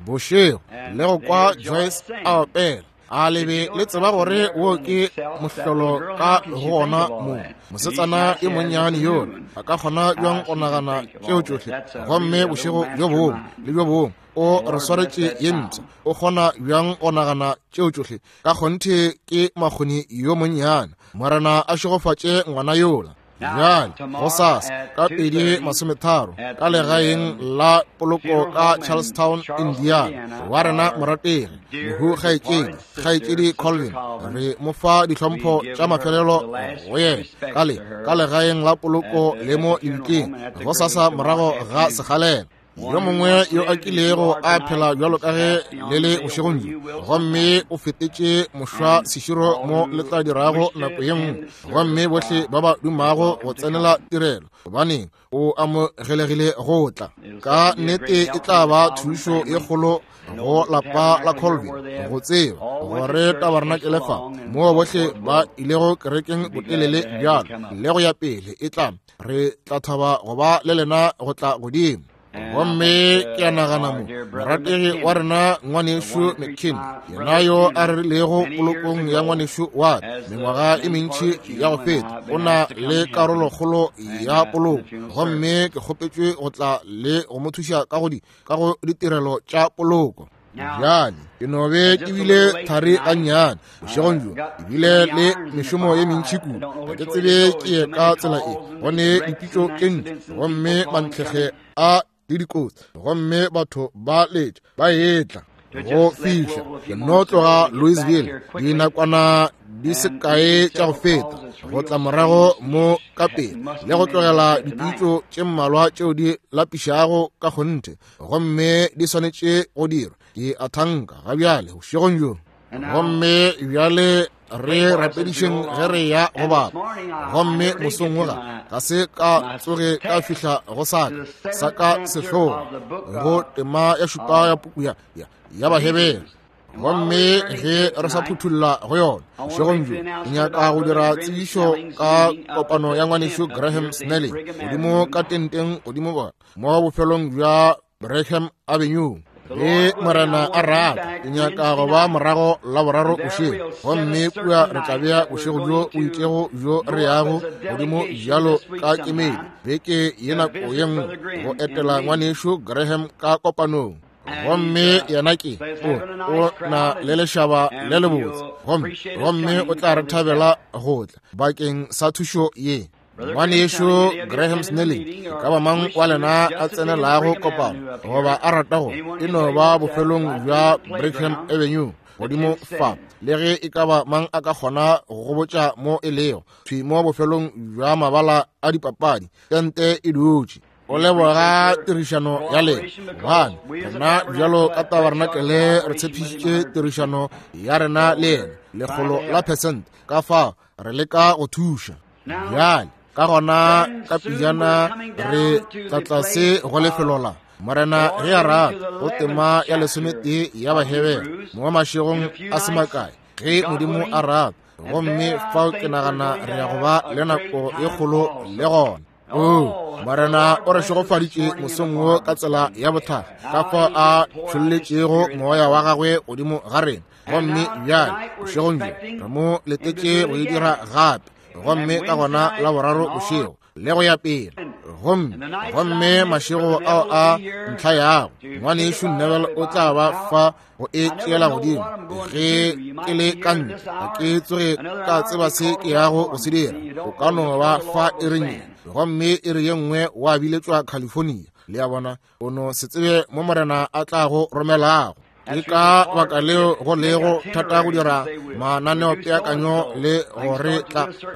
Bošego le go kwa Joyce a opela. A le be le tseba gore wo ke mohlolo ka go gona mo? Mosetsana yo monnyane yola a ka kgona bjang go nagana tšeo tšohle? Gomme bošego bjo bongwe le bjo bongwe o re swaretše ye mpsha. O kgona bjang go nagana tšeo tšohle? Ka kgonthe ke makgoni yo monnyane. Morena a šegofatše ngwana yola. Bjale, gosasa ka 2:30 ka legaeng la poloko ka Charlestown, Indiana, wa rena morategi mohu kgaetšedi, kgaetšedi Colvin, re mo fa dihlompho tša mafelelo go yena ka le ka legaeng la poloko le mo lebitleng gosasa morago ga sekgalela. Yo mongwe yo a kilego a phela bjalo ka ge le le bošegong bjo, gomme o fetetše mošwa seširo mo le tla dirago nako ye nngwe, gomme bohle ba ba dumago go tsenela tirelo, gobaneng o amogelegile go tla. Ka nnete e tla ba thušo ye kgolo go lapa la Colvin go tseba gore tabarenakele fa moo bohle ba ilego kerekeng botelele bjalo le go ya pele e tla re tla thaba go ba le lena go tla godimo. Gomme ke a nagana mo morategi wa rena ngwanešu McKinney, yena yo a rerilego polokong ya ngwanešu wa ka mengwaga e mentši ya go feta, o na le karolokgolo ya poloko, gomme ke kgopetšwe go tla le go mo thuša ka go ditirelo tša poloko. Bjale ke no be ke bile thari gannyane bošegong bjo, ke bile le mešomo ye mentši kudu, ga ke tsebe ke ye ka tsela e, go ne dipitšo tše ntši, gomme mantlhekge a le dikotsi, gomme batho ba letša ba etla go fihla. Ke no tloga Louisville dinakwana di se kae tša go feta, go tla morago mo ka pele le go tlogela dipitšo tše mmalwa tšeo di lapišago ka kgonthe, gomme di swanetše go dirwa. Ke a thanka ga bjale bošegong bjo. Gomme bjale re rapedišeng ge re ya go bapa. Gomme mosong wola ga se ka tsoge ka fihla go saka sa ka sehlogo go tema ya šupa ya puku ya Bahebere. Gomme ge re sa phuthulla go yona bošegong bjo, ke nyaka go dira tsebišo ka kopano ya ngwanešu Graham Snelling godimo ka tenteng godimo ba mo bofelong bja Brigham Avenue. Ge Morena a rata, ke nyaka go ba morago la boraro bošego, gomme kua re tla bea bošego bjo bo itšego bjo re yago godimo bjalo ka kemedi beke ye nako ye nngwe go etela ngwanešu Graham ka kopanong. Gomme yena ke o na le lešaba le lebotse, gomme o tla re thabela go tla bakeng sa thušo ye. Ngwanešu Graham Snelling, e ka ba mang wa lena a tsenelago kopano goba a ratago, e no ba bofelong bja Brigham Avenue godimo fa, le ge e ka ba mang a ka kgona go go botša mo e lego, thwi mo bofelong bja mabala a dipapadi, tente e dutše. O leboga tirišano ya lena, gobane rena bjalo ka tabarenakele re tshepišitše tirišano ya rena le yena 100%. Ka fao re leka go thuša. Bjale ka gona ka pejana re tla tlase go lefelo la Morena ge a rata, go tema ya 11 ya Bahebere mo mašegong a se makae, ge Modimo a rata. Gomme fao ke nagana re ya go ba le nako ye kgolo le gona. O Morena o re šegofaditše mosong wo ka tsela ya bothakga, ka fao a tšholletšego moya wa gagwe godimo ga rena. Gomme bjale bošegong bjo re mo letetše go e dira gape, gomme ka gona la boraro bošego le go ya pele. Gomme mašego ao a ntlha yago, ngwanešu Neville o tla ba fa go e tšeela godimo. Ge ke le ka ntle, ga ke tsoge ka tseba se ke yago go se dira. O ka no ba fa iring ye, gomme iri ye nngwe wa biletšwa California. Le a bona, o no se tsebe mo Morena a tla go romelago. Ke ka baka leo go lego thata go dira mananeopeakanyo le gore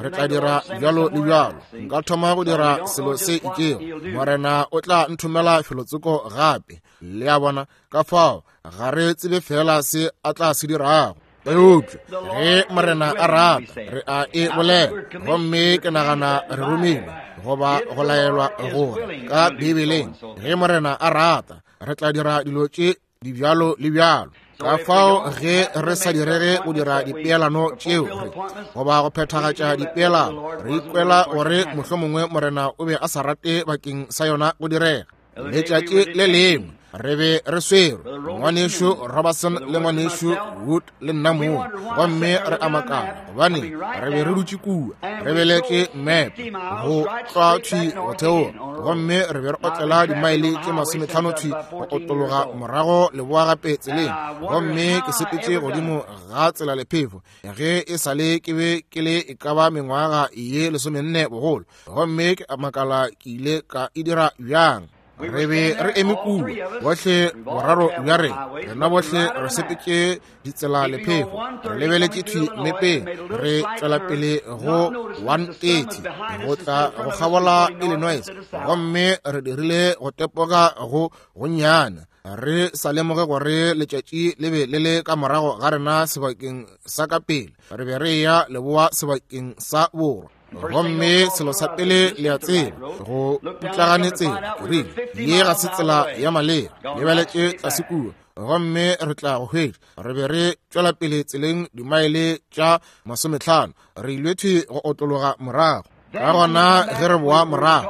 re tla dira bjalo le bjalo. Nka thoma go dira selo se itšego, Morena o tla nthomela felotsoko gape. Le a bona, ka fao ga re tsebe fela se a tla se dirago. Eupša ge Morena a rata, re a e bolela. Gomme ke nagana re romilwe goba go laelwa gore ka Bibeleng, ge Morena a rata, re tla dira dilo tše di bjalo le bjalo. Ka fao ge re sa direge go dira dipeelano tšeo re goba go phethagatša dipeelano, re ikwela gore mohlomongwe Morena o be a sa rate bakeng sa yona go direga. Letšatši le lengwe Re be re swerwe, Ngwanešu Robertson le Ngwanešu Wood le nna mong, gomme re a makala gobane re be re dutše kua re beletše mmepe go tlwa thwi go theoga, gomme re be re otlela dimaele tše 50 thwi go otologa morago leboa gape tseleng. Gomme ke sepetše godimo ga tsela lephefo ge e sa le ke be ke le e ka ba mengwaga ye 14 bogolo, gomme ke a makala ke ile ka e dira bjang. Re be re eme kua bohle boraro bja rena, rena bohle re sepetše ditsela lephefo, re lebeletše thwi mmepeng, re tšwela pele go 130 go tla go kgabola Illinois, gomme re dirile go tepoga go gonnyane, re sa lemoge gore letšatši le be le le ka morago ga rena sebakeng sa ka pele, re be re ya leboa sebakeng sa borwa. Gomme selo sa pele le a tseba, go putlagane tsela, ke rile, ye ga se tsela ya maleba, lebeletše tlase kua, gomme re tla go hwetša. Re be re tšwela pele tseleng dimaele tša 50, re ile thwi go otlologa morago. Ka gona ge re boa morago,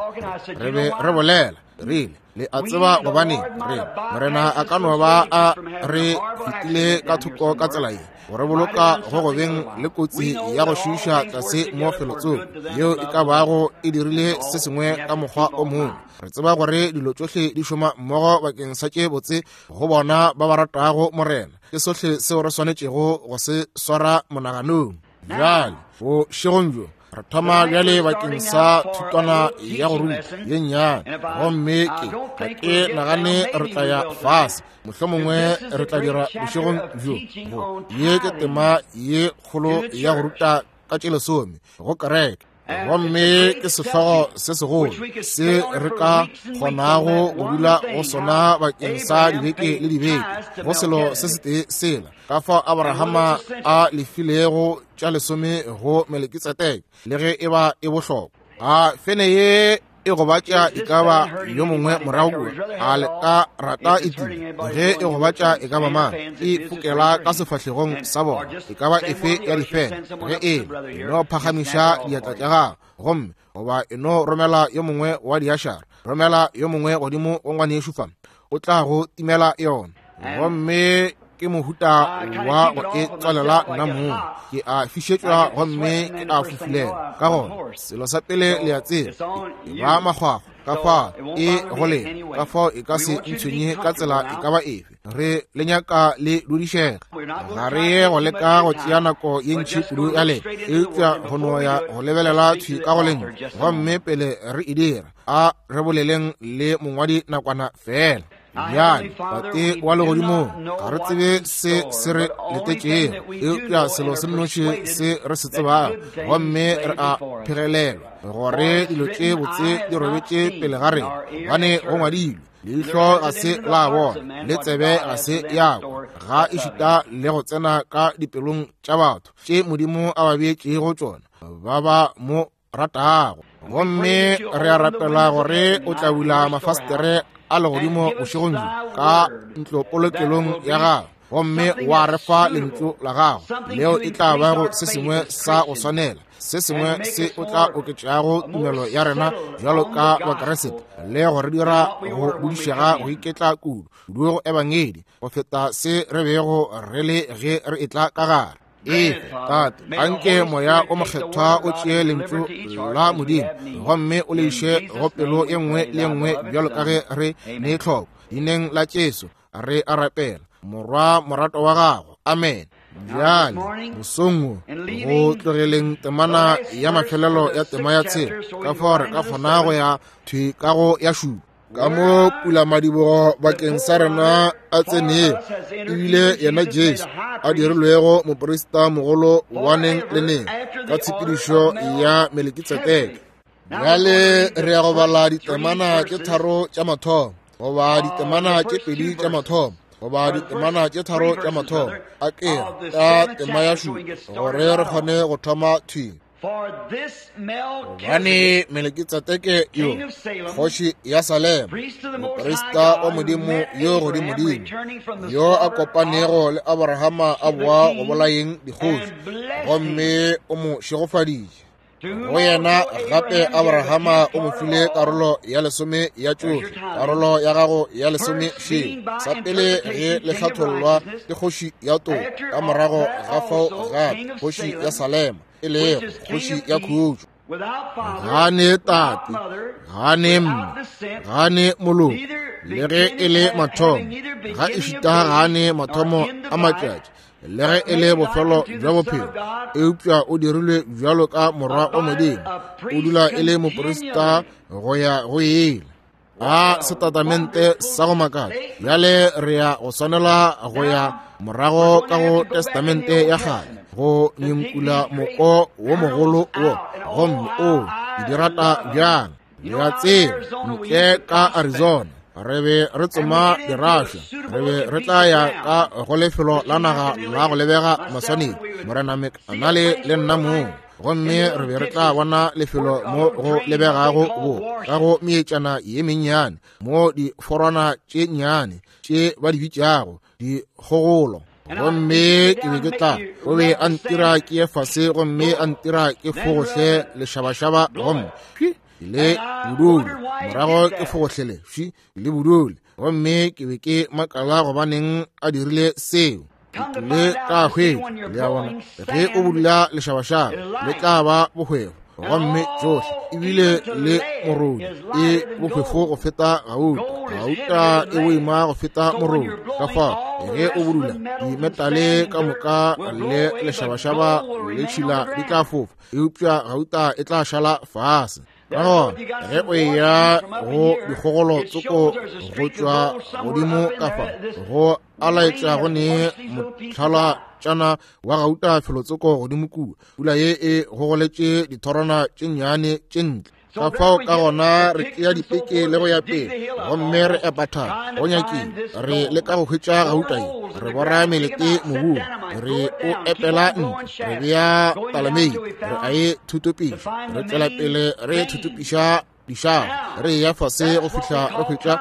re be re bolela, rile, le a tseba gobane re Morena a ka no ba a re fetile ka thoko ka tsela ye, go re boloka go gobeng le kotsi ya go šiiša tlase mo felotsoko yeo e ka bago e dirile se sengwe ka mokgwa o mongwe. Re tseba gore dilo tšohle di šoma mmogo bakeng sa tše botse go bona ba ba ratago Morena. Ke sohle seo re swanetšego go se swara monaganong. Bjale bošegong bjo re thoma bjale bakeng sa thutwana ya go ruta ye nnyane, gomme ke ga ke nagane re tla ya fase, mohlomongwe re tla dira bošegong bjo. Ye ke tema ye kgolo ya go ruta ka tše lesome go kereke, gomme ke sehlogo se segolo se re ka kgonago go dula go sona bakeng sa dibeke le dibeke, go selo se setee sela ka fao Abrahama a lefilego tša lesome go Melekitsedeke, le ge e ba e bohlokwa. A fene ye e gobatša e ka ba yo mongwe morago kua, a le ka rata e tile ge e gobatša e ka ba mang, e fokela ka sefahlegong sa bona, e ka ba efe ya difene, ge e e no phagamiša diatla tša gago, gomme goba e no romela yo mongwe wa diašara, romela yo mongwe godimo go ngwanešu fa, o tla go timela yona. Gomme ke mohuta wa go e tswalela nna mong, ke a fišetšwa gomme ke a fufulela. Ka gona selo sa pele le a tseba, e ba makgwakgwa ka fao e go lena, ka fao e ka se ntshwenye ka tsela e ka ba efe. Re le nyaka le dudišega, ga re ye go leka go tšea nako ye ntši kudu ya lena, eupša go no ya go lebelela thwi ka go lentšu. Gomme pele re e dira, a re boleleng le mongwadi nakwana fela. Bjale, Tate wa legodimong, ga re tsebe se se re letetšego, eupša selo se nnoši se re se tsebago, gomme re a phegelelwa gore dilo tše botse di robetše pele ga rena, gobane go ngwadilwe, leihlo ga se la bona, le tsebe ga se ya kwa, ga ešita le go tsena ka dipelong tša batho tše Modimo a ba beetšego tšona ba ba mo ratago. Gomme re a rapela gore o tla bula mafastere a legodimo bošegong bjo ka ntlopolokelong ya gago, gomme wa re fa lentšu la gago leo e tla bago se sengwe sa go swanela, se sengwe se o tla oketšago tumelo ya rena bjalo ka Bakeresete, le go re dira go bodišega go iketla kudu kudu go ebangedi go feta se re bego re le ge re etla ka gare. Efe, Tate, anke Moya o Mokgethwa o tšee lentšu la Modimo gomme o le iše go pelo ye nngwe le ye nngwe bjalo ka ge re ne tlhoko. Dineng la Jesu re a rapela, Morwa morato wa gago. Amen. Bjale mosong wo, go tlogeleng temana ya mafelelo ya tema ya tshela, ka fao re ka kgona go ya thwi ka go ya šupa. Ka mo pulamadibogo bakeng sa rena a tsenego, ebile yena Jesu a dirilwego moprista mogolo wa neng le neng ka tshepedišo ya Melekitsedeke. Bjale re ya go bala ditemana tše tharo tša mathomo, goba ditemana tše pedi tša mathomo, goba ditemana tše tharo tša mathomo, a ke ka tema ya šupa, gore re kgone go thoma thwi. Gobane Melekitsedeke yo, kgoši ya Salema, moprista wa Modimo yo godimodimo, yo a kopanego le Abrahama a boa go bolayeng dikgoši, gomme o mo šegofaditše. Go yena gape Abrahama o mo file karolo ya lesome ya tšohle, karolo ya gago ya lesome šeo. Sa pele ge le hlathollwa ke kgoši ya toka, ka morago ga fao gape kgoši ya Salema, e lego kgoši ya khutšo. Ga ne tate, ga ne mme, ga ne moloko, le ge e le mathomo, ga ešita ga ne mathomo a matšatši, le ge e le bofelo bja bophelo, eupša o dirilwe bjalo ka morwa wa Modimo, o dula e le moprista go ya go ile. A setatamente sa go makatša! Bjale re ya go swanela go ya morago ka go Testamente ya kgale go nyenkula moko wo mogolo wo, gomme o ke di rata bjang. Le a tseba, ntle ka Arizona re be re tsoma dirašwa, re be re tla ya ka go lefelo la naga la go lebega maswanedi, Morena McAnally le nna mong, gomme re be re tla bona lefelo mo go lebegago bo ka go meetšana ye mennyane, mo diforwana tše nnyane tše ba di bitšago dikgogolo. Gomme ke be ke tla, o be a ntira ke ye fase, gomme a ntira ke fogohle lešabašaba, gomme phi le bodule, morago ke fogohlele phi le bodule. Gomme ke be ke makala gobaneng a dirile seo. Ke tlile ka hwetša, le a bona, ge o budula lešabašaba le tla ba bohwefo, gomme tšohle ebile le morodi e bohwefo go feta gauta, gauta e boima go feta morodi. Ka fao ge o budula dimetale ka moka le lešabašaba le tšhila di tla fofa, eupša gauta e tla šala fase. Ka gona ge o eya go dikgogolo tsoko go tšwa godimo ka fa, go a laetša go ne motlhalatšana wa gauta felotsoko godimo kua, pula ye e gogoletše dithorwana tše nnyane tše ntle. Ka fao ka gona re tšea dipeke le go ya pele, gomme re epa thaba go nyakile, re leka go hwetša gauta ye, re bora melete mobung, re o epela ntle, re bea talamei, re a e thutopiša, re tšwela pele re thutopiša dišago, re ya fase go fihla re hwetša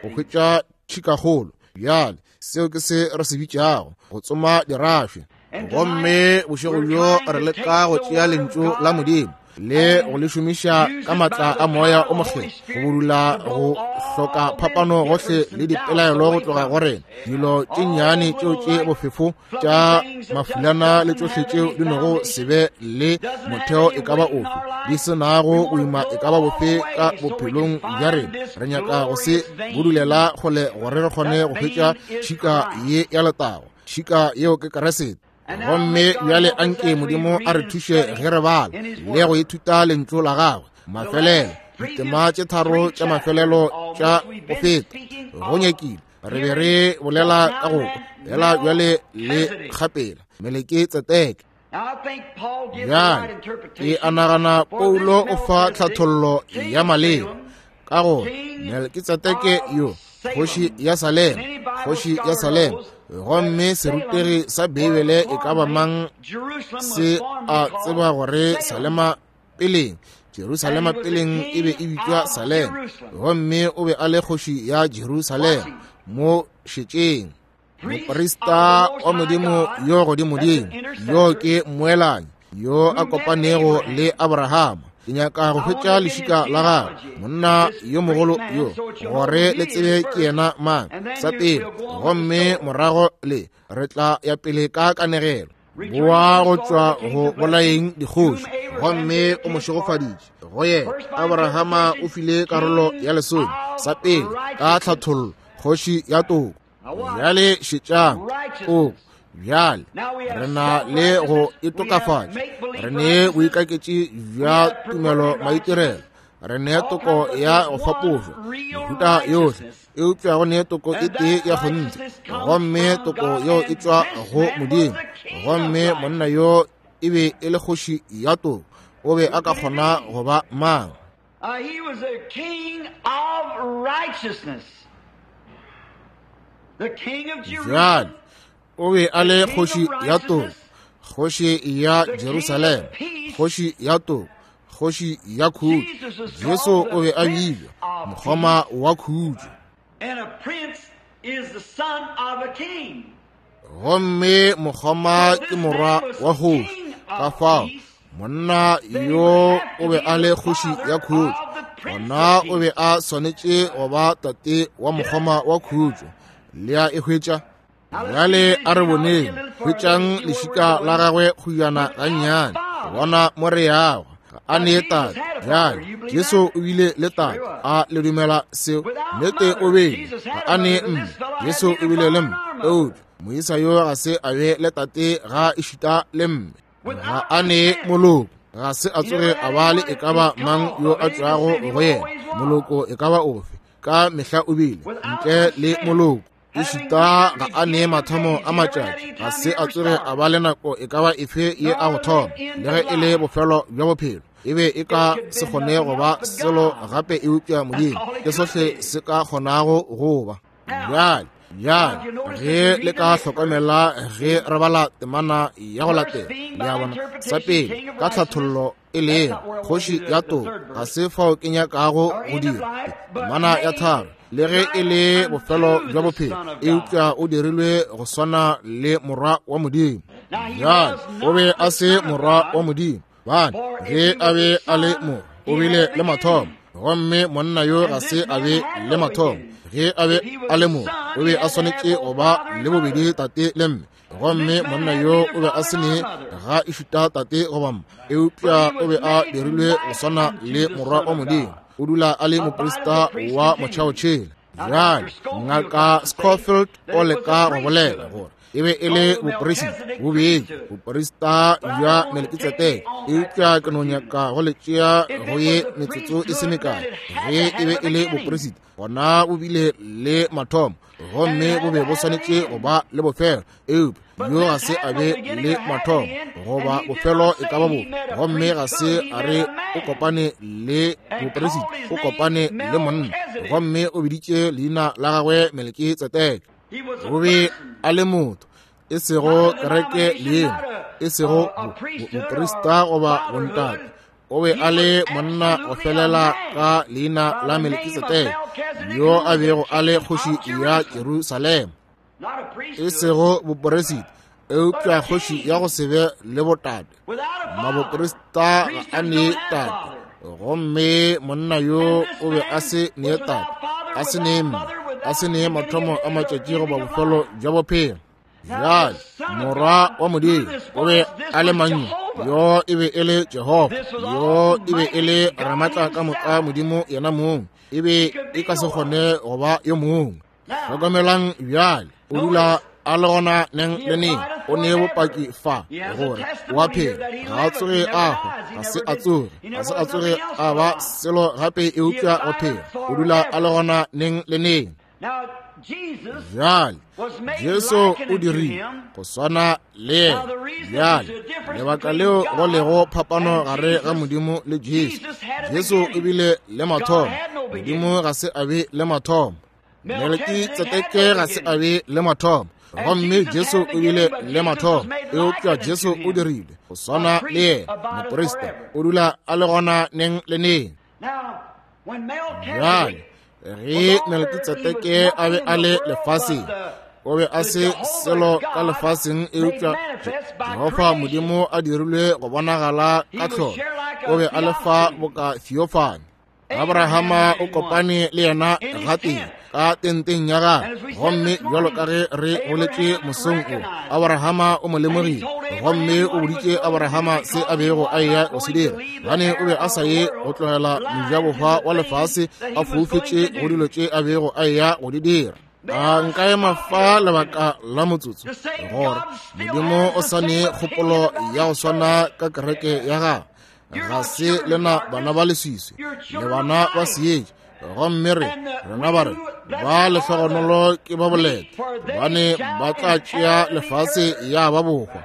go hwetša tšhikagolo. Bjale seo ke se re se bitšago go tsoma dirašwe. Gomme bošego bjo re leka go tšea lentšu la Modimo le go le šomiša ka matla a Moya o Mokgethwa go budula go hloka phapano gohle le dipelaelo go tloga go rena, dilo tše nnyane tšeo tše bofefo tša mafulana le tšohle tšeo di nogo se be le motheo e ka ba ofe, di se nago boima e ka ba bofe ka bophelong bja rena. Re nyaka go se budulela kgole gore re kgone go hwetša tšhika ye ya letago, tšhika yeo ke Keresete. Gomme bjale anke Modimo a re thuše ge re bala le go ithuta lentšu la gagwe. Mafelelo, ditema tše tharo tša mafelelo tša go feta go nyakile re be re bolela ka go kwa, fela bjale le kgapela Melekitsedeke. Bjale ke a nagana Paulo o fa tlhathollo ya maleba ka gore Melkitsedeke yo kgoši ya Salema, kgoši ya Salema. Gomme serutegi sa Beibele e ka ba mang se a tseba gore Salema peleng, Jerusalema peleng e be e bitšwa Salema, gomme o be a le kgoši ya Jerusalema. Mo šetšeng, moprista wa Modimo yo godimodimo, yo ke mmoelanyi yo a kopanego le Abrahama. Ke nyaka go hwetša lešika la gagwe, monna yo mogolo yo, gore le tsebe ke yena mang sa pele, gomme morago le re tla ya pele ka kanegelo. Boa go tšwa go bolaeng dikgoši, gomme o mo šegofaditše. Go yena Abrahama o file karolo ya lesome sa pele ka tlhathollo, kgoši ya toko. Bjale šetšang toko. Bjale re na le go itokafatša, re ne boikaketši bja tumelo maitirelo, re ne toko ya go fapošwa mehuta yohle, eupša go ne toko e tee ya kgonthe, gomme toko yeo e tšwa go Modimo. Gomme monna yo e be e le kgoši ya toko, o be a ka kgona go ba mang? He was a king of righteousness. The king of Bjale Jerusalem. o be a le kgoši ya toko, kgoši ya Jerusalema, kgoši ya toko, kgoši ya khutšo. Jesu o be a bitšwa mokgoma wa khutšo. And a prince is the son of a king. Gomme mokgoma ke morwa wa kgoši. Ka fao Monna yo o be a le kgoši ya khutšo, gona o be a swanetše go ba tate wa mokgoma wa khutšo. Le a e hwetša? Bjale a re boneng, hwetšang lešika la gagwe kgujana gannyane, bona mo re yago. Ga a ne tate. Bjale Jesu o bile le tate, a le dumela seo? Nnete o bile. Ga a ne mme, Jesu o bile le mme, eupša moisa yo ga se a be le tate ga ešita le mme. Ga a ne moloko, ga se a tsoge a ba le e ka ba mang yo a tšwago go yena, moloko e ka ba ofe, ka mehla o bile ntle le moloko. Ešita ga a ne mathomo a matšatši, ga se a tsoge a ba le nako e ka ba efe ye a go thoma, le ge e le bofelo bja bophelo. E be e ka se kgone go ba selo gape eupša Modimo, ke sohle se ka kgonago go ba. Bjale, bjale, ge le ka hlokomela ge re bala temana ya go latela, le a bona, sa pele, ka tlhathollo e lego kgoši ya toka, ga se fao ke nyakago go dira temana ya tharo, le ge e le bofelo bja bophelo, eupša o dirilwe go swana le morwa wa Modimo. Bjale, o be a se morwa wa Modimo, bane ge a be a le morwa o bile le mathomo, gomme monna yo ga se a be le mathomo. Ge a be a le morwa o be a swanetše go ba le bobedi tate le mme, gomme monna yo o be a se ne ga ešita tate goba mma, eupša o be a dirilwe go swana le morwa wa Modimo. O dula a le moprista wa motšhaotšhele. Bjale Ngaka Scofield o leka go bolela gore e be e le boporesita bobedi, boporista bja Melkitsedeke, eupša ke no nyaka go le tšea go ye metsotso e se mekae. Ge e be e le boporesita, gona bo bile le mathomo, gomme bo be bo swanetše go ba le bofelo, eupša yo ga se a be le mathomo goba bofelo e ka ba bofe, gomme ga se a re o kopane le boporesita, o kopane le monna, gomme o biditše leina la gagwe Melkitsedeke. O be a le motho, e sego kereke leina, e sego boporista goba bontate. O be a le monna go felela ka leina la Melkitsedeke, yo a bego a le kgoši ya Jerusalema, e sego boporesita, eupša kgoši ya go se be le botate. Maboporista ga a ne tate, gomme monna yo o be a se ne tate, a se ne mme, a se ne mathomo a matšatši goba bofelo bja bophelo. Bjale morwa wa Modimo o be a le mang? Yo e be e le Jehofa, yo e be e le Ramatla ka moka, Modimo yena mong. E be e ka se kgone go ba yo mongwe. Hlokomelang bjale, o dula a le gona neng le neng. O ne bopaki fa gore o a phela, ga a tsoge a hwa, ga se a tsoge, ga se a tsoge a ba selo gape eupša go phela. O dula a le gona neng le neng. Bjale Jesu o dirile go swana le yena. Bjale lebaka leo go lego phapano gare ga Modimo le Jesu, Jesu o bile le mathomo, Modimo ga se a be le mathomo. Melkitsedeke ga se a be le mathomo, gomme Jesu o bile le mathomo, eupša Jesu o dirile go swana le yena. Moprista o dula a le gona neng le neng. Bjale ge Melkitsedeke a be a le lefaseng, o be a se selo ka lefaseng, eupša Jehofa Modimo a dirilwe go bonagala ka tlholo, o be a le fa boka theophany. Abrahama o kopane le yena gatee ka tenteng ya gagwe, gomme bjalo ka ge re boletše mosong o, Abrahama o mo lemogile, gomme o boditše Abrahama se a bego a eya go se dira, gane o be a sa ye go tlogela mojabohwa wa lefase a foufetše go dilo tše a bego a eya go di dira. A nka ema fa lebaka la motsotso gore Modimo o sa ne kgopolo ya go swana ka kereke ya gagwe. Ga se lena bana ba leswiswi, le bana ba seetša, gomme re rena ba re ba lehlogonolo ke ba boleta, gobane ba tla tšea lefase ya ba bohwa.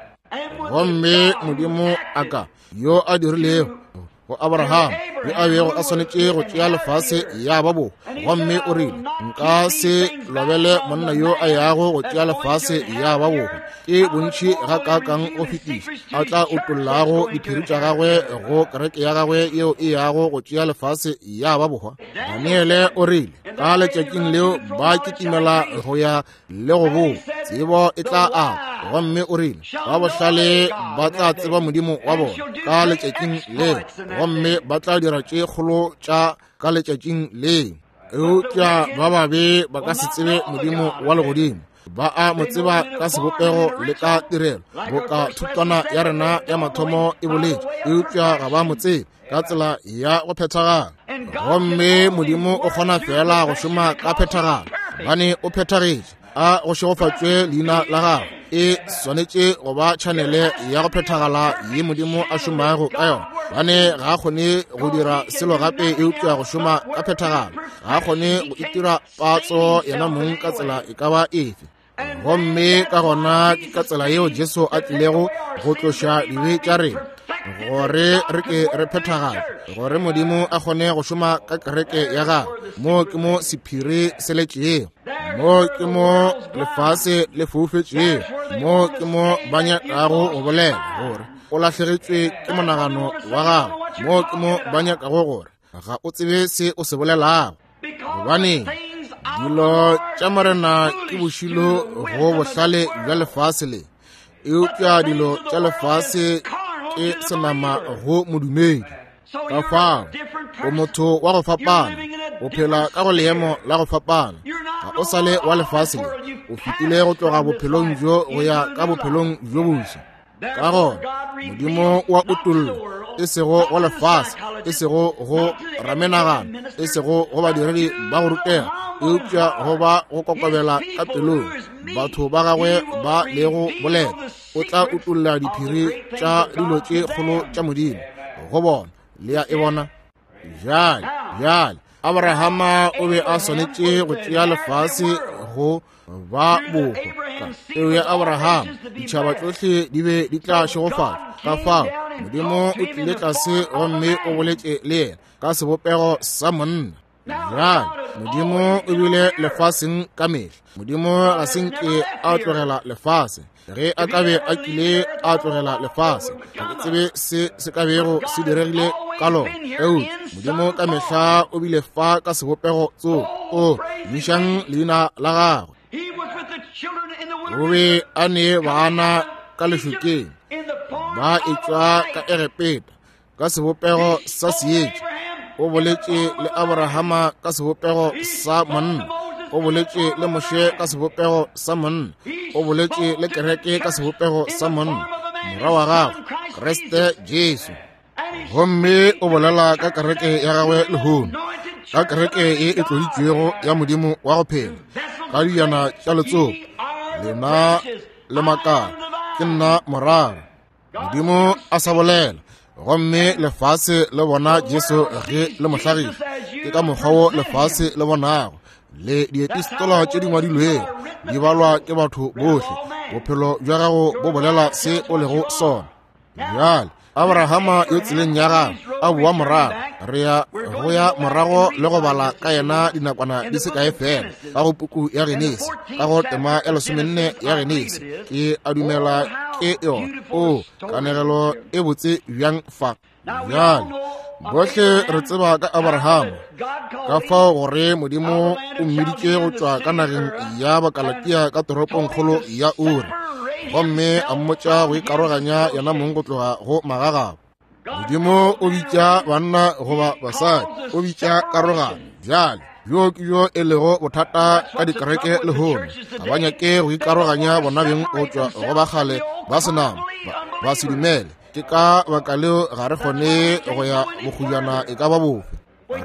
Gomme Modimo a ka yo a dirilego go Abraham, yo a bego a swanetše go tšea lefase ya ba bohwa, gomme o rile, nka se lobele monna yo a yago go tšea lefase ya ba bohwa, ke bontši ga kaakang go fetiša a tla utollago diphiri tša gagwe go kereke ya gagwe yeo e yago go tšea lefase ya ba bohwa. Daniele o rile, ka letšatšing leo ba kitimela go ya le go boa. Tsebo e tla ata. Gomme o rile, ba bohlale ba tla tseba Modimo wa bona ka letšatšing leo, gomme ba tla dira tše kgolo tša ka letšatšing leo. Eupša ba babe ba ka se tsebe Modimo wa legodimo. Ba a mo tseba ka sebopego le ka tirelo, boka thutwana ya rena ya mathomo e boletše, eupša ga ba mo tsebe ka tsela ya go phethagala. Gomme Modimo o kgona fela go šoma ka phethagalo, gobane o phethagetše. A go šegofatšwe leina la gagwe. E swanetše go ba tšhanele ya go phethagala ye Modimo a šomago ka yona, gobane ga a kgone go dira selo gape eupša go šoma ka phethagalo. Ga a kgone go itira patso yena mong ka tsela e ka ba efe. Gomme ka gona ke ka tsela yeo Jesu a tlilego go tloša dibe tša rena, gore re ke re phethagale, gore Modimo a kgone go šoma ka kereke ya gagwe. Mo ke mo sephiri se letšego, mo ke mo lefase le foufetšego, mo ke mo ba nyakago go bolela gore o lahlegetšwe ke monagano wa gago, mo ke mo ba nyakago gore ga o tsebe se o se bolelago. Gobane dilo tša Morena ke bošilo go bohlale bja lefase le, eupša dilo tša lefase ke senama go modumedi. Ka fao o motho wa go fapana, o phela ka go leemo la go fapana. Ga o sa le wa lefase le, o fetile go tloga bophelong bjo go ya ka bophelong bjo boswa. Ka gona Modimo wa utolla, e sego go lefase, e sego go ramenagano, e sego go badiredi ba go rutega, eupša go ba go kokobela ka pelong batho ba gagwe ba lego boleta. O tla utolla diphiri tša dilo tše kgolo tša Modimo go bona. Le ya e bona bjale. Bjale Abrahama o be a swanetše go tšea lefase go ba bohwa. Ka peu ya Abrahama ditšhaba tšohle di be di tla šegofatšwa. Ka fao Modimo o tlile tlase gomme o boletše le yena ka sebopego sa monna. Bjale Modimo o bile lefaseng ka mehla. Modimo ga se nke a tlogela lefase. Ge a ka be a kile a tlogela lefase, ga ke tsebe se se ka bego se diregile ka lona. Eupša Modimo ka mehla o bile fa ka sebopego tsogo. O tumišang leina la gagwe. O be a ne bana ka lešokeng, ba etšwa ka Egepeta ka sebopego sa seetša. O boletše le Abrahama ka sebopego sa monna. O boletše le Moshe ka sebopego sa monna. O boletše le kereke ka sebopego sa monna, morwa wa gagwe Kriste Jesu. Gomme o bolela ka kereke ya gagwe lehono, ka kereke ye e tloditšwego ya Modimo wa go phela, ka dijana tša letsopa, lena le makala, ke nna morara. Modimo a sa bolela, gomme lefase le bona Jesu ge le mo hlagiša. Ke ka mokgwa wo lefase le bonago le diepistola tše di ngwadilwego di balwa ke batho bohle. Bophelo bja gago bo bolela se o lego sona. Bjale Abrahama yo tseleng ya gagwe a boa morago, re ya go ya morago le go bala ka yena dinakwana di se kae fela ka go puku ya Genesi, ka go tema ya 14 ya Genesi. Ke a dumela ke yona. O kanegelo e botse bjang fa. Bjale bohle re tseba ka Abrahama, ka fao gore Modimo o mmiditše go tšwa ka nageng ya Bakalatia ka toropongkgolo ya Uri, gomme a mmotša go ikaroganya yena mong go tloga go magagabo. Modimo o bitša banna goba basadi, o bitša karogano. Bjale bjo ke bjo e lego bothata ka dikereke lehono. Ga ba nyake go ikaroganya bona beng go tšwa go ba kgale ba senama, ba se dumele. Ke ka baka leo ga re kgone go ya bokgojana e ka ba bofe.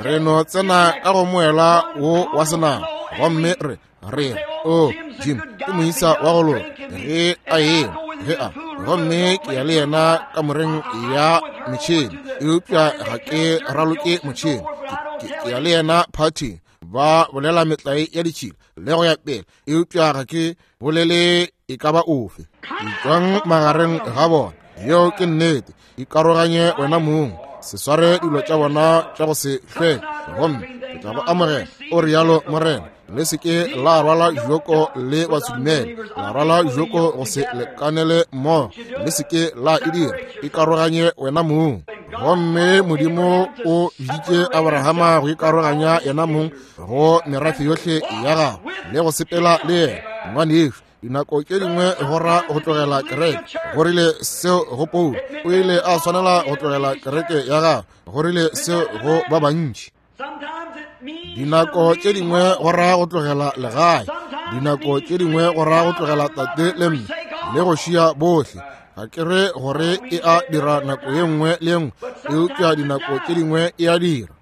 Re no tsena ka go moela wo wa senama, gomme re re o Jim ke moisa wa go loka ge a ema ge a, gomme ke ya le yena kamoreng ya metšhene, eupša ga ke raloke motšhene. Ke ya le yena phathing, ba bolela metlae ya ditšhila le go ya pele, eupša ga ke bolele e ka ba ofe. Etšwang magareng ga bona, yeo ke nnete. Ikaroganye wena mong, se sware dilo tša bona tša go se hlweke, gomme ke tla go amogela, o rialo Morena. Le se ke la rwala joko le basedumele, la rwala joko go se lekanele mmogo, le se ke la e dira. Ikaroganye wena mong. Gomme Modimo o biditše Abrahama go ikaroganya yena mong go merafe yohle ya gagwe le go sepela le yena. Ngwanešu, Dinako tše dingwe go ra go tlogela kereke. Go rile seo go Paulo, o ile a swanela go tlogela kereke ya gagwe. Go rile seo go ba bantši. Dinako tše dingwe go ra go tlogela legae. Dinako tše dingwe go ra go tlogela tate le mme le go šia bohle. Ga ke re gore e a dira nako ye nngwe le ye nngwe, eupša dinako tše dingwe e a dira.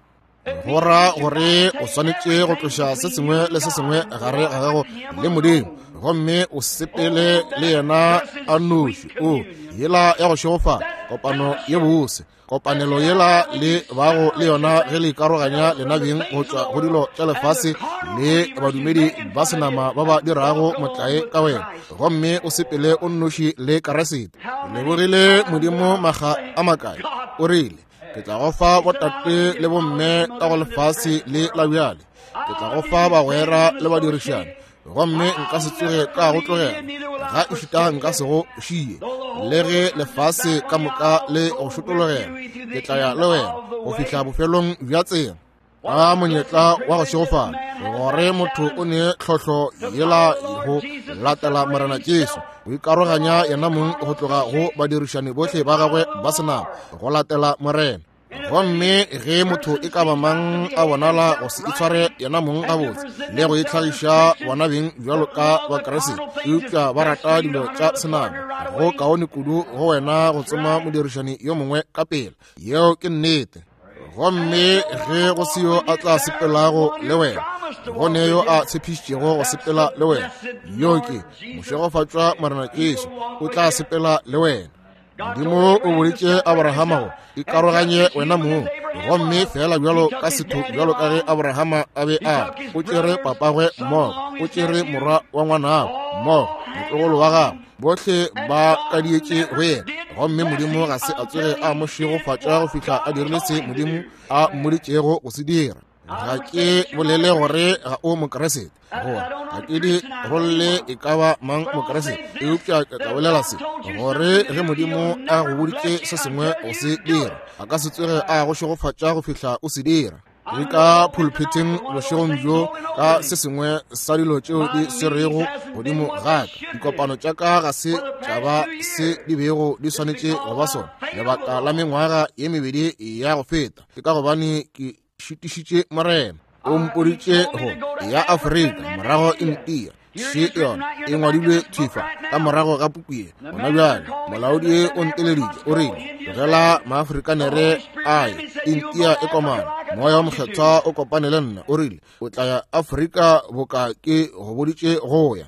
Go ra gore o swanetše go tloša se sengwe le se sengwe gare ga gago le Modimo, gomme o sepele le yena a nnoši. O yela ya go šegofala, kopano ye bose, kopanelo yela le bago le yona ge le ikaroganya lena beng go tšwa go dilo tša lefase le badumedi ba senama ba ba dirago motlae ka wena, gomme o sepele o nnoši le Keresete. Lebogile Modimo maga a makae, o rile, ke tla go fa botate le bomme ka go lefase le la bjale, ke tla go fa bagwera le badirišani, gomme nka se tsoge ka go tlogela, ga ešita nka se go šie, le ge lefase ka moka le go šotologela, ke tla ya le wena go fihla bofelong bja tsela. Ka monyetla wa go šegofala gore motho o ne tlhohlo yela go latela Morena Jesu, go ikaroganya yena mong go tloga go badirišani bohle ba gagwe ba senama go latela Morena. Gomme ge motho e ka ba mang a bonala go se itshware yena mong gabotse le go itlhagiša bona beng bjalo ka Bakriste, eupša ba rata dilo tša senama, go kaone kudu go wena go tsoma modirišani yo mongwe ka pela. Yeo ke nnete. Gomme ge go se yo a tla sepelago le wena, go ne yo a tshepišitšego go sepela le wena, yo ke mošegofatšwa Morena Jesu, o tla sepela le wena. Modimo o boditše Abrahama go ikaroganye wena mong, gomme fela bjalo ka setho bjalo ka ge Abrahama a be a, o tšere papagwe mmogo, o tšere morwa wa ngwanabo mmogo, motlogolo wa gagwe, bohle ba kadietše go yena, gomme Modimo ga se a tsoge a mo šegofatša go fihla a dirile se Modimo a mmoditšego go se dira. Ga ke bolele gore ga o Mokriste, gore ga ke di rolle e ka ba mang Mokriste, eupša ke tla bolela se, gore ge Modimo a go boditše se sengwe go se dira, a ka se tsoge a go šegofatša go fihla o se dira. Ke ka pulpiteng bošegong bjo ka se sengwe sa dilo tšeo di swerego godimo ga ka. Dikopano tša ka ga se tša ba se di bego di swanetše go ba sona lebaka la mengwaga ye mebedi ya go feta. Ke ka gobane ke šitišitše Morena. O mpoditše go ya Afrika, morago India. Še yona e ngwadilwe thwi fa ka morago ga puku ye. Gona bjale molaodi o nteleditše, o rile, tlogela Maafrikanere a ye, India e komana. Moya wa Mokgethwa o kopane le nna, o rile, o tla ya Afrika boka ke go boditše go ya.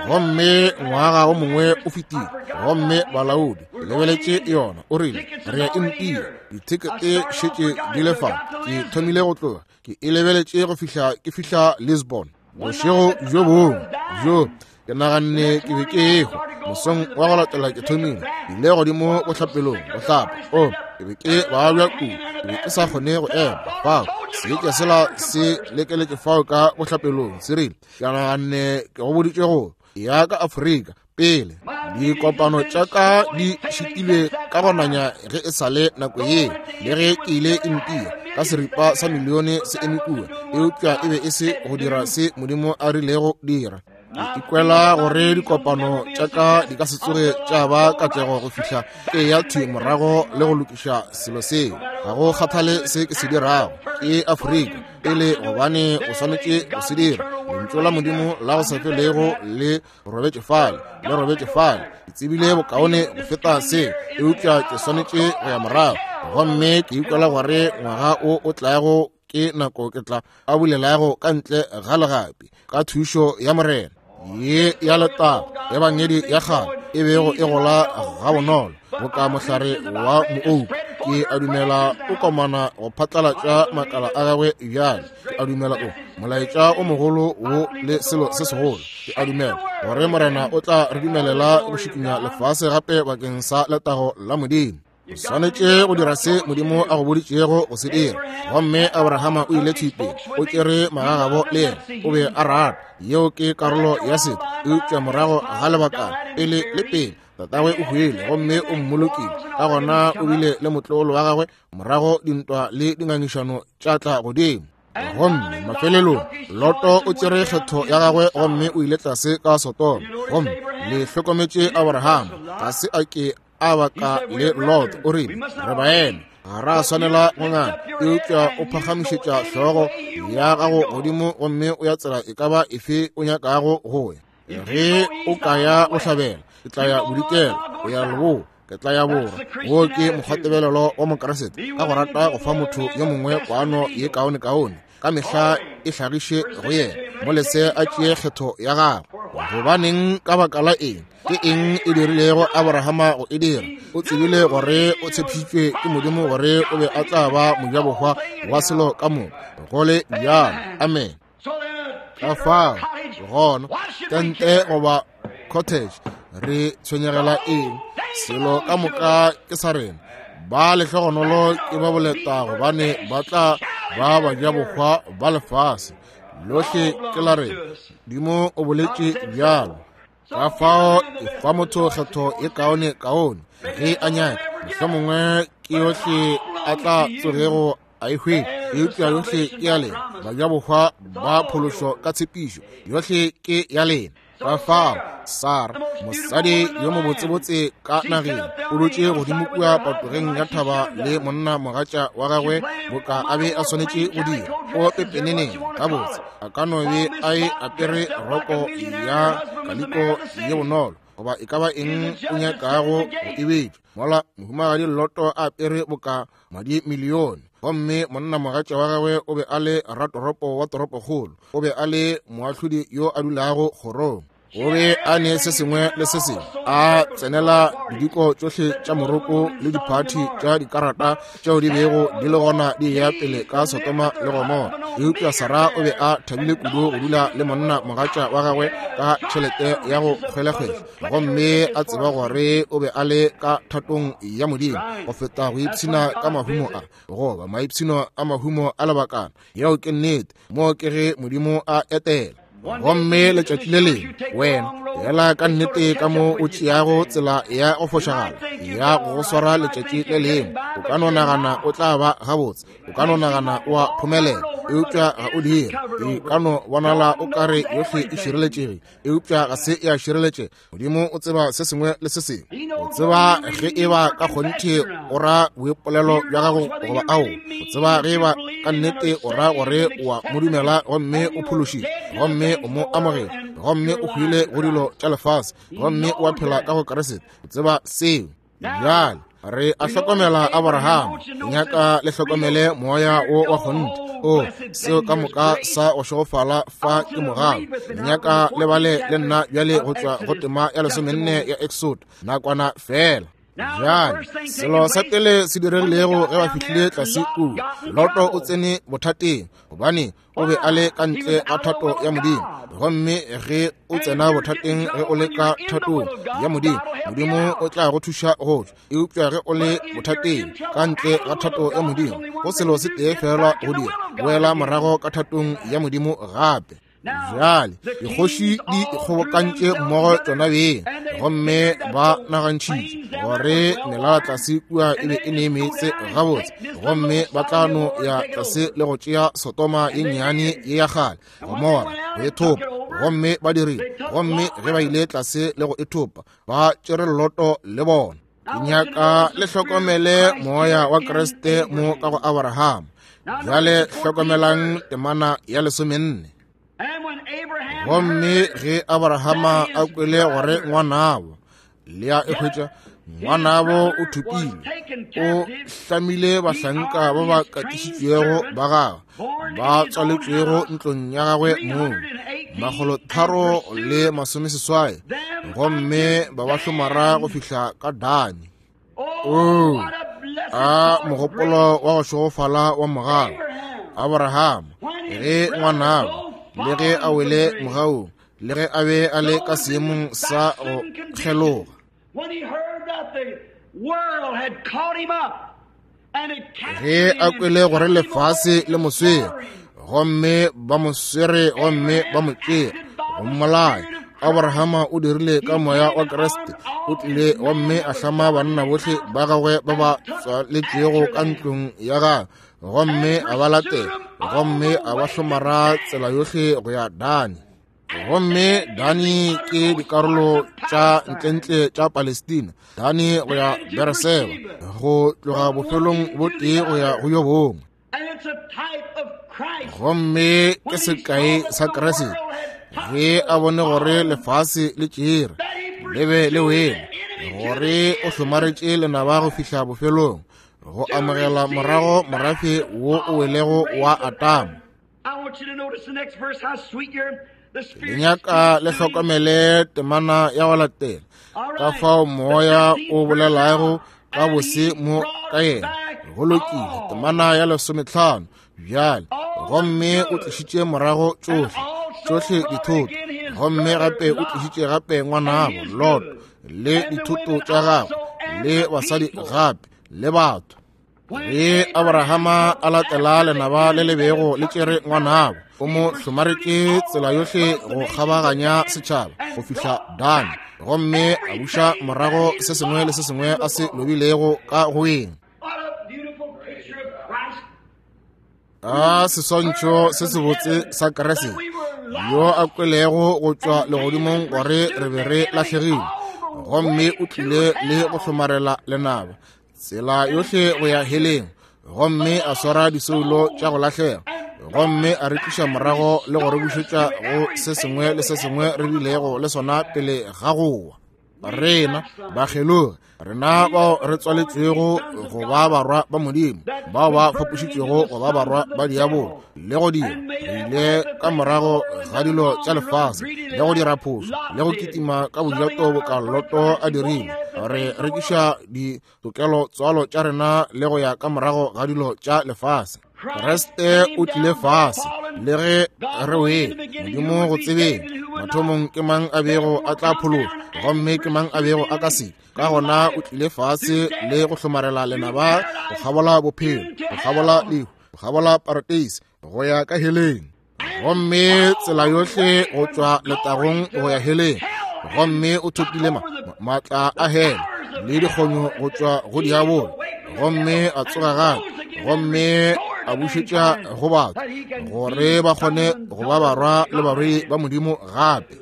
Gomme ngwaga o mongwe o fetile, gomme balaodi lebeletše yona, o rile, re ya India, dithekete šetše di le fa. Ke thomile go tloga, ke e lebeletše go fihla ke fihla Lisbon. Bošego bjo bongwe bjo ke naganne ke be ke ehwa. Mosong wa go latela ke thomile, ke ile godimo bohlapelong go hlapa. O, ke be ke babja kudu, ke be ke sa kgone go ema fao. Seetša sela se lekeletše fao ka bohlapelong, se rile, ke naganne ke go boditše go ya ka Afrika pele. Dikopano tša ka di šitilwe ka go nanya ge e sa le nako ye, le ge ke ile India ka seripa sa milione se eme kua, eupša e be e se go dira se Modimo a rilego dira. Ke ikwela gore dikopano tša ka di ka se tsoge tša ba katlego go fihla ke ya thwi morago le go lokiša selo seo. Ga go kgathale se ke se dirago, ke Afrika pele, gobane o swanetše go se dira. Lentšu la Modimo la go sa felego le robetše fale, le robetše fale. Ke tsebile bokaone go feta se, eupša ke swanetše go ya morago. Gomme ke ikwela gore ngwaga o o tlago ke nako ke tla a bulelago ka ntle ga legapi ka thušo ya Morena. Ye ya letago ebangedi ya kgale e bego e gola gabonolo boka mohlare wa moouku, ke a dumela o komana go phatlalatša makala a gagwe bjale. Ke a dumela o molaetša o mogolo wo le selo se segolo. Ke a dumela gore Morena o tla re dumelela go šikinya lefase gape bakeng sa letago la Modimo. O swanetše go dira se Modimo a go boditšego go se dira. Gomme Abrahama o ile thwi pele, o tšere magagabo le yena, o be a rata. Yeo ke karolo ya setho. Eupša morago ga lebakana, pele le pele, tatagwe o hwile gomme o mmolokile. Ka gona o bile le motlogolo wa gagwe, morago dintwa le dingangišano tša tla godimo. Gomme mafelelong Loto o tšere kgetho ya gagwe gomme o ile tlase ka Sodoma. Gomme le hlokometše Abraham ga se a ke a baka le Lot, o rile, re baena, ga ra swanela go ngana. Eupša o phagamišetša hlogo ya gago godimo gomme o ya tsela e ka ba efe o nyakago go ya. Ge o ka ya bohlabela, ke tla ya bodikela, o ya leboa, ke tla ya borwa. Wo ke mokgwatebelelo wa Mokriste, ka go rata go fa motho yo mongwe kwano ye kaonekaone ka mehla e hlagiše go yena, mo lese a tšee kgetho ya gagwe. Gobaneng? Ka baka la eng? Ke eng e dirilego Abrahama go e dira? O tsebile gore o tshepišitšwe ke Modimo gore o be a tla ba mojabohwa wa selo ka moka, go le bjalo. Amen. Ka fao gona tente goba cottage, re tshwenyegela eng? Selo ka moka ke sa rena. Ba lehlogonolo ke ba boleta, gobane ba tla ba bajabohwa ba lefase lohle ke la rena. Modimo o boletše bjalo. Ka fao e fa motho kgetho e kaone kaone ge a nyaka, mohlomongwe ke yohle a tla tsogego a e hwetša, eupša yohle ke ya lena. Bajabohwa ba phološo ka tshepišo, yohle ke ya lena. Ka fao Sara, mosadi yo mobotsebotse ka nageng, o dutše godimo kua patogeng ya thaba le monna mogatša wa gagwe boka a be a swanetše go dira. O pepeneneng gabotse, a ka no be a e apere roko ya kaliko ye bonolo goba e ka ba eng o nyakago go e betša, mola mohumagadi Loto a apere boka madi milione. Gomme monna mogatša wa gagwe o be a le ratoropo wa toropokgolo, o be a le moahlodi yo a dulago kgorong. O be a ne se sengwe le se sengwe, a tsenela didiko tšohle tša moroko le diphathi tša dikarata tšeo di bego di le gona di eya pele ka Sodoma le Gomora. Eupša Sara o be a thabile kudu go dula le monna mogatša wa gagwe ka tšhelete ya go kgwelekgwele, gomme a tseba gore o be a le ka thatong ya Modimo go feta go ipshina ka mahumo a, goba maipshino a mahumo a lebakana. Yeo ke nnete. Moo ke ge Modimo a etela. Gomme letšatši le lengwe wena fela ka nnete ka mo o tšeago tsela ya go fošagala ya go go swara letšatši le lengwe, o ka no nagana o tla ba gabotse, o ka no nagana o a phomelela, eupša ga o dire. E ka no bonala o ka re yohle e šireletšegile, eupša ga se ya šireletšega. Modimo o tseba se sengwe le se sengwe. O tseba ge e ba ka kgonthe o ra boipolelo bja gago goba ao. O tseba ge e ba ka nnete o ra gore o a mo dumela gomme o phološitšwe gomme o mo amogela gomme o hwile go dilo tša lefase gomme o a phela ka go Kriste. O tseba seo. Bjale re a hlokomela Abraham, nyaka le hlokomele moya wo wa kgonthe. O seo ka moka sa go šegofala fa ke mogau. Nyaka le bale le nna bjale go tšwa go tema ya 14 ya Exod, nakwana fela. Bjale selo sa pele se diregilego ge ba fihlile tlase kua, Loto o tsene bothateng, gobane o be a le ka ntle ga thato ya Modimo. Gomme ge o tsena bothateng ge o le ka thatong ya Modimo, Modimo o tla go thuša go tšwa. Eupša ge o le bothateng ka ntle ga thato ya Modimo, go selo se tee fela go dira, boela morago ka thatong ya Modimo gape. Bjale dikgoši di ikgobokantše mmogo tšona beng, gomme ba nagantšhitše gore melala tlase kua e be e ne meetse gabotse, gomme ba tla no ya tlase le go tšea Sodoma ye nnyane ye ya kgale, Gomora, go e thopa. Gomme ba dirile. Gomme ge ba ile tlase le go e thopa, ba tšere Loto le bona. Ke nyaka le hlokomele moya wa Kriste mo ka go Abraham. Bjale hlokomelang temana ya 14. Gomme ge Abrahama a kwele gore ngwanabo, le a e hwetša, ngwanabo o thopilwe, o hlamile bahlanka ba ba katišitšwego ba gagwe, ba tswaletšwego ntlong ya gagwe mong, 380, gomme ba ba hlomara go fihla ka Dani. O a mogopolo wa go šegofala wa mogala Abraham, ge ngwanabo, le ge a wele mogaung, le ge a be a le ka seemong sa go kgeloga, ge a kwele gore lefase le mo swere, gomme ba mo swere gomme ba mo tšea go mmolaya. Abrahama o dirile ka moya wa Kriste, o tlile gomme a hlama banna bohle ba gagwe ba ba tswaletšwego ka ntlong ya gagwe, gomme a ba latela, gomme a ba hlomara tsela yohle go ya Dani. Gomme Dani ke dikarolo tša ntlentle tša Palestina, Dani go ya Bereseba, go tloga bofelong bo tee go ya go yo bongwe. Gomme ke sekai sa Kriste, ge a bone gore lefase le tšere le be le wele, gore o hlomaretše lenaba go fihla bofelong, go amogela morago morafe wo o welego wa Atama. Le nyaka le hlokomele temana ya go latela, ka fao moya o bolelago ka bose mo ka yena. Go lokile, temana ya 15 bjale. Gomme o tlišitše morago tšohle, tšohle dithoto, gomme gape o tlišitše gape ngwanabo Lot le dithoto tša gagwe le basadi gape le batho. Ge Abrahama a latela lenaba le le bego le tšere ngwanabo, o mo hlomaretše tsela yohle go kgabaganya setšhaba go fihla Dani, gomme a buša morago se sengwe le se sengwe a se lobilego ka go eng. A seswantšho se sebotse sa Kriste, yo a kwelego go tšwa legodimong gore re be re lahlegile, gomme o tlile le go hlomarela lenaba tsela yohle go ya heleng, gomme a swara disoulo tša go lahlega, gomme a re tliša morago le go re bušetša go se sengwe le se sengwe re bilego le sona pele ga go wa. Rena bakgelogi, rena bao re tswaletšwego go ba barwa ba Modimo, bao ba fapošitšwego go ba barwa ba diabolo, le go dira re ile ka morago ga dilo tša lefase, le go dira phošo, le go kitima ka bojato boka Loto a dirile, re rekiša ditokelo tswalo tša rena le go ya ka morago ga dilo tša lefase. Kriste o tlile fase, le ge re wele, Modimo go tsebeng mathomong ke mang a bego a tla phološa, gomme ke mang a bego a ka se. Ka gona o tlile fase le go hlomarela lenaba go kgabola bophelo, go kgabola lehu, go kgabola parateise, go ya ka heleng, gomme tsela yohle go tšwa letagong go ya heleng. Gomme o thopile maatla a hele le dikgonyo go tšwa go diabolo, gomme a tsoga gape, gomme a bušetša go batho gore ba kgone go ba barwa le barwedi ba Modimo gape.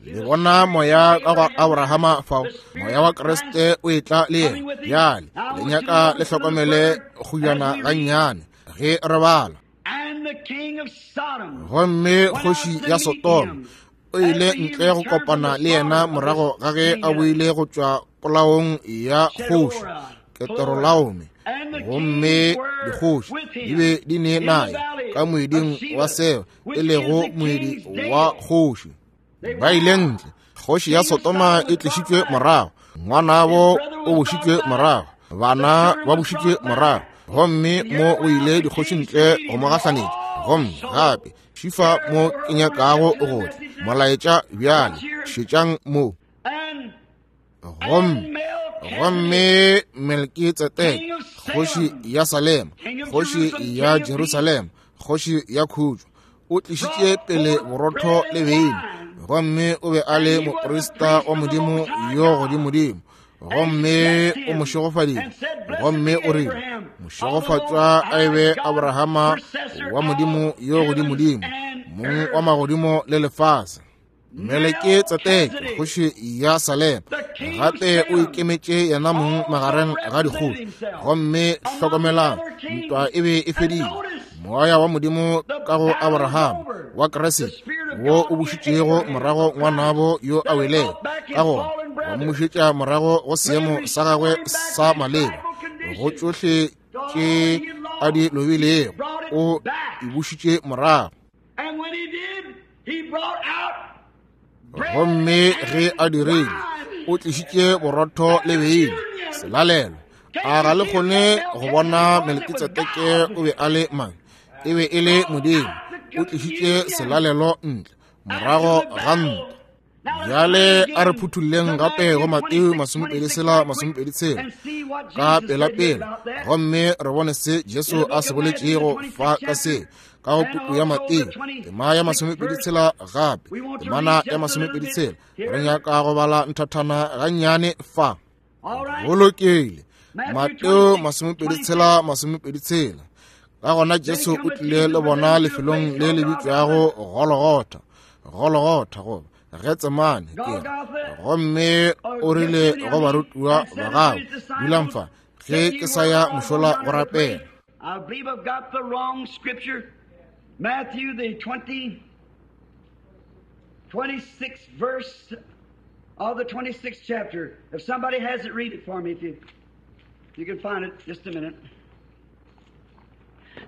Le bona moya ka go Abrahama fao, moya wa Kriste o etla le yena. Bjale le nyaka le hlokomele kgujana gannyane ge re bala. Gomme kgoši ya Sodoma o ile ntle go kopana le yena morago ga ge a boile go tšwa polaong ya kgoši Ketorolaome, gomme dikgoši di be di ne naye ka moeding wa Seba, e lego moedi wa kgoši. Ba ile ntle, kgoši ya Sodoma e tlišitšwe morago, ngwanabo o bušitšwe morago, bana ba bušitšwe morago, gomme mo o ile dikgoši ntle go mo gahlanetša. Gomme gape šifa mo ke nyakago go tla molaetša bjale, šetšang mo. Gomme Melkitsedeke, kgoši ya Salema, kgoši ya Jerusalema, kgoši ya khutšo, o tlišitše pele borotho le beine, gomme o be a le moprista wa Modimo yo godimodimo, gomme o mo šegofaditše, gomme o rile, mošegofatšwa a e be Abrahama wa Modimo yo godimodimo, mong wa magodimo le lefase. Melekitsedeke, kgoši ya Salema, gape o ikemetše yena mong magareng ga dikgoši. Gomme hlokomelang, ntwa e be e fedile. Moya wa Modimo ka go Abrahama wa Kriste, wo o bušitšego morago ngwanabo yo a welego, ka gona wa mmušetša morago go seemo sa gagwe sa maleba, go tšohle tše a di lobilego, o e bušitše morago. Gomme ge a dirile, o tlišitše borotho le beine, selalelo. A ga le kgone go bona Melkitsedeke o be a le mang? E be e le Modimo. O tlišitše selalelo ntle morago ga ntwa. Bjale a re phuthulleng gape go Mateo 26:26 ka pelapela, gomme re bone se Jesu a se boletšego fa ka se. Ka go puku ya Mateo, tema ya 26 gape, temana ya 26, re nyaka go bala nthathana gannyane fa. Go lokile. Mateo 26, 26. Ka gona Jesu o tlile le bona lefelong le le bitšwago Golgotha, Golgotha goba Getsemane ke. Gomme o rile go barutiwa ba gagwe, dulang fa, ge ke sa ya mošola go rapela. I believe I've got the wrong scripture. Matthew the 26th verse of the 26th chapter. If somebody has it, read it for me if you can find it. Just a minute.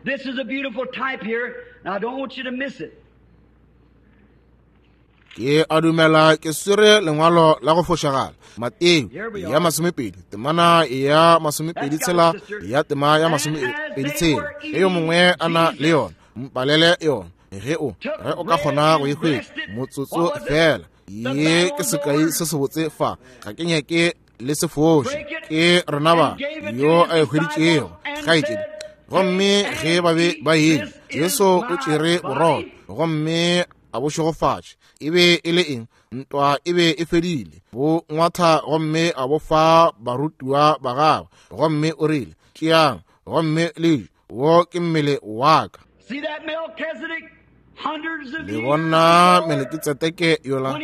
This is a beautiful type here, and I don't want you to miss it. Ke a dumela ke swere lengwalo la go fošagala. Mateo ya 20, temana ya 26 ya tema ya 26. Ge yo mongwe a na le yona, mpalele yona. Ge o ka kgona go e hwetša, motsotso fela. Ye ke sekai se sebotse fa. Ga ke nyake le se foše. Ke rena ba yo a e hweditšego, kgaetšedi. Gomme ge ba be ba eja, Jesu o tšere borotho gomme a bo šegofatše. E be e le eng? Ntwa e be e fedile. Bo ngwatha gomme a bo fa barutiwa ba gagwe, gomme o rile, tšeang gomme le je, wo ke mmele wa ka. Le bona Melekitsedeke yola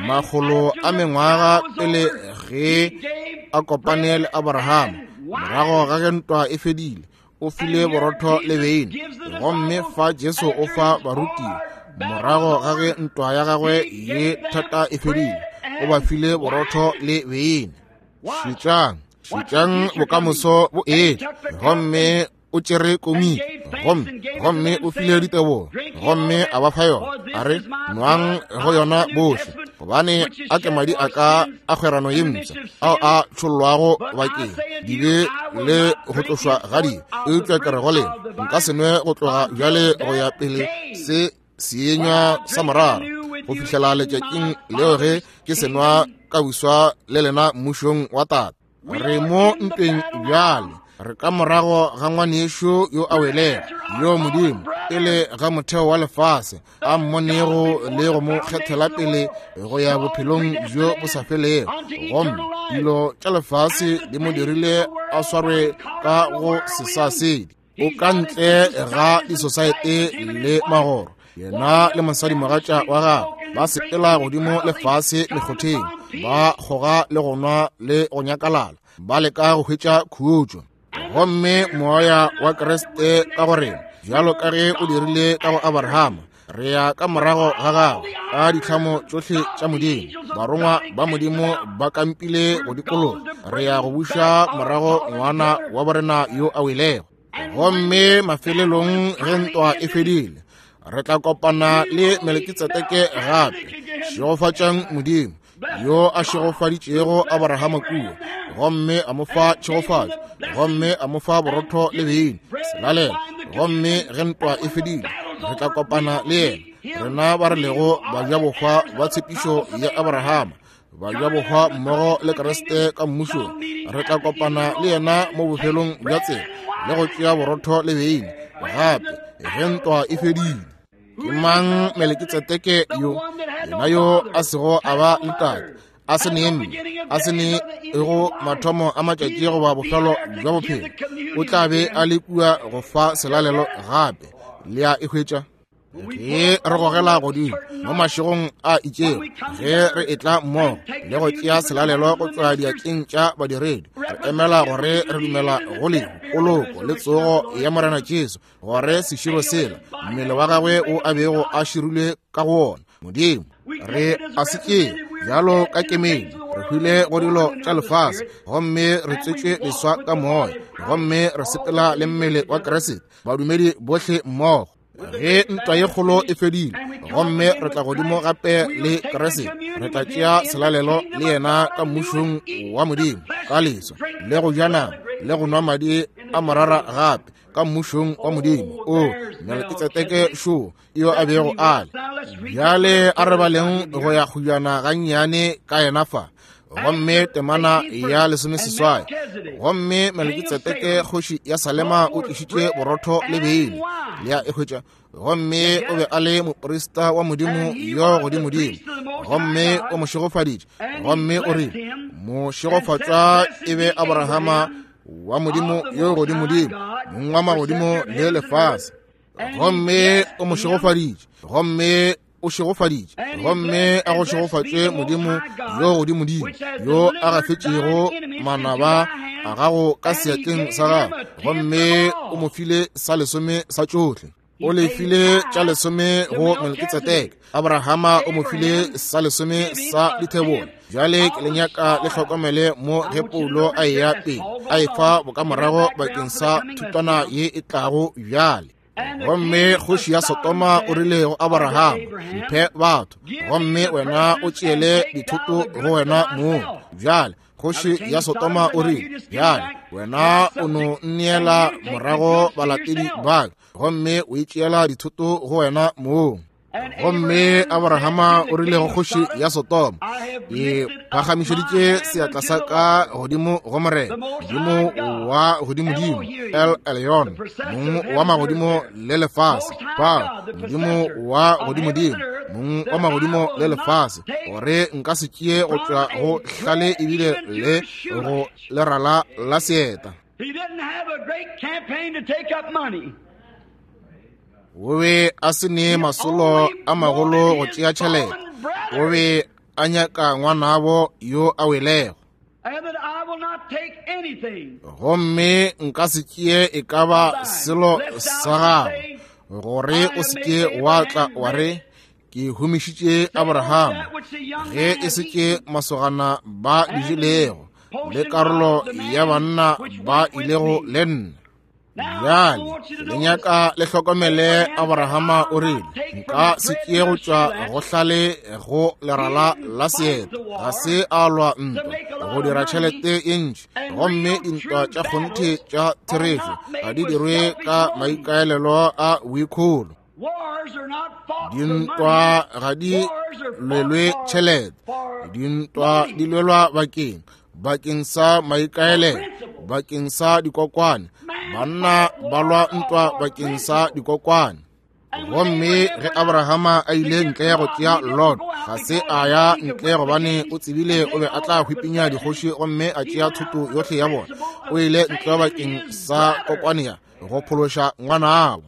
makgolo a mengwaga pele ge a kopane le Abrahama, morago ga ge ntwa e fedile, o file borotho le beine. Gomme fa Jesu o fa barutiwa, morago ga ge ntwa ya gagwe ye thata e fedile, o ba file borotho le beine. Šetšang bokamoso bo etla. Gomme o tšere komiki, gomme o file ditebogo, gomme a ba fa yona, a re, nwang go yona bohle, gobane a ke madi a ka a kgwerano ye mpsha, ao a tšhollwago bakeng dibe le go tlošwa ga dibe. Eupša ke re go lena, nka se nwe go tloga bjale go ya pele se seenywa sa morara, go fihlela letšatšing leo ge ke se nwa ka buswa le lena mmušong wa Tate. Re mo ntweng bjale, re ka morago ga ngwanešo yo a welego, yo Modimo pele ga motheo wa lefase a mmonego le go mo kgethela pele go ya bophelong bjo bo sa felego. Gomme dilo tša lefase di mo dirile a swarwe ka go sesasedi. O ka ntle ga disosaete le magoro. Yena le mosadimogatša wa gagwe ba sepela godimo le fase mekgotheng, ba kgoga le go nwa le go nyakalala, ba leka go hwetša khutšo. Gomme moya wa Kriste ka go rena, bjalo ka ge o dirile ka go Abrahama, re ya ka morago ga gagwe ka ditlhamo tšohle tša Modimo. Barongwa ba Modimo ba kampile go dikologa. Re ya go buša morago ngwana wa borena yo a welego. Gomme mafelelong ge ntwa e fedile, re tla kopana le Melekitsedeke gape. Šegofatšang Modimo yo a šegofaditšego Abrahama kua, gomme a mo fa tšhegofatšo, gomme a mo fa borotho le beine, selalelo. Gomme ge ntwa e fedile, re tla kopana le yena, rena ba re lego bajabohwa ba tshepišo ya Abrahama, bajabohwa mmogo le Kriste ka mmušong. Re tla kopana le yena mo bofelong bja tsela le go tšea borotho le beine gape ge ntwa e fedile. Ke mang Melekitsedeke yo? Yena yo a sego a ba le tate, a se ne mme, a se ne go mathomo a matšatši goba bofelo bja bophelo, o tla be a le kua go fa selalelo gape. Le a e hwetša? Ge re gogela godimo mo mašegong a itšego, ge re etla mmogo le go tšea selalelo go tšwa diatleng tša badiredi, re emela gore re dumela go lehu, poloko le tsogo ya Morena Jesu, gore seširo sela mmele wa gagwe o a bego a širilwe ka go wona, Modimo re a se tšee bjalo ka kemedi. Re hwile go dilo tša lefase, gomme re tswetšwe leswa ka moya, gomme re sepela le mmele wa Kriste, badumedi bohle mmogo. Ge ntwa ye kgolo e fedile, gomme re tla godimo gape le Kriste, re tla tšea selalelo le yena ka mmušong wa Modimo, ka leswa le go ja nama le go nwa madi a morara gape ka mmušong wa Modimo. O Melekitsedeke šo yo a bego a le. Bjale a re baleng go ya kgujana gannyane ka yena fa. Gomme temana ya 18, gomme Melkitsedeke kgoši ya Salema o tlišitše borotho le beine, le a e hwetša. Gomme o be a le moprista wa Modimo yo godimodimo, gomme o mo šegofaditše, gomme o rile, mošegofatšwa e be Abrahama wa Modimo yo godimodimo, mong wa magodimo le lefase. Gomme o mo šegofaditše, gomme o šegofaditše, gomme a go šegofatšwe Modimo yo godimodimo, yo a gafetšego manaba a gago ka seatleng sa gago, gomme o mo file sa lesome sa tšohle. O le file tša lesome go Melkitsedeke. Abrahama o mo file sa lesome sa dithebola. Bjale ke le nyaka le hlokomele mo ge Paulo a eya pele a efa bokamorago bakeng sa thutwana ye e tlago bjale. Gomme kgoši ya Sodoma o rile go Abrahama, mphe batho, gomme wena o tšeele dithoto go wena mong. Bjale kgoši ya Sodoma o rile, bjale wena o no nneela morago balatedi ba ka, gomme o itšeela dithoto go wena mong. Gomme Abrahama o rile go kgoši ya Sodoma, ke phagamišeditše seatla sa ka godimo go Morena, Modimo wa godimodimo, El Elyon, mong wa magodimo le lefase, ba Modimo wa godimodimo, mong wa magodimo le lefase, gore nka se tšee go tšwa go hlale ebile le go lerala la seeta. He didn't have a great campaign to take up money. O be a se ne masolo a magolo go tšea tšhelete. O be a nyaka ngwanabo yo a welego. And that I will not take anything. Gomme nka se tšee e ka ba selo sa gago, gore o se ke wa tla wa re, ke humišitše Abrahama, ge e se ke masogana ba di jelego, le karolo ya banna ba ilego le nna. Bjale le nyaka le hlokomele, Abrahama o rile, nka se tšee go tšwa go hlale go lerala la seeta. Ga se a lwa ntwa go dira tšhelete ye ntši, gomme dintwa tša kgonthe tša therešo ga di dirwe ka maikaelelo a boikholo. Dintwa ga di lwelwe tšhelete, dintwa di lwelwa bakeng sa maikaelelo, bakeng sa dikokwane. Banna ba lwa ntwa bakeng sa dikokwane. Gomme ge Abrahama a ile ntle go tšea Lot, ga se a ya ntle gobane o tsebile o be a tla hwipinya dikgoši gomme a tšea thoto yohle ya bona. O ile ntle bakeng sa kokwane ya go phološa ngwanabo.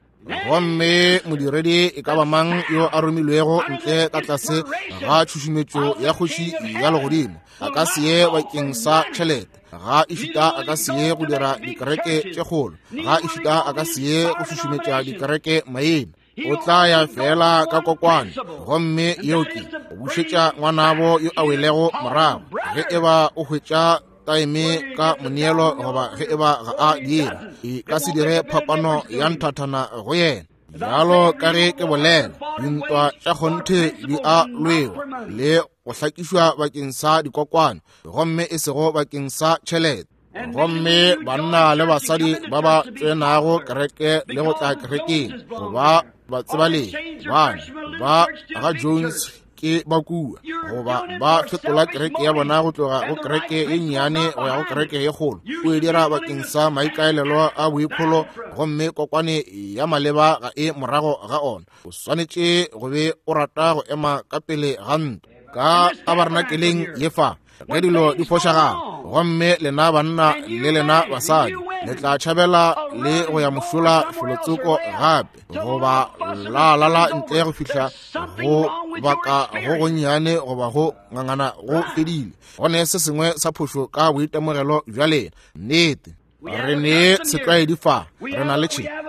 Gomme modiredi e ka ba mang yo a romilwego ntle ka tlase ga tšhušumetšo ya kgoši ya legodimo a ka se ye bakeng sa tšhelete, ga ešita a ka se ye go dira dikereke tše kgolo, ga ešita a ka se ye go šušumetša dikereke maina. O tla ya fela ka kokwane, gomme yeo ke go bušetša ngwanabo yo a welego morago, ge e ba o hwetša taeme ka moneelo goba ge e ba ga a dira, e ka se dire phapano ya nthathana go yena. Bjalo ka ge ke bolela, dintwa tša kgonthe di a lwewa le go hlakišwa bakeng sa dikokwane, gomme e sego bakeng sa tšhelete. Gomme banna le basadi ba ba tsenago kereke le go tla kerekeng goba batsebalegi bana ba ga Jones ke ba kua, goba ba fetola kereke ya bona go tloga go kereke ye nnyane go ya go kereke ye kgolo, o e dira bakeng sa maikaelelo a boikholo, gomme kokwane ya maleba ga e morago ga ona. O swanetše go be o rata go ema ka pele ga ntwa ka tabernakeleng ye fa ge dilo di fošagala, gomme lena banna le lena basadi le tla tšhabela le go ya mošola felotsoko gape, goba la lala ntle go fihla go baka go gonnyane goba go ngangana go fedile. Go ne se sengwe sa phošo ka boitemogelo bja lena. Nnete, re ne setlwaedi fa, re na le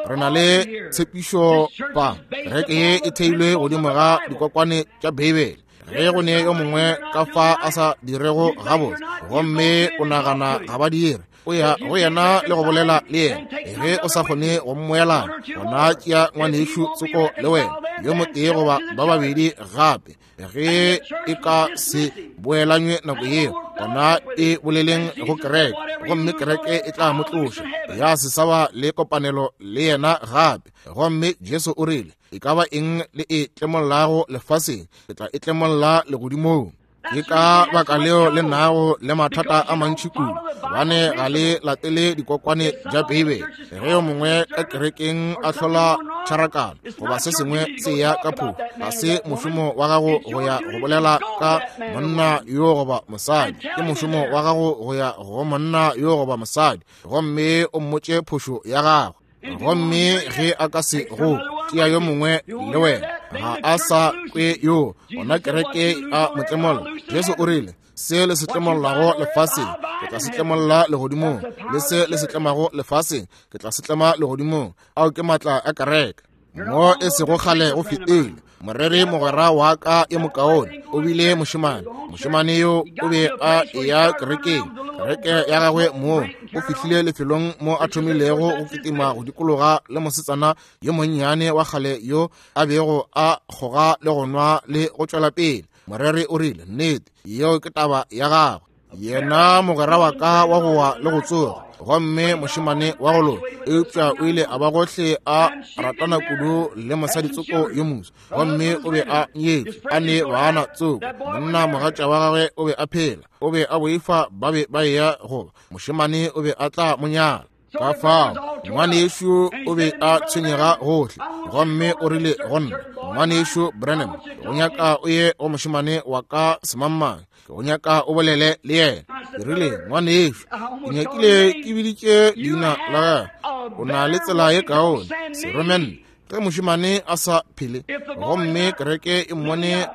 re na le tshepišo fa. Kereke ye e theilwe godimo ga dikokwane tša Beibele. Ge go ne yo mongwe ka fa a sa dirego gabotse, gomme o nagana ga ba dire, o ya go yena le go bolela le yena. Ge o sa kgone go mmoelana, gona tšea ngwanešu tsoko le wena, yo motee goba ba babedi gape. Ge e ka se boelanywe nako yeo, gona e boleleng go kereke, gomme kereke e tla mo tloša, ya se sa ba le kopanelo le yena gape. Gomme Jesu o rile, e ka ba eng le e tlemollago lefaseng, ke tla e tlemolla legodimong. Ke ka baka leo le nago le mathata a mantši kudu, gobane ga le latele dikokwane tša Beibele. Ge yo mongwe ka kerekeng a hlola tšharakano goba se sengwe se ya ka phošo, ga se mošomo wa gago go ya go bolela ka monna yo goba mosadi. Ke mošomo wa gago go ya go monna yo goba mosadi gomme o mmotše phošo ya gagwe. Gomme ge a ka se go tšea yo mongwe le wena, ga a sa kwe yo, gona kereke a mo tlemolla. Jesu o rile, se le se tlemollago lefaseng, ke tla se tlemolla legodimong, le se le se tlemago lefaseng, ke tla se tlema legodimong. Ao ke maatla a kereke. Mo e sego kgale go fetile, moreri mogwera wa ka yo mokaone o bile mošemane. Mošemane yo o be a eya kerekeng, kereke ya gagwe moo o fihlile lefelong mo a thomilego go kitima go dikologa le mosetsana yo monnyane wa kgale yo a bego a kgoga le go nwa le go tšwela pele. Moreri o rile, nnete, yeo ke taba ya gagwe. Yena mogwera wa ka wa go wa le go tsoga, gomme mošemane wa go loka, eupša o ile a ba gohle a ratana kudu le mosadi tsoko yo moswa, gomme o be a nyetšwe a ne bana tsoko. Monna mogatša wa gagwe o be a phela, o be a boifa ba be ba eya goba mošemane o be a tla mo nyala. Ka fao ngwanešu o be a tshwenyega gohle, gomme o rile go nna, ngwanešu Branham, go nyaka o ye go mošemane wa ka semangmang, ke go nyaka o bolele le yena. Ke rile, ngwanešu, ke nyakile ke biditše leina la gagwe. O na le tsela ye kaone, seromenne, ge mošemane a sa phele gomme kereke e mmone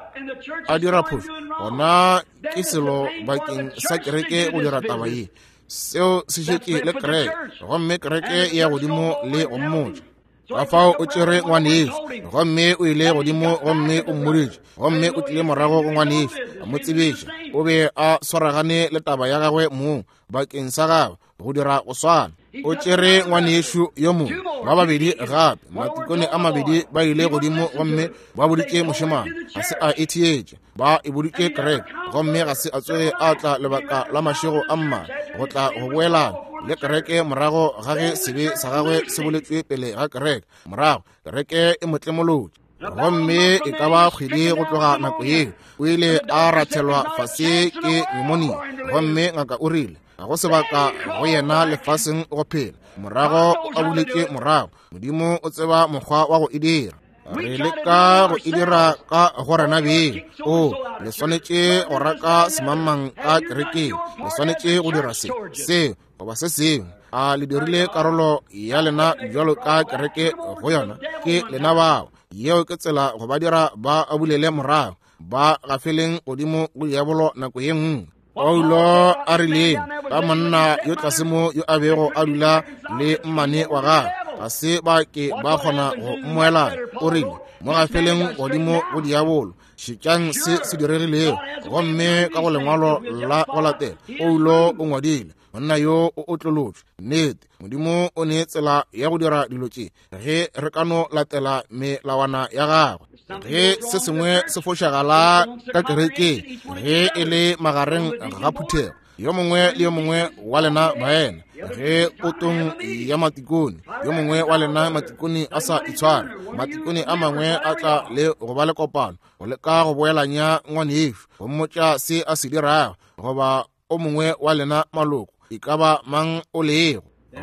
a dira phošo, gona ke selo bakeng sa kereke go dira taba ye. Seo se šetše le kereke, gomme kereke e ya godimo le go mmotša. Ka fao o tšere ngwanešu, gomme o ile godimo gomme o mmoditše, gomme o tlile morago go ngwanešu a mo tsebiša. O be a swaragane le taba ya gagwe mong bakeng sa gagwe go dira go swana. O tšere ngwanešu yo mongwe, ba babedi gape, matikone a mabedi ba ile godimo gomme ba boditše mošemane, ga se a e theetša. Ba e boditše kereke, gomme ga se a tsoge a tla lebaka la mašego a mmalwa go tla go boelana le kereke morago ga ge sebe sa gagwe se boletšwe pele ga kereke. Morago kereke e mo tlemolotše, gomme e ka ba kgwedi go tloga nako yeo o ile a rathelwa fase ke pneumonia, gomme ngaka o rile ga go sebaka go yena lefaseng go phela. Morago o abuletše morago. Modimo o tseba mokgwa wa go e dira. Re leka go e dira ka go rena beng. O, le swanetše go raka semangmang ka kerekeng, le swanetše go dira se, seo, goba se sengwe. A le dirile karolo ya lena bjalo ka kereke go yona? Ke lena bao. Yeo ke tsela go ba dira ba abulele morago, ba gafeleng godimo go diabolo nako ye nngwe. Paulo a rileng ka monna yo tlase mo yo a bego a dula le mmane wa gagwe, ga se ba ke ba kgona go mmoelana. O rile, mo gafeleng godimo go diabolo. Šetšang se se diregilego. Gomme ka go lengwalo la go latela, Paulo o ngwadile, monna yo o otlolotšwe. Nnete, Modimo o ne tsela ya go dira dilo tše ge re ka no latela melawana ya gagwe. Ge se sengwe se fošagala ka kerekeng, ge e le magareng ga phuthego, yo mongwe le yo mongwe wa lena baena, ge potong ya matikone, yo mongwe wa lena matikone a sa itshware, matikone a mangwe a tla le go ba le kopano go leka go boelanya ngwanešu, go mmotša se a se dirago, goba o mongwe wa lena maloko, e ka ba mang o lego,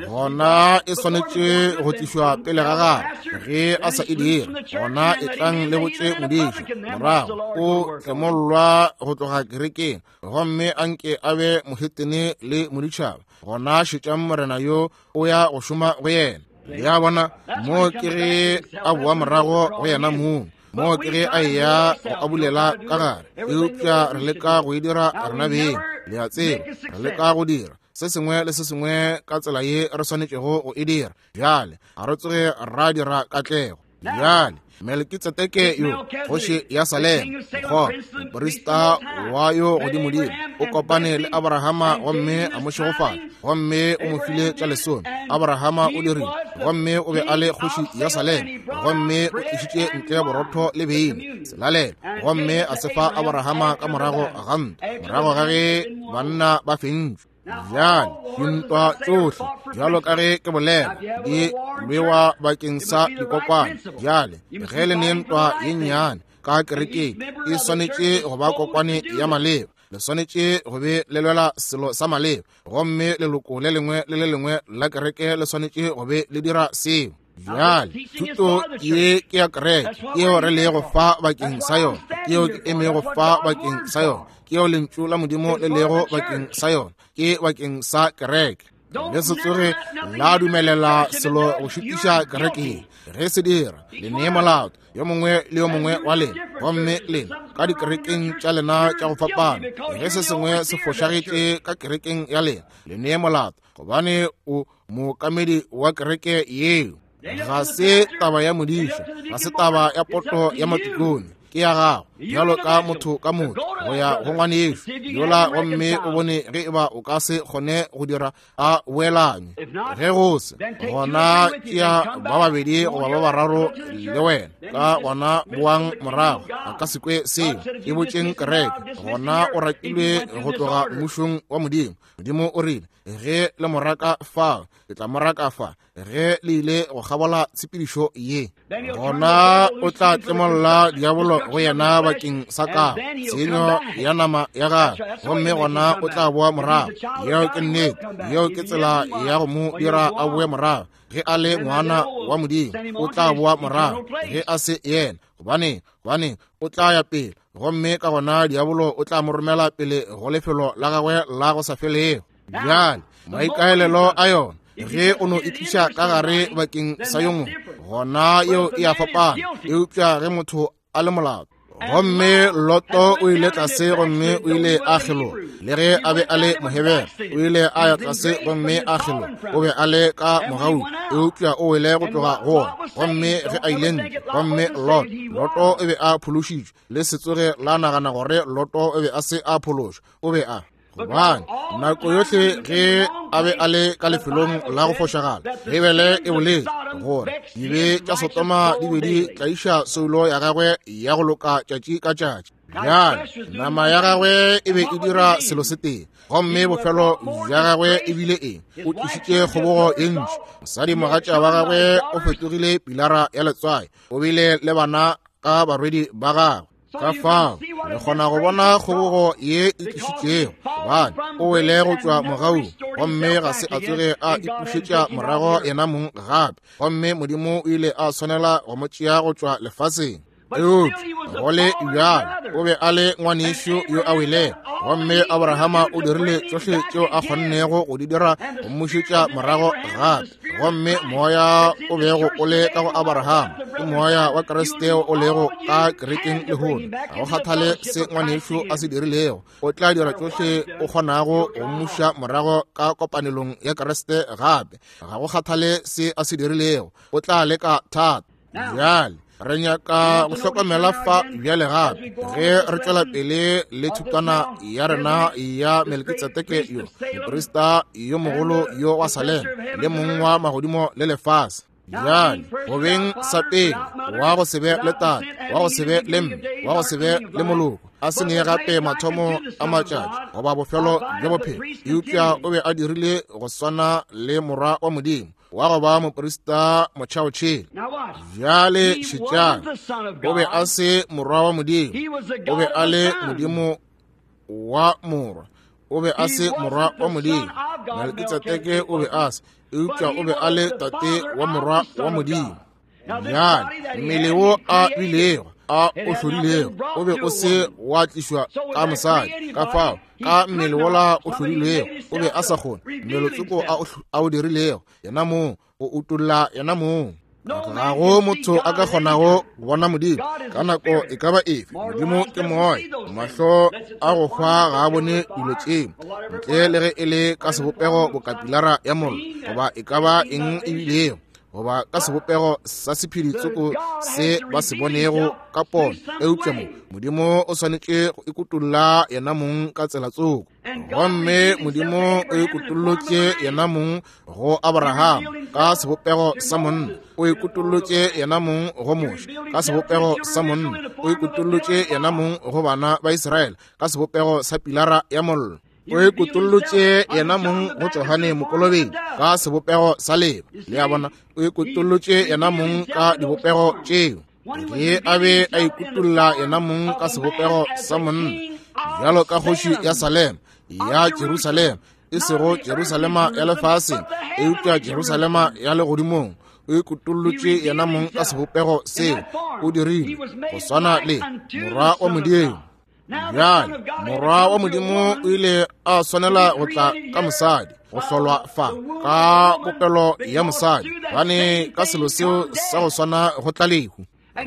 gona e swanetše go tlišwa pele ga gagwe. Ge a sa e dire, gona e tlang le botše modiši, morago o tlemollwa go tloga kerekeng, gomme a nke a be mohetene le moditšhaba. Gona šetšang Morena yo o ya go šoma go yena. Le a bona, mo ke ge a boa morago go yena mong, mo ke ge a eya go abulela ka gare. Eupša re leka go e dira rena beng, le a tseba, re leka go dira se sengwe le se sengwe ka tsela ye re swanetšego go e dira. Bjale ga re tsoge ra dira katlego. Bjale Melkitsedeke yo, kgoši ya Salema, mokgona moprista wa yo godimodimo, o kopane le Abrahama gomme a mo šegofatša, gomme o mo file tša lesome. Abrahama o dirile, gomme o be a le kgoši ya Salema, gomme o tlišitše ntle borotho le beine, selalelo, gomme a se fa Abrahama ka morago ga ntwa, morago ga ge banna ba fentšwe. Bjale dintwa tšohle, bjalo ka ge ke bolela, di lwewa bakeng sa dikokwane. Bjale ge le ne ntwa ye nnyane, ka kerekeng e swanetše go ba kokwane ya maleba. Le swanetše go be le lwela selo sa maleba, gomme leloko le lengwe le le lengwe la kereke le swanetše go be le dira seo. Bjale thuto ye ke ya kereke, ke yeo re lego fa bakeng sa yona, ke yeo ke emego fa bakeng sa yona, ke yeo lentšu la Modimo le lego bakeng sa yona, ke bakeng sa kereke. Le se tsoge la dumelela selo go šutiša kereke ye. Ge se dira, le nee molato yo mongwe le yo mongwe wa lena, gomme lena ka dikerekeng tša lena tša go fapana. Ge se sengwe se fošagetše ka kerekeng ya lena, le nee molato, gobane o mookamedi wa kereke yeo. Ga se taba ya modiša, ga se taba ya poto ya matikone, ke ya gago bjalo ka motho ka motho go ya go ngwanešu yola, gomme o bone ge e ba o ka se kgone go dira a boelanywe. Ge go se gona, tšea ba babedi goba ba bararo le wena, ka gona boang morago. A ka se kwe seo, e botšeng kereke. Gona o rakilwe go tloga mmušong wa Modimo. Modimo o rile, ge le mo raka fa, ke tla mo raka fa. Ge le ile go kgabola tshepedišo ye, gona o tla tlemolla diabolo go yena bakeng sa ka tshenyo ya nama ya gagwe, gomme gona o tla boa morago. Yeo ke nnete. Yeo ke tsela ya go mo dira a boe morago. Ge a le ngwana wa Modimo, o tla boa morago. Ge a se yena, gobane gobane o tla ya pele, gomme ka gona diabolo o tla mo romela pele go lefelo la gagwe la go sa felego. Bjale maikaelelo a yona, ge o no e tliša ka gare bakeng sa yo mongwe, gona yeo e a fapana. Eupša ge motho a le molato, gomme Loto o ile tlase gomme o ile a kgeloga, le ge a be a le Mohebere, o ile a ya tlase gomme a kgeloga. O be a le ka mogaung, eupša o wele go tloga go wona. Gomme ge a ile ntle, gomme Lot, Loto o be a phološitšwe. Le se tsoge la nagana gore Loto o be a se a phološwa. O be a, gobane nako yohle ge a be a le ka lefelong la go fošagala, Beibele e boletše gore dibe tša Sodoma di be di tlaiša soulo ya gagwe ya go loka tšatši ka tšatši. Bjale nama ya gagwe e be e dira selo se tee, gomme bofelo bja gagwe e bile eng? O tlišitše kgobogo e ntši. Mosadi mogatša wa gagwe o fetogile pilara ya letswai, o bile le bana ka barwedi ba gagwe. Ka fao re kgona go bona kgobogo ye e tlišitšego, gobane o wele go tšwa mogaung, gomme ga se a tsoge a ipušetša morago yena mong gape, gomme Modimo o ile a swanela go mo tšea go tšwa lefaseng. Eupša go le bjalo o be a le ngwanešu yo a welego, gomme Abrahama o dirile tšohle tšeo a kgonnego go di dira go mmušetša morago gape. Gomme moya o bego o le ka go Abrahama ke moya wa Kriste o lego ka kerekeng lehono. Ga go kgathale se ngwanešu a se dirilego, o tla dira tšohle o kgonago go mmuša morago ka kopanelong ya Kriste gape. Ga go kgathale se a se dirilego, o tla leka thata. Bjale re nyaka go hlokomela fa bjale gape ge re tšwela pele le thutwana ya rena ya Melkitsedeke yo moprista yo mogolo yo wa Salem le mong wa magodimo le lefase. Bjale go beng sa pele wa go se be le tate, wa go se be le mme, wa go se be le moloko, a se ne gape mathomo a matšatši goba bofelo bja bophelo, eupša o be a dirile go swana le morwa wa Modimo, wa go ba moprista motšhaotšhele. Bjale šetšang, o be a se morwa wa Modimo, o be a le Modimo wa morwa. O be a se morwa wa Modimo, Melkitsedeke o be a se, eupša o be a le tate wa morwa wa Modimo. Bjale mmele wo a bilego a o hlodilego o be o se wa tlišwa ka mosadi, ka fao ka mmele wola o hlodilwego o be a sa kgone mmelotsoko a o dirilego yena mong o utolla yena mong. Ga go motho a ka kgonago go bona Modimo ka nako e ka ba efe. Modimo ke moya, mahlo a go hwa ga a bone dilo tšeo ntle le ge e le ka sebopego bokapilara ya mollo goba e ka ba eng e bilego, goba ka sebopego sa sephedi tsoko se ba se bonego ka pono. Eupša mo Modimo o swanetše go ikutolla yena mong ka tsela tsoko, gomme Modimo o ikutollotše yena mong go Abraham ka sebopego sa monna, o ikutollotše yena mong go Moshe ka sebopego sa monna, o ikutollotše yena mong go bana ba Israele ka sebopego sa pilara ya mollo, o ikutollotše yena mong go Johane Mokolobetši ka sebopego sa leba. Le a bona, o ikutollotše yena mong ka dibopego tšeo. Ge a be a ikutolla yena mong ka sebopego sa monna, bjalo ka kgoši ya Salem, ya Jerusalema, e sego Jerusalema ya lefaseng, eupša Jerusalema ya legodimong, o ikutollotše yena mong ka sebopego seo, o dirile go swana le Morwa wa Modimo. Bjale Morwa wa Modimo o ile a swanela go tla ka mosadi, go hlolwa fa ka popelo ya mosadi, gobane ka selo seo sa go swana go tla lehu.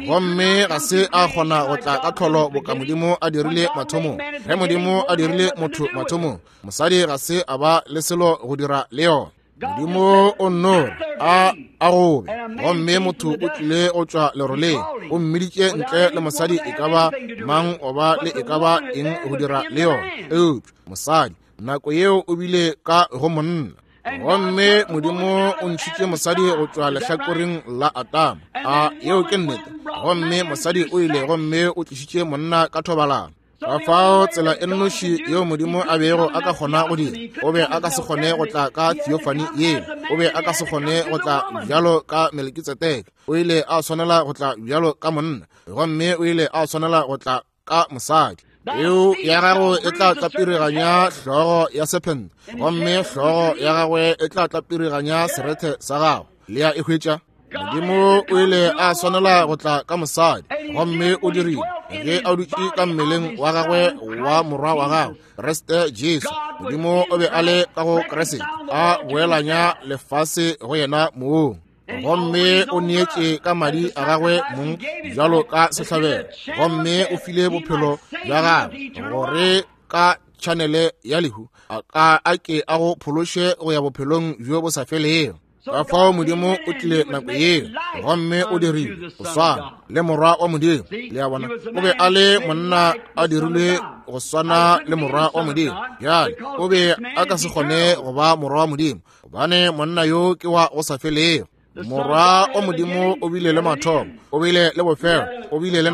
Gomme ga se a kgona go tla ka tlholo boka Modimo a dirile mathomong. Ge Modimo a dirile motho mathomong, mosadi ga se a ba le selo go dira le yona. Modimo o nno a a gobe, gomme motho o tlile go tšwa leroleng, o mmiditše ntle le mosadi e ka ba mang goba le e ka ba eng go dira le yona, eupša mosadi nako yeo o bile ka go monna. Gomme Modimo o ntšhitše mosadi go tšwa lehlakoreng la Adama. A yeo ke nnete? Gomme mosadi o ile gomme o tlišitše monna ka thobalano. Ka fao tsela e nnoši yeo Modimo a bego a ka kgona go dira, o be a ka se kgone go tla ka theophany yeo, o be a ka se kgone go tla bjalo ka Melkitsedeke, o ile a swanela go tla bjalo ka monna, gomme o ile a swanela go tla ka mosadi. Peu ya gago e tla tlapiriganya hlogo ya sephente, gomme hlogo ya gagwe e tla tlapiriganya serethe sa gago. Le a e hwetša? Modimo o ile a swanela go tla ka mosadi, gomme o dirile ge a dutše ka mmeleng wa gagwe wa morwa wa gagwe Kriste Jesu. Modimo o be a le ka go Kriste, a boelanya lefase go yena mong, gomme o neetše ka madi a gagwe mong bjalo ka sehlabelo, gomme o file bophelo bja gagwe gore ka tšhanele ya lehu a ka a ke a go phološe go ya bophelong bjo bo sa felego. Ka fao Modimo o tlile nako yeo gomme o dirile go swana le Morwa wa Modimo. Le a bona, o be a le monna a dirilwe go swana le Morwa wa Modimo. Bjale o be a ka se kgone go ba Morwa wa Modimo, gobane monna yo ke wa go sa felego. Morwa wa Modimo o bile le mathomo, o bile le bofelo, o bile le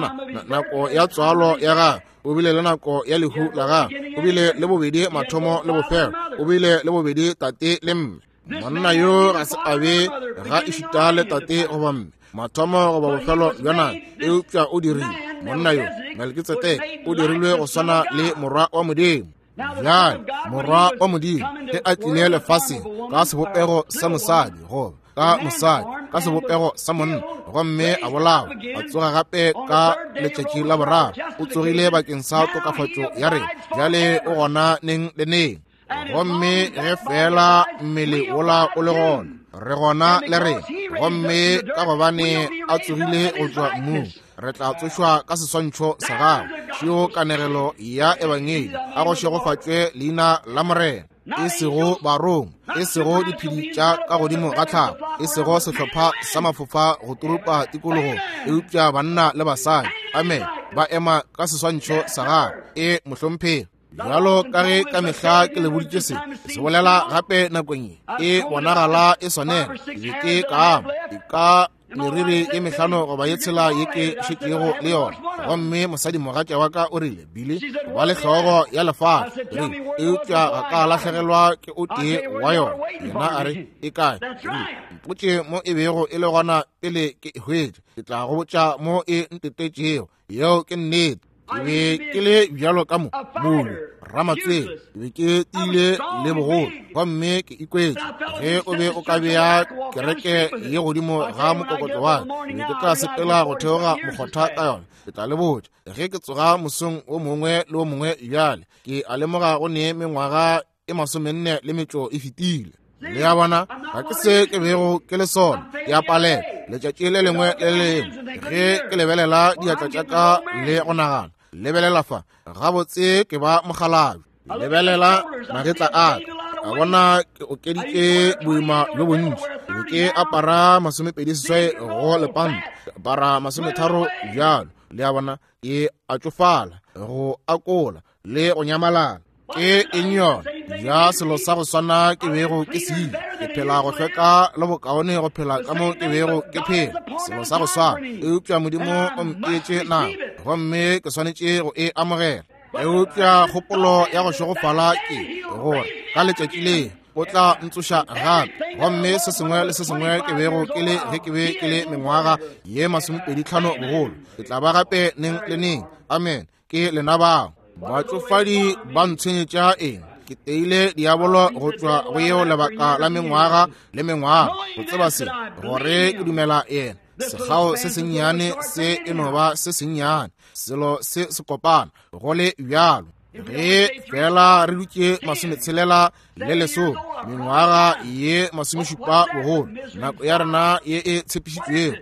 nako ya tswalo ya gagwe, o bile le nako ya lehu la gagwe, o bile le bobedi mathomo le bofelo, o bile le bobedi tate le mme. Monna yo ga se a be ga ešita le tate goba mme, mathomo goba bofelo bja nako, eupša o dirile monna yo Melkitsedeke o dirilwe go swana le Morwa wa Modimo. Bjale Morwa wa Modimo ge a tlile lefaseng ka sebopego sa mosadi, goba ka mosadi ka sebopego sa monna, gomme a bolawa, a tsoga gape ka letšatši la boraro, o tsogile bakeng sa tokafatšo ya rena. Bjale o gona neng le neng. Gomme ge fela mmele wola o le gona, re gona le rena. Gomme ka gobane a tsogile go tšwa mmung, re tla tsošwa ka seswantšho sa gagwe. Šeo kanegelo ya Ebangedi, a go šegofatšwe leina la Morena. E sego barongwa, e sego diphedi tša ka godimo ga tlhago, e sego sehlopha sa mafofa go turupa tikologong, eupša banna le basadi, amen, ba ema ka seswantšho sa gagwe. E mohlomphegi. Bjalo ka ge ka mehla ke le boditše se, se bolela gape nakong ye, e bonagala e swanela. Ke be ke ka ama e ka meriri ye mehlano goba ye tshela ye ke šetšego le yona, gomme mosadimogatša wa ka o rile, Billy, ba le hlogo ya lefase, rile, eupša ga ka lahlegelwa ke o tee wa yona. Yena a re, E kae? Rile, mpotše mo e bego e le gona pele ke e hwetša, ke tla go botša mo e ntetetšego. Yeo ke nnete. Ke be ke le bjalo ka modu ramatswele, ke be ke tiile le bogolo, gomme ke ikwetše ge o be o ka bea kereke ye godimo ga mokokotlo wa ka, ke be ke tla sepela go theoga mokgotha ka yona. Ke tla le botša, ge ke tsoga mosong o mongwe le o mongwe bjale, ke a lemoga go ne mengwaga e 44 le metšo e fetile. Le a bona, ga ke se ke bego ke le sona, ke a palela letšatši le lengwe le le lengwe ge ke lebelela diatla tša ka le go nagana, lebelela fa, gabotse ke ba mokgalabje. Lebelela magetla a ka, a bona ke okeditše boima bjo bontši. Ke be ke apara 28 go lepanta, ke apara 30 bjalo. Le a bona, ke a tšofala, go akola le go nyamalala. Ke eng yona? Ja selo sa go swana ke bego ke se ile. Ke phela go hlweka le bokaone go phela ka mo ke bego ke phela, selo sa go swana. Eupša Modimo o mpeetše nako, gomme ke swanetše go e amogela. Eupša kgopolo ya go šegofala ke gore ka letšatši le O tla ntsoša gape. Gomme se sengwe le se sengwe ke bego ke le ge ke be ke le mengwaga ye 25 bogolo, ke tla ba gape neng le neng. Amen. Ke lena bao. Batšofadi ba ntshwenyetša eng? Ke teile diabolo go tšwa go yeo lebaka la mengwaga le mengwaga, go tseba se, gore ke dumela yena. Sekgao se sennyane se e no ba se sennyane, selo se se kopana, go le bjalo. Ge fela re dutše 60 le lesome, mengwaga ye 70 bogolo, nako ya rena ye e tshepišitšwego,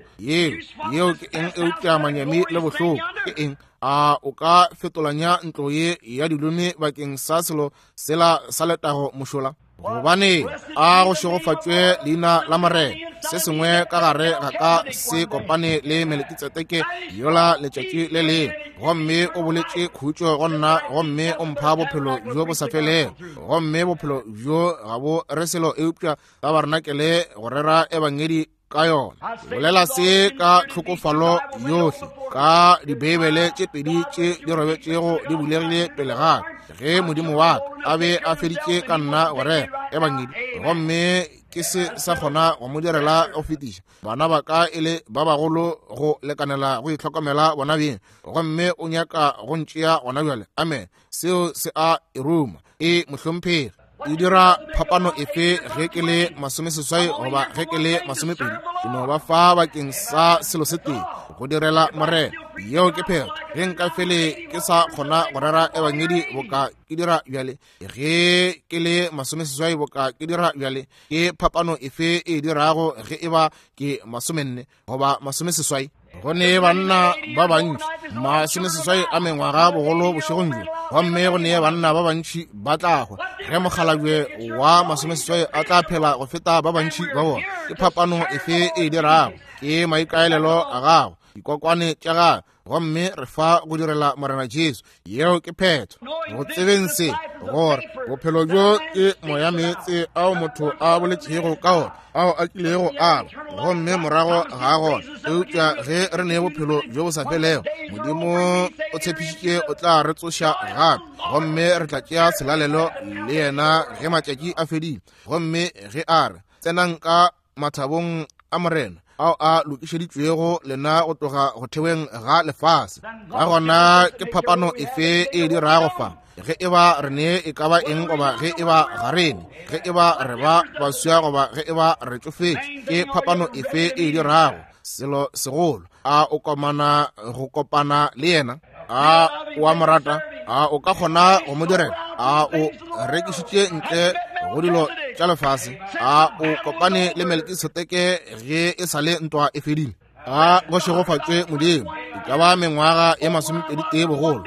yeo ke eng eupša manyami le bohloko? Ke eng? A o ka fetolanya ntlo ye ya dilome bakeng sa selo sela sa letago mošola? Gobane a go šegofatšwe leina la Morena. Se sengwe ka gare ga ka se kopane le Melekitsedeke yola letšatši le lengwe, gomme o boletše khutšo go nna, gomme o mpha bophelo bjo bo sa felego. Gomme bophelo bjo ga bo re selo eupša tabarenakele go rera ebangedi ka yona. Bolela se ka tlhokofalo yohle, ka Dibeibele tše pedi tše di robetšego di bulegile pele ga ka, ge Modimo wa ka a be a feditše ka nna go rera ebangedi, gomme ke se sa kgona go mo direla go fetiša bana ba ka e le ba bagolo go lekanela go itlhokomela bona beng, gomme o nyaka go ntšea gona bjale. Amen. Seo se a e ruma. E mohlomphegi. E dira phapano efe ge ke le 80 goba ge ke le 20? Ke no ba fa bakeng sa selo se tee, go direla Morena. Yeo ke phetho. Ge nka fele ke sa kgona go rera ebangedi boka ke dira bjale, ge ke le 80 boka ke dira bjale, ke phapano efe e dirago ge e ba ke 40 goba 80? Go ne banna ba bantši 80 a mengwaga bogolo bošegong bjo, gomme go ne banna ba bantši ba tla hwa. Ge mokgalabje wa 80 a tla phela go feta ba bantši ba bona, ke phapano efe e dirago? Ke maikaelelo a gago, dikokwane tša gago, gomme re fa go direla Morena Jesu. Yeo ke phetho. Go tsebeng se, gore bophelo bjo ke moya meetse ao motho a boletšego ka ona, ao a kilego a ba, gomme morago ga gona. Eupša ge re ne bophelo bjo bo sa felego, Modimo o tshepišitše o tla re tsoša gape, gomme re tla tšea selalelo le yena ge matšatši a fedile. Gomme ge a re, tsenang ka mathabong a Morena ao a lokišeditšwego lena go tloga go theweng ga lefase. Ka gona ke phapano efe e dirago fa, ge e ba re ne e ka ba eng goba ge e ba ga re ne, ge e ba re ba baswa goba ge e ba re tšofetše? Ke phapano efe e dirago? Selo segolo, a o komana go kopana le yena? A o a mo rata? A o ka kgona go mo direla? A o rekišitše ntle go dilo tša lefase? A o kopane le Melkisedeke ge e sa le ntwa e fedile? A go šegofatšwe Modimo. E ka ba mengwaga ye 21 bogolo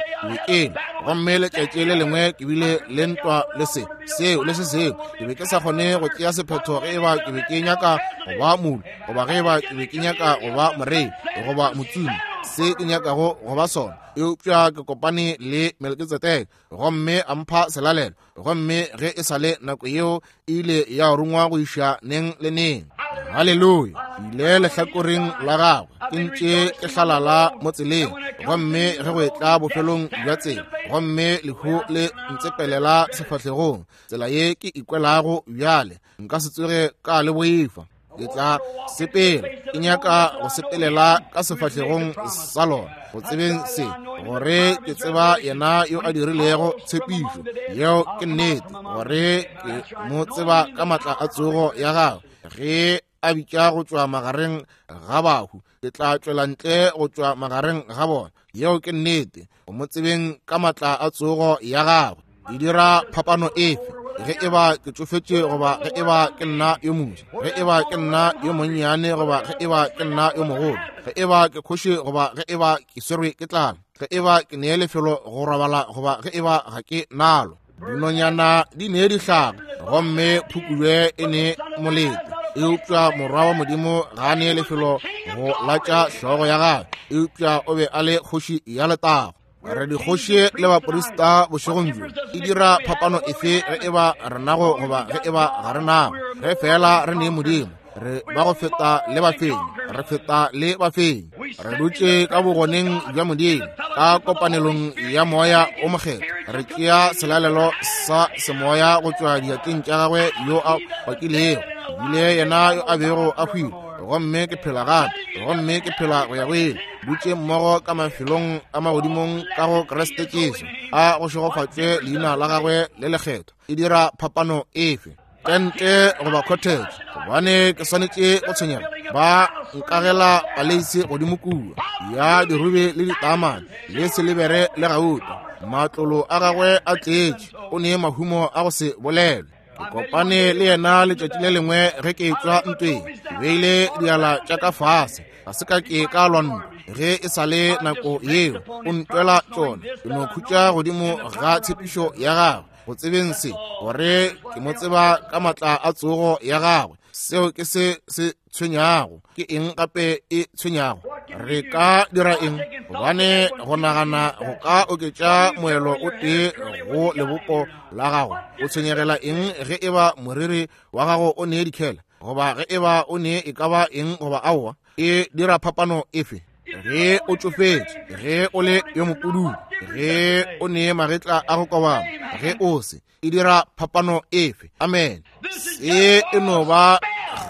ke gomme letšatši le lengwe ke bile le ntwa le se seo le se seo. Ke be ke sa kgone go tšea sephetho ge e ba ke be ke nyaka go ba mulu goba ge e ba ke be ke nyaka go ba morei goba motsumi, se ke nyakago go ba sona. Eupša ke kopane le Melkisedeke gomme a mpha selalelo, gomme ge e sa le nako yeo e ile ya rungwa go iša neng le neng. Haleluya! Ile lehlakoreng la gagwe, ke ntše ke hlalala mo tseleng, gomme ge go etla bofelong bja tsela, gomme lehu le ntsepelela sefahlegong, tsela ye ke ikwelago bjale, nka se tsoge ka le boifa. Ke tla sepela, ke nyaka go sepelela ka sefahlegong sa lona, go tsebeng se, gore ke tseba yena yo a dirilego tshepišo. Yeo ke nnete, gore ke mo tseba ka matla a tsogo ya gagwe. Ge a bitša go tšwa magareng ga bahu, ke tla tšwela ntle go tšwa magareng ga bona. Yeo ke nnete, go mo tsebeng ka matla a tsogo ya gagwe. E dira phapano efe ge e ba ke tšofetše goba ge e ba ke nna yo moswa, ge e ba ke nna yo monnyane goba ge e ba ke nna yo mogolo, ge e ba ke kgoši goba ge e ba ke swerwe ke tlala, ge e ba ke nee lefelo go robala goba ge e ba ga ke nalo. Dinonyana di nee dihlaga gomme phukubje e ne molete, eupša morwa wa Modimo ga a nee lefelo go latša hlogo ya gagwe, eupša o be a le kgoši ya letago. Re dikgoši le baprista bošegong bjo. E dira phapano efe ge e ba re nago goba ge e ba ga re nago? Ge fela re ne Modimo, re ba go feta le bafenyi, re feta le bafenyi. Re dutše ka bogoneng bja Modimo, ka kopanelong ya Moya o Mokgethwa, re tšea selalelo sa semoya go tšwa diatleng tša gagwe yo a pakilego, bile yena yo a bego a hwile, gomme ke phela gape, gomme ke phela go ya go ile, dutše mmogo ka mafelong a magodimong ka go Kriste Jesu. A go šegofatšwe leina la gagwe le lekgethwa. E dira phapano efe? Tente goba cottage, gobane ke swanetše go tshwenyega. Ba nkagela paleise godimo kua ya dirube le ditaamane le silibere le gauta. Matlolo a gagwe a tletše, o ne mahumo a go se bolelwe. Ke kopane le yena letšatši le lengwe ge ke etšwa ntweng. Ke beile diala tša ka fase, ga se ka ke ka lwa ntwa ge e sa le nako yeo. O ntwela tšona. Ke no khutša godimo ga tshepišo ya gagwe, go tsebeng se, gore ke mo tseba ka matla a tsogo ya gagwe. Seo ke se se tshwenyago. Ke eng gape e tshwenyago? Re ka dira eng? Gobane go nagana go ka oketša moelo o tee go lebopo la gago. O tshwenyegela eng ge e ba moriri wa gago o nee dikhela, goba ge e ba o nee e ka ba eng goba aowa? E dira phapano efe? Ge o tšofetše, ge o le yo mopududu, ge o nee magetla a go kobama, ge o se, e dira phapano efe? Amen. Se e no ba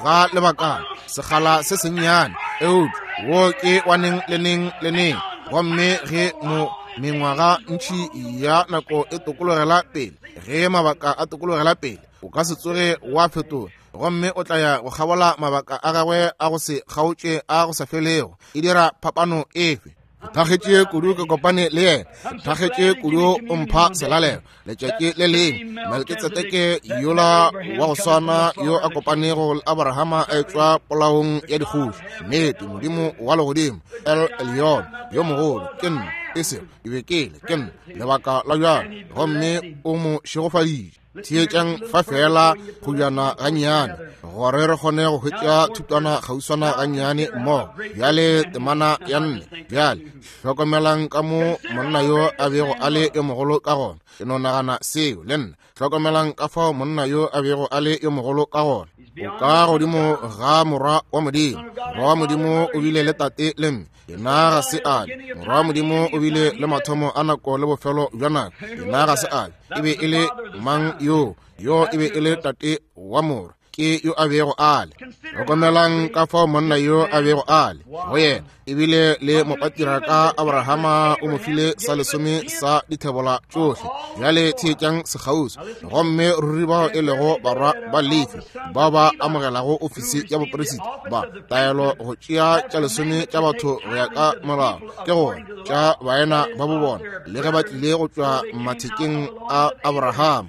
ga lebakana, sekgala se sennyane, eupša wo ke wa neng le neng le neng. Gomme ge mo mengwaga ntši ya nako e tokologela pele, ge mabaka a tokologela pele, o ka se tsoge wa fetola, gomme o tla ya go kgabola mabaka a gagwe a go se kgaotše a go sa felego. E dira phapano efe? Ke thakgetše kudu ke kopane le yena. Ke thakgetše kudu o mpha selalelo letšatši le lengwe. Melkitsedeke yola wa go swana yo a kopanego le Abrahama a etšwa polaong ya dikgoši. Nnete, Modimo wa legodimo, El Elyon, yo mogolo, ke nna, e sego ke be ke le, ke nna, lebaka la bjalo, gomme o mo šegofaditše. Theetšang fa feela kgojana gannyane, gore re kgone go hwetša thutwana kgauswana gannyane mmogo. Bjale temana ya 4. Bjale hlokomelang ka mo monna yo a bego a le yo mogolo ka gona. Ke no nagana seo le nna. Hlokomelang ka fao monna yo a bego a le yo mogolo ka gona. O ka godimo ga morwa wa Modimo. Morwa wa Modimo o bile le tate le mme. Yena ga se a be. Morwa wa Modimo o bile le mathomo a nako le bofelo bja nako. Yena ga se a be. E be e le mang yo? Yo e be e le tate wa morwa. Ke yo a bego a le. Hlokomelang ka fao monna yo a bego a le go yena. Ebile le mopatriarka Abrahama o mo file sa lesome sa dithebola tšohle. Bjale theetšang sekgauswi. Gomme ruri bao e lego barwa ba Lefi bao ba amogelago ofisi ya boperisita ba taelo go tšea tša lesome tša batho go ya ka molao, ke gore tša baena ba bo bona, le ge ba tlile go tšwa mathekeng a Abrahama.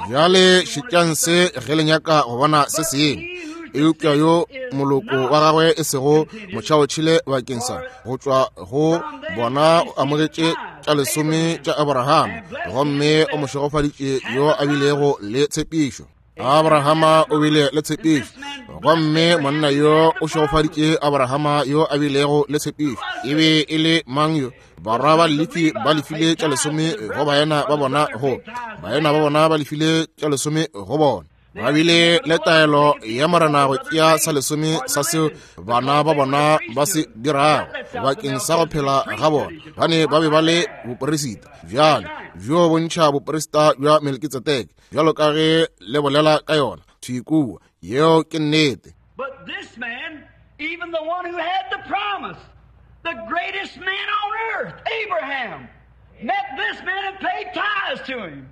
Bjale šetšang se ge le nyaka go bona se sengwe. Eupša yo moloko wa gagwe e sego motšhaotšhile bakeng sa go tšwa go bona o amogetše tša lesome tša Abrahama, gomme o mo šegofaditše yo a bilego le tshepišo. Abrahama o bile le tshepišo, gomme monna yo o šegofaditše Abrahama yo a bilego le tshepišo. E be e le mang yo? Barwa ba Lefi ba lefile tša lesome go baena ba bona, go baena ba bona ba lefile tša lesome go bona. Ba bile le taelo ya Morena go tšea sa lesome sa seo bana ba bona ba se dirago bakeng sa go phela ga bona, bane ba be ba le boperisita. Bjale bjo bontšha boperisita bja Melkitsedeke, bjalo ka ge le bolela ka yona thwi kua. Yeo ke nnete. But this man, even the one who had the promise, the greatest man on earth, Abraham, met this man and paid tithes to him.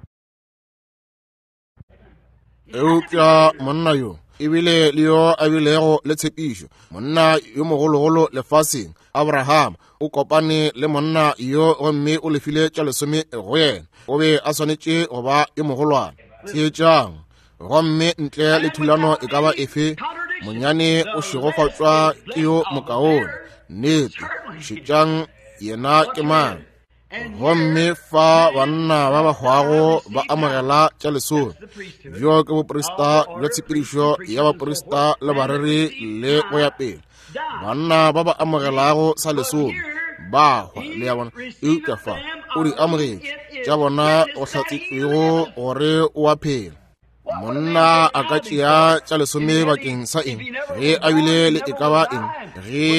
Eupša monna yo e bile le yo a bilego le tshepišo, monna yo mogologolo lefaseng, Abraham, o kopane le monna yo gomme o lefile tša lesome go yena. O be a swanetše go ba yo mogolwane. Theetšang. Gomme ntle le thulano e ka ba efe, monyane o šegofatšwa ke yo mokaone. Nnete. Šetšang yena ke mang. Gomme fa banna ba ba hwago ba amogela tša lesome, bjo ke boprista bja tshepedišo ya baprista le bareri le go ya pele. Banna ba ba amogelago sa lesome ba hwa, le ya bona. Eupša fa o di amogetše tša bona go hlatsetšwego gore o a phela. Monna a ka tšea tša lesome bakeng sa eng ge a bile le e ka ba eng, ge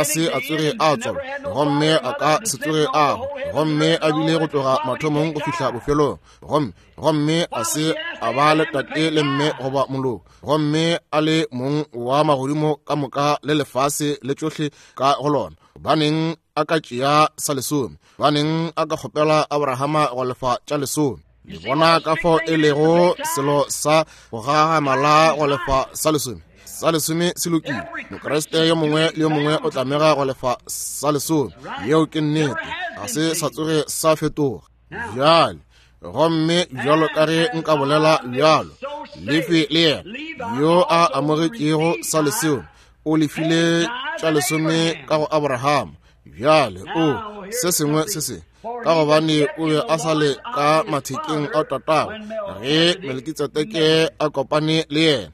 a se a tsoge a tswalwa, gomme a ka se tsoge a hwa, gomme a bile go tloga mathomong go fihla bofelong, gomme gomme a se a ba le tate le mme goba moloko, gomme a le mong wa magodimo ka moka le lefase le tšohle ka go lona? Gobaneng a ka tšea sa lesome? Gobaneng a ka kgopela Abrahama go lefa tša lesome? Le bona ka fao e lego selo sa go gagamala go lefa sa lesome. Sa lesome se lokile. Mokriste yo mongwe le yo mongwe o tlamega go lefa sa lesome. Yeo ke nnete. Ga se sa tsoge sa fetoga. Bjale, gomme bjalo ka ge nka bolela bjalo, Lefi le yena yo a amogetšego sa lesome o lefile tša lesome ka go Abrahama. Bjale o se sengwe se se ka gobane o be a sa le ka mathekeng a tatagwe ge Melkitsedeke a kopane le yena.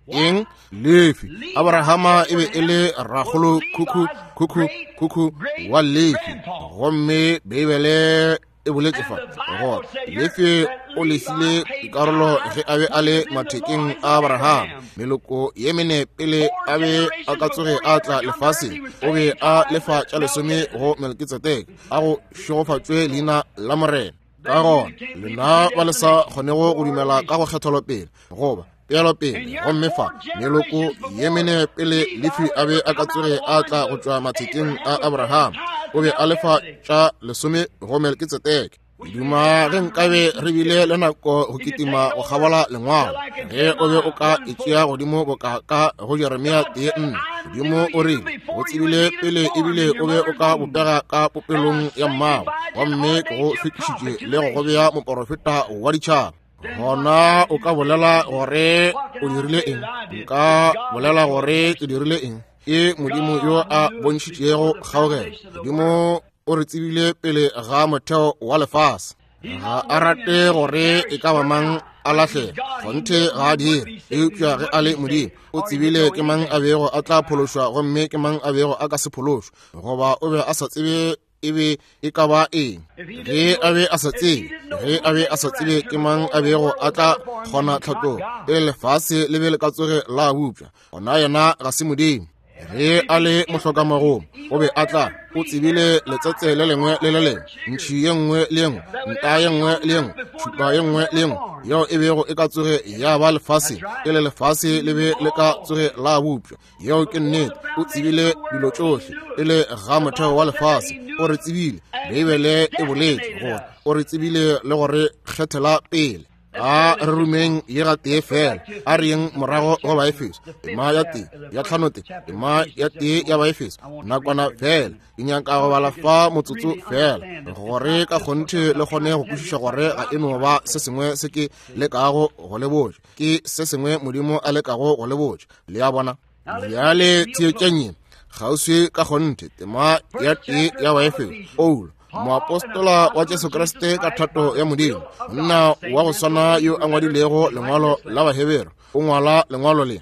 Eng? Lefi. Abrahama e be e le rakgolo khukhu khukhu khukhu wa Lefi, gomme Beibele e boletše fa gore Lefi o lefile dikarolo ge a be a le mathekeng a Abrahama. Meloko ye mene pele a be a ka tsoge a tla lefaseng, o be a lefa tša lesome go Melkitsedeke. A go šegofatšwe leina la Morena. Ka gona lena ba le sa kgonego go dumela ka go kgethelopele goba peelopele, gomme fa meloko ye mene pele Lefi a be a ka tsoge a tla go tšwa mathekeng a Abrahama, o be a lefa tša lesome go Melkitsedeke. Duma ge nkabe re bile le nako go kitima go kgabola lengwalo, ge o be o ka e tšea godimo boka ka go Jeremia 1:4. Modimo o rile o tsebile pele ebile o be o ka bopega ka popelong ya mmago, gomme ke go hlwekišitše le go go bea moporofeta wa ditšhaba. Gona o ka bolela gore o dirile eng? Nka bolela gore ke dirile eng? Ke Modimo yo a bontšhitšego kgaogelo. Modimo o re tsebile pele ga motheo wa lefase. Ga a rate gore e ka ba mang a lahlege, kgonthe ga a dire. Eupša ge a le Modimo, o tsebile ke mang a bego a tla phološwa gomme ke mang a bego a ka se phološwe, goba o be a sa tsebe e be e ka ba eng. Ge a be a sa tsebe, ge a be a sa tsebe ke mang a bego a tla kgona tlhatlogo pele lefase le be le ka tsoge la bopša, gona yena ga se Modimo. Ge a le mohlokamagomo, o be a tla, o tsebile letsetse le lengwe le le lengwe, ntšhi ye nngwe le ye nngwe, nta ye nngwe le ye nngwe, tšhupa ye nngwe le ye nngwe yeo e bego e ka tsoge ya ba lefaseng pele lefase le be le ka tsoge la bopša. Yeo ke nnete. O tsebile dilo tšohle pele ga motheo wa lefase. O re tsebile. Beibele e boletše gore o re tsebile le go re kgethela pele. A re rumeng ye gatee fela. A re yeng morago go Baefeso, tema ya tee ya tlhanote, tema ya tee ya Baefeso, nakwana fela. Ke nyaka go bala fa motsotso fela gore ka kgonthe le kgone go kwešiša gore ga e no ba se sengwe se ke lekago go le botša, ke se sengwe Modimo a lekago go le botša. Le a bona? Bjale theetšang ye kgauswi ka kgonthe, tema ya tee ya Baefeso. Paulo, moapostola wa Jesu Kriste ka thato ya Modimo, monna wa go swana yo a ngwadilego lengwalo la Baheberu, o ngwala lengwalo le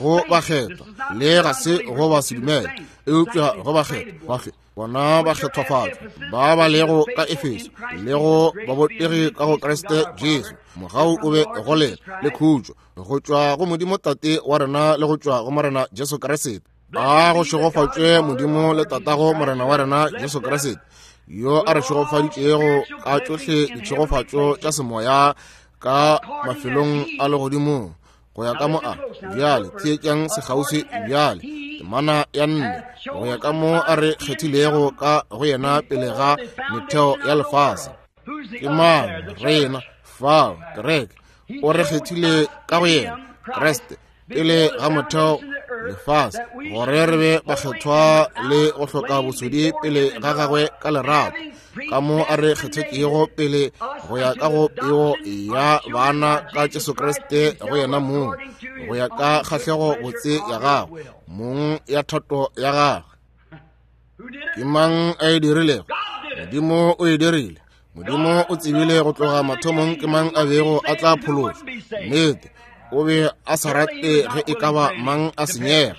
go bakgethwa, le ga se go ba sedumele, eupša go bakgethwa, bona bakgethwafatšwa ba ba lego ka Efeso le go babotegi ka go Kriste Jesu. Mogau o be go lena le khutšo go tšwa go Modimo Tate wa rena le go tšwa go Morena Jesu Kriste. A go šegofatšwe Modimo le Tatago Morena wa rena Jesu Kriste, yo a re šegofaditšego ka tšohle ditšhegofatšo tša semoya ka mafelong a legodimong, go ya ka mo a bjale theetšang sekgauswi bjale temana ya 4, go ya ka mo a re kgethilego ka go yena pele ga metheo ya lefase. Ke mang rena fao? Kereke. O re kgethile ka go yena Kriste pele ga motheo lefase, gore re be bakgethwa le go hloka bosodi pele ga gagwe ka lerato, ka mo a re kgethetšego pele go ya ka go peo ya bana ka Jesu Kriste go yena mong, go ya ka kgahlego botse ya gagwe mong ya thato ya gagwe. Ke mang a e dirilego? Modimo o e dirile. Modimo o tsebile go tloga mathomong ke mang a bego a tla phološwa. Nnete, o be a sa rate ge e ka ba mang a senyega.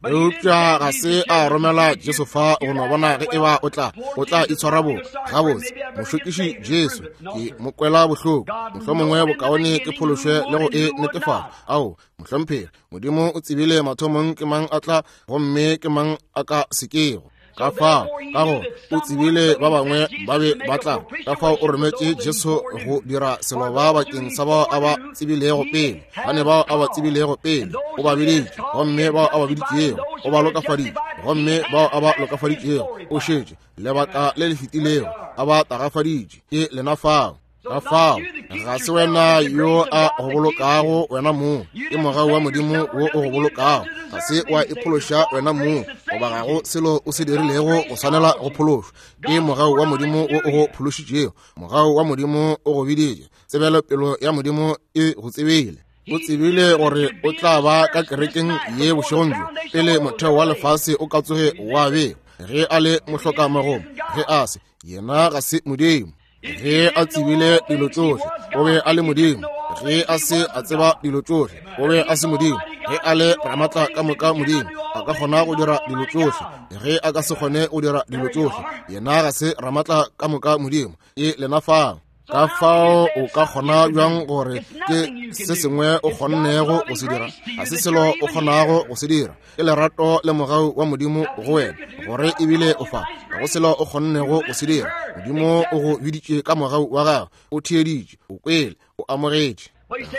Eupša ga se a romela Jesu fa go no bona ge e ba o tla o tla itshwara bo gabotse. Mošokiši Jesu ke mo kwela bohloko, mohlomongwe bokaone ke phološwe le go e netefatša. Ao, mohlomphegi, Modimo o tsebile mathomong ke mang a tla gomme ke mang a ka sekego. Ka fao, ka go o tsebile ba bangwe ba be ba tla, ka fao o rometše Jesu go dira seloba bakeng sa bao a ba tsebilego pele. Bane bao a ba tsebilego pele o ba biditše, gomme bao a ba biditšego o ba lokafaditše, gomme bao a ba lokafaditšego o šetše lebaka le le fetilego a ba tagafaditše. Ke lena fao. Ka fao ga se wena yo a go bolokago wena mong, ke mogau wa Modimo wo o go bolokago. Ga se wa iphološa wena mong, goba ga go selo o se dirilego go swanela go phološwa. Ke mogau wa Modimo wo o go phološitšego. Mogau wa Modimo o go biditše. Tsebelopelo ya Modimo e go tsebile. O tsebile gore o tla ba ka kerekeng ye bošegong bjo pele motheo wa lefase o ka tsoge wa bewa. Ge a le mohlokamagong, ge a se, yena ga se Modimo. Ge a tsebile dilo tšohle, o be a le Modimo. Ge a se a tseba dilo tšohle, o be a se Modimo. Ge a le ramatla ka moka Modimo, a ka kgona go dira dilo tšohle. Ge a ka se kgone go dira dilo tšohle, yena ga se ramatla ka moka Modimo. Ke lena fao. Ka fao o ka kgona bjang gore ke se sengwe o kgonnego go se dira? Ga se selo o kgonago go se dira. Ke lerato le mogau wa Modimo go wena gore ebile o fa. Ga go selo o kgonnego go se dira. Modimo o go biditše ka mogau wa gagwe, o theeditše, o kwele, o amogetše.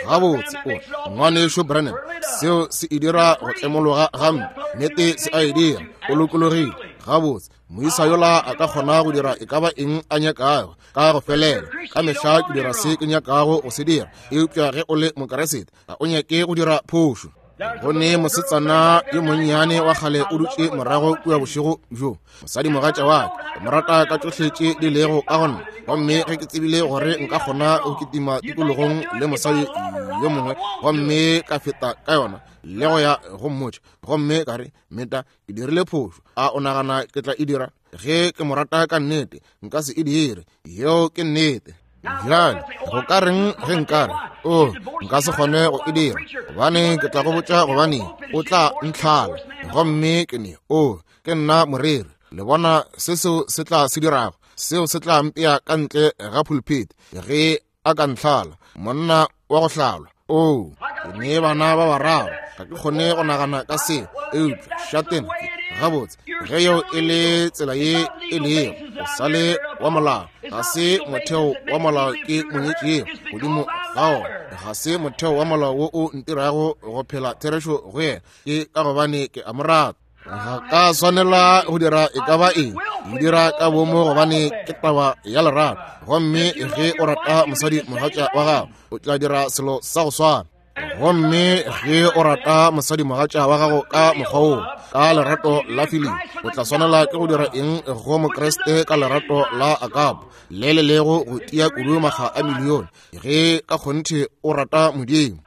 Gabotse o ngwanešu Branham, seo se e dira go tlemologa gampe. Nnete se a e dira, o lokologile. Gabotse moisa yola a ka kgona go dira e ka ba eng a nyakago ka go felela. Ka mehla ke dira se ke nyakago go se dira. Eupša ge o le Mokeresete, ga o nyake go dira phošo. Go ne mosetsana yo monnyane wa kgale o dutše morago kua bošego bjo, mosadimogatša wa ka, ke mo rata ka tšohle tše di lego ka go nna. Gomme ge ke tsebile gore nka kgona go kitima tikologong le mosadi yo mongwe, gomme ka feta ka yona le go ya go mmotša, gomme ka re, Meta, ke dirile phošo. A o nagana ke tla e dira? Ge ke mo rata ka nnete, nka se e dire. Yeo ke nnete. Bjale go ka reng ge nkare o nka se kgone go e dira? Gobane ke tla go botša gobane o tla ntlhala. Gomme ke ne o ke nna moreri. Le bona se seo se tla se dirago? Seo se tla mpea ka ntle ga pulpit ge a ka ntlhala, monna wa go hlalwa. Oo, ke ne bana ba bararo, ga ke kgone go nagana ka seo. Eupša šatena, gabotse, ge yeo e le tsela ye e lego, o sa le wa molao. Ga se motheo wa molao ke monyetšego godimo ga ona, ga se motheo wa molao wo o ntirago go phela therešo go yena, ke ka gobane ke a mo rata. Ga ka swanela go dira e ka ba eng, ke dira ka bomo gobane ke taba ya lerato. Gomme ge o rata mosadi mogatša wa gago, o tla dira selo sa go swana. Gomme ge o rata mosadi mogatša wa gago ka mokgwa woo, ka lerato la filimi, o tla swanela ke go dira eng go Mokriste ka lerato la agape le le lego go tia kudu makga a milione, ge ka kgonthe o rata Modimo.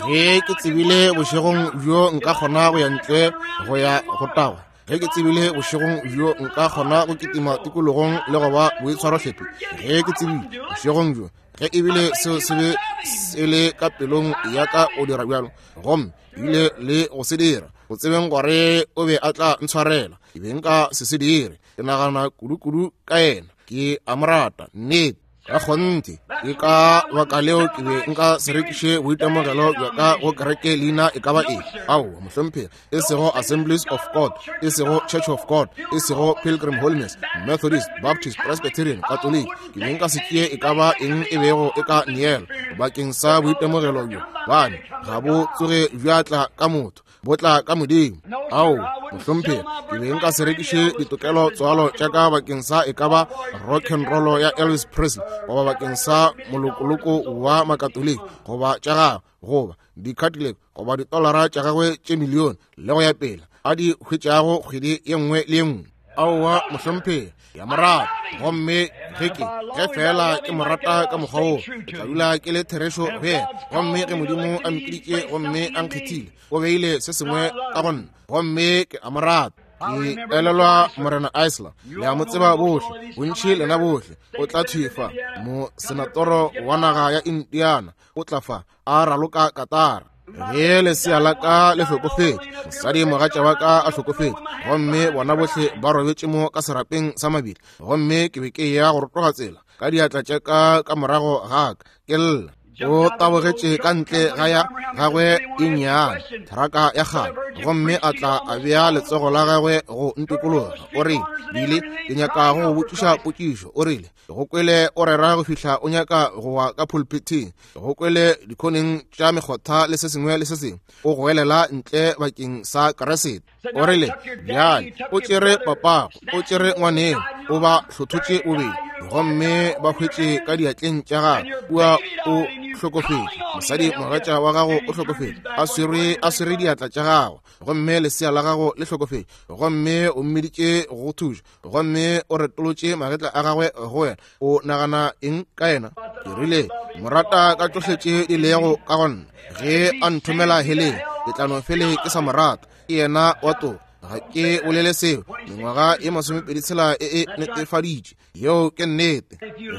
Ge ke tsebile bošegong bjo nka kgona go ya ntle go ya go tagwa, ge ke tsebile bošegong bjo nka kgona go kitima tikologong le go ba boitshwarohlephi, ge ke tsebile bošegong bjo, ge ebile seo se be se le ka pelong ya ka go dira bjalo, gomme ebile le go se dira, go tsebeng gore o be a tla ntshwarela, ke be nka se se dire. Ke nagana kudu-kudu ka yena, ke a mo rata, nnete. Ka kgonthe, ke ka baka leo ke be nka se rekiše boitemogelo bja ka go kereke leina e ka ba eng. Aowa, mohlomphegi, e sego Assemblies of God, e sego Church of God, e sego Pilgrim Holiness, Methodist, Baptist, Presbyterian, Catholic. Ke be nka se tšee e ka ba eng e bego e ka neela bakeng sa boitemogelo bjo, bane ga bo tsoge bja tla ka motho, bo tla ka Modimo. Ao, mohlomphegi, ke be nka se rekiše ditokelo tswalo tša ka bakeng sa e ka ba rock and roll ya Elvis Presley, goba bakeng sa molokoloko wa Makatoliki, goba tša gagwe, goba di-Cadillac, goba ditolara tša gagwe tše milione, le go ya pele, a di hwetšago kgwedi ye nngwe le ye nngwe. Aowa, mohlomphegi, ke a mo rata. Gomme ge ke, ge feela ke mo rata ka mokgwa woo, ke tla dula ke le therešo go yena. Gomme ge Modimo a mpiditše gomme a nkgethile, o beile se sengwe ka go nna, gomme ke a mo rata. Ke elelwa Morena Isler, le a mo tseba bohle, bontši lena bohle. O tla thwi fa, mosenatoro wa naga ya Indiana, o tla fa a raloka katara. Ge lesea la ka le hlokofetše, mosadi mogatša wa ka a hlokofetše, gomme bona bohle ba robetše mo ka serapeng sa mabitla, gomme ke be ke eya go rotoga tsela ka diatla tša ka ka morago ga ka, ke lla. O tabogetše ka ntle ga ya gagwe e nnyane, theraka ya kgale, gomme a tla a bea letsogo la gagwe go ntikologa. O rile, Billy, ke nyaka go go botšiša potšišo. O rile, Go kwele o rera go fihla o nyaka go wa ka pulpithing. Go kwele dikhoneng tša mekgotha le se sengwe le se sengwe, o goelela ntle bakeng sa Kriste. O rile, Bjale, o tšere papago, o tšere ngwaneno, o ba hlothotše bobedi, gomme ba hwetše ka diatleng tša gago. Kua o hlokofetše, mosadi mogatša wa gago o hlokofetše, a swere, a swere diatla tša gago, gomme lesea la gago le hlokofetše, gomme o mmiditše go thuša, gomme o retolotše magetla a gagwe go wena. O nagana eng ka yena? Ke rile, Mo rata ka tšohle tše di lego ka go nna. Ge a nthomela heleng, ke tla no fele ke sa mo rata. Ke yena wa toka. Ga ke bolele seo. Mengwaga ye masomepeditshela e e netefaditše. Yeo ke nnete.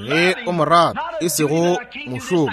Ge o mo rata, e sego mošomo,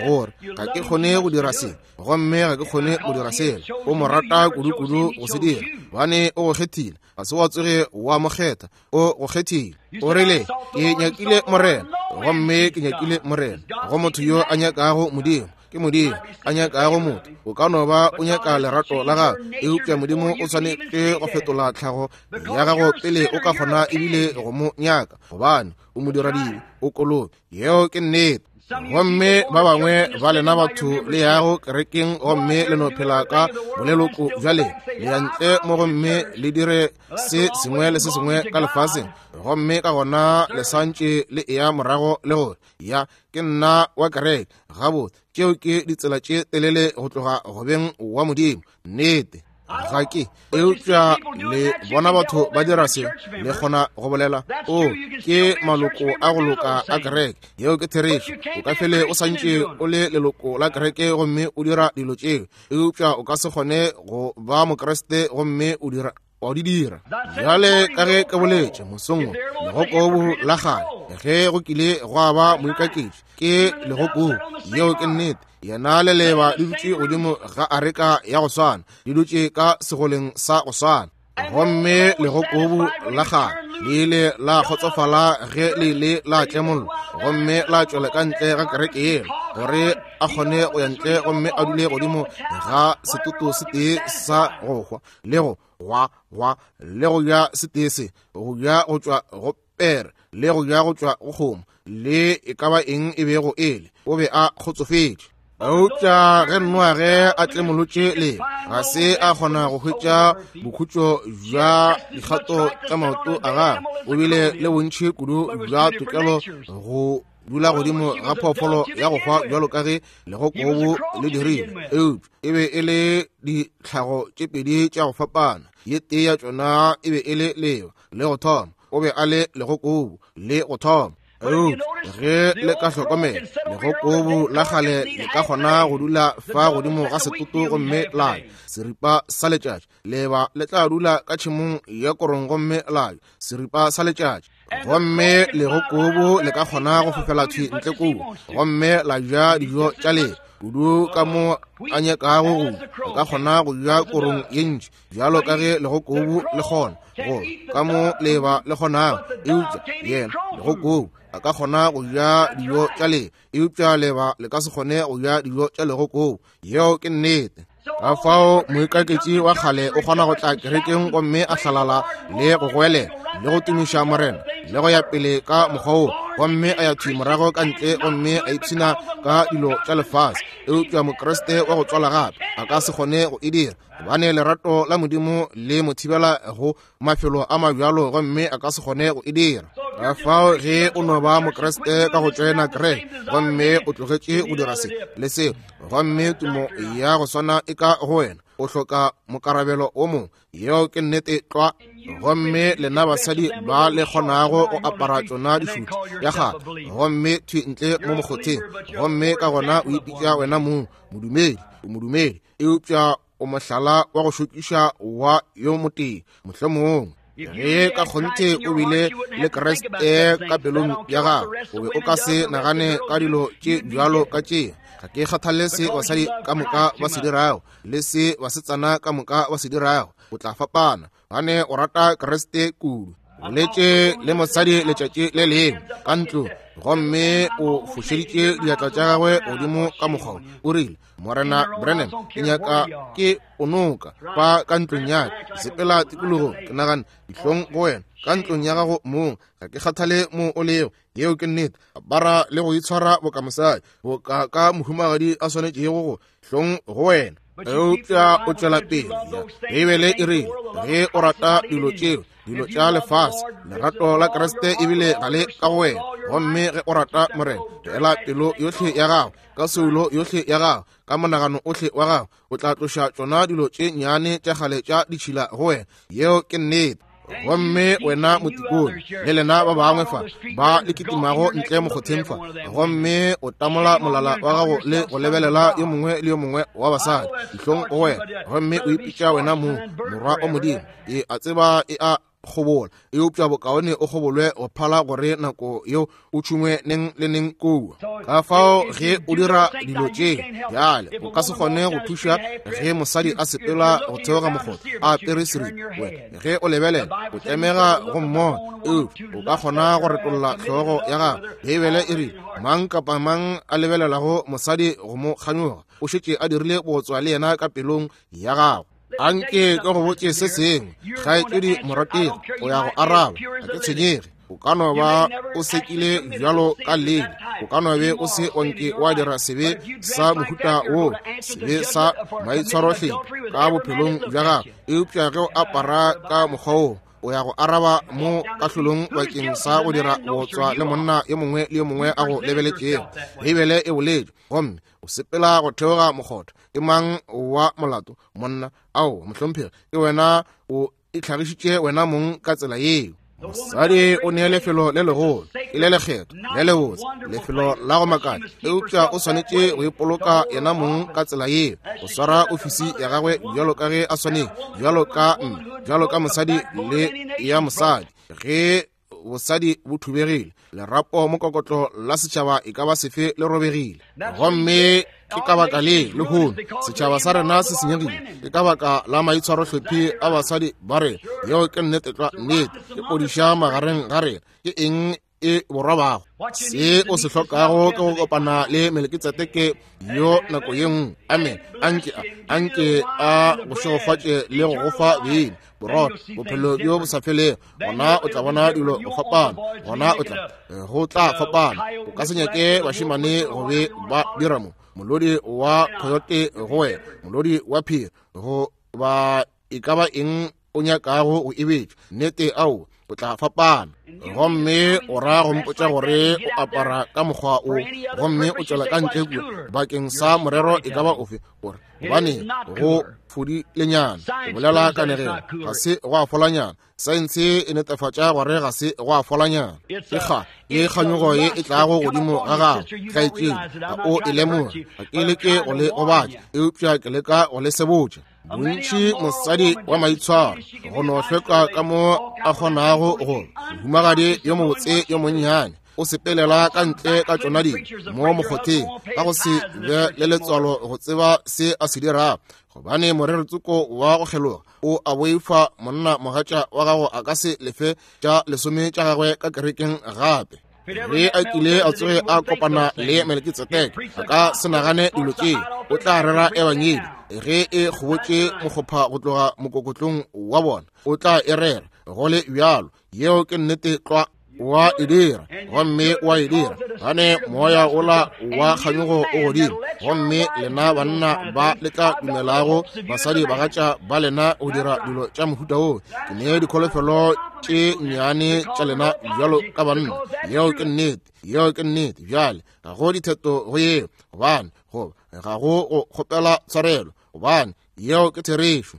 gore ga ke kgone go dira se, gomme ga ke kgone go dira sela. O mo rata kudu-kudu go se dira, gobane o go kgethile. Ga se wa tsoge wa mo kgetha, o go kgethile. O rile, Ke nyakile Morena, gomme ke nyakile Morena. Go motho yo a nyakago Modimo, ke Modimo a nyakago motho. O ka no ba o nyaka lerato la gago, eupša Modimo o swanetše go fetola tlhago ya gago pele o ka kgona ebile go mo nyaka, gobane o modiradibe, o kolobe. Yeo ke nnete. Gomme ba bangwe ba lena batho le yago kerekeng gomme le no phela ka boleloko bja lena, le ya ntle mo gomme le dire se sengwe le se sengwe ka lefaseng, gomme ka gona le santše le eya morago le gore, Ya, ke nna wa kereke. Gabotse, tšeo ke ditsela tše telele go tloga go beng wa Modimo. Nnete. Ga ke. Eupša le bona batho ba dira se, le kgona go bolela, O, ke maloko a go loka a kereke. Yeo ke therešo. O ka fele o santše o le leloko la kereke gomme o dira dilo tšeo, eupša o ka se kgone go ba Mokriste gomme o dira wa di dira. Bjale ka ge ke boletše mosong wo, legokobu la kgale, ge go kile gwa ba moikaketši, ke legokobu. Yeo ke nnete. Yena le leeba di dutše godimo ga areka ya go swana, di dutše ka segoleng sa go swana. Gomme legokobu la kgale le ile la kgotsofala ge le ile la tlemollwa gomme la tšwela ka ntle ga kereke yela, gore a kgone go ya ntle gomme a dule godimo ga setoto se tee sa go hwa, le go gwa gwa, le go ja setee se, go ja go tšwa go pere, le go ja go tšwa go kgomo, le e ka ba eng e bego e le, o be a kgotsofetše. Eupša ge Noage a tlemolotše le, ga se a kgona go hwetša bokhutšo bja dikgato tša maoto a gagwe. O bile le bontši kudu bja tokelo go dula godimo ga phoofolo ya go hwa bjalo ka ge legokobu le dirile, eupša e be e le ditlhago tše pedi tša go fapana. Ye tee ya tšona e be e le leeba le go thoma, o be a le legokobu le go thoma. Eupša ge le ka hlokomela, legokobu la kgale le ka kgona go dula fa godimo ga setoto gomme la ja seripa sa letšatši. Leeba le tla dula ka tšhemong ya korong gomme la ja seripa sa letšatši. Gomme legokobu le ka kgona go fofela thwi ntle kua gomme la ja dijo tša lena kudu ka mo a nyakago go. Le ka kgona go ja korong ye ntši bjalo ka ge legokobu le kgona, go ka mo leeba le kgonago. Eupša yena legokobu a ka kgona go ja dijo tša lena, eupša leeba le ka se kgone go ja dijo tša legokobu. Yeo ke nnete. Ka fao moikaketši wa kgale o kgona go tla kerekeng gomme a hlalala le go goelela le go tumiša Morena le go ya pele ka mokgwa wo, gomme a ya thwi morago ka ntle gomme a ipshina ka dilo tša lefase. Eupša Mokriste wa go tswala gape a ka se kgone go e dira, gobane lerato la Modimo le mo thibela go mafelo a mabjalo, gomme a ka se kgone go e dira. Ka fao ge o no ba Mokriste ka go tšoena kereke gomme o tlogetše go dira se le seo, gomme tumo ya go swana e ka go wena, o hloka mokarabelo wo mongwe. Yeo ke nnete tlwa. Gomme lena basadi ba le kgonago go apara tšona dišuti ya kgale gomme thwi ntle mo mokgotheng, gomme ka gona o ipitša wena mong modumedi, o modumedi, eupša o mohlala wa go šokiša wa yo motee mohlomongwe. Ge ka kgonthe o bile le Kriste ka pelong ya gago, o be o ka se nagane ka dilo tše bjalo ka tše. Ga ke kgathale se basadi ka moka ba se dirago le se basetsana ka moka ba se dirago, o tla fapana gane o rata Kriste kudu. Boletše le mosadi letšatši le lengwe ka ntlo, gomme o fošeditše diatla tša gagwe godimo ka mokgwa o rile, Morena Branham, ke nyaka ke o noka fa ka ntlong ya ka, sepela tikologong. Ke nagana, dihlong go wena, ka ntlong ya gago mong. Ga ke kgathale mo o lego, yeo ke nnete. Apara le go itshwara boka mosadi, boka ka mohumagadi a swanetšego go, hlong go wena. Eupša o tšwela pele. Beibele e rile, ge o rata dilo tšeo, dilo tša lefase, lerato la Kriste ebile ga le ka go wena. Gomme ge o rata Morena, ela pelo yohle ya gago, ka soulo yohle ya gago, ka monagano ohle wa gago, o tla tloša tšona dilo tše nnyane tša kgale tša ditšhila go wena. Yeo ke nnete. Gomme wena motikone le lena ba bangwe fa ba le kitimago ntle mokgotheng fa, gomme o tamola molala wa gago le go lebelela yo mongwe le yo mongwe wa basadi, dihlong go wena, gomme o ipitša wena mong morwa wa Modimo. E a tseba e a kgobola, eupša bokaone o kgobolwe go phala gore nako yeo o tšhungwe neng le neng kua. Ka fao ge o dira dilo tše bjale, o ka se kgone go thuša ge mosadi a sepela go theoga mokgotha a apere seripa. Wena ge o lebelela o tlemega go mmona, eupša o ka kgona go retolla hlogo ya gago. Beibele e rile, mang kapa mang a lebelelago mosadi go mo kganyoga o šetše a dirile bootswa le yena ka pelong ya gagwe. Anke ke go botše se sengwe, kgaetšedi morategi, o ya go araba, ga ke tshwenyege. O ka no ba o sekile bjalo ka lele, o ka no be o se wa nke wa dira sebe sa mohuta wo, sebe sa maitshwarohlephi ka bophelong bja gago, eupša ge o apara ka mokgwa wo, o ya go araba mo kahlolong bakeng sa go dira bootswa le monna yo mongwe le yo mongwe a go lebeletšego. Beibele e boletše, gomme o sepela go theoga mokgotha. Ke mang wa molato? Monna. Ao, mohlomphegi, ke wena, o itlhagišitše wena mong ka tsela yeo. Mosadi o ne lefelo le legolo, e le lekgetho le lebotse, lefelo la go makatša, eupša o swanetše go ipoloka yena mong ka tsela yeo, go swara ofisi ya gagwe bjalo ka ge a swanetše, bjalo ka mme, bjalo ka mosadi le ya mosadi. Ge bosadi bo thubegile, lerapo mokokotlo la setšhaba e ka ba sefe le robegile. Gomme ke ka baka le lehono setšhaba sa rena se senyegile, ke ka baka la maitshwarohlephi a basadi ba rena. Yeo ke nnete tlwa, nnete. Ke podiša magareng ga rena. Ke eng e borwabago? Se o se hlokago ke go kopana le Melekitsedeke yo nako ye nngwe. Amen. Anke a, anke a go šegofatše le go go fa beine, borotho, bophelo bjo bo sa felego. Gona o tla bona dilo go fapana. Gona o tla, go tla fapana. O ka se nyake bašemane go be ba dira mo. Molodi wa coyote go wena, molodi wa phiri, go ba e ka ba eng o nyakago go e betša. Nnete, ao, o tla fapana. Gomme o ra go mpotša gore o apara ka mokgwa o, gomme o tšwela ka ntle kua bakeng sa morero e ka ba ofe, gore gobane go fodilenyana, go bolela kanegelo, ga se gwa folanyana. Saense e netefatša gore ga se gwa folanyana. Ke kga ke kganyogo ye e tlago godimo ga gago, kgaetšedi, ga o e lemoge. Ga ke leke go le gobatša, eupša ke leka go le sebotša. Bontši mosadi wa maitshwaro go no hlweka ka mo a kgonago go mohumagadi yo mobotse yo monnyane o sepelela ka ntle ka tšona dilo mo mokgotheng ka go se be le letswalo go tseba se a se dirago, gobane morero tsoko wa go kgeloga o a boifa monna mogatša wa gago a ka se lefe tša lesome tša gagwe ka kerekeng gape. Ge a kile a tsoge a kopana le Melekitsedeke, a ka se nagane dilo tše. O tla rera ebangedi ge e kgobotše mokgopha go tloga mokokotlong wa bona. O tla e rera go le bjalo. Yeo ke nnete tlwa. Wa e dira, gomme wa e dira gane moya ola wa kganyogo o godimo. Gomme lena banna ba le tla dumelago basadi bagatša ba lena go dira dilo tša mohuta wo, ke ne dikholofelo tše nnyane tša lena bjalo ka banna. Yeo ke nnete, yeo ke nnete. Bjale ga go ditheto go yeo, gobane goba ga go go kgopela tshwarelo. gobane yeo ke therešo.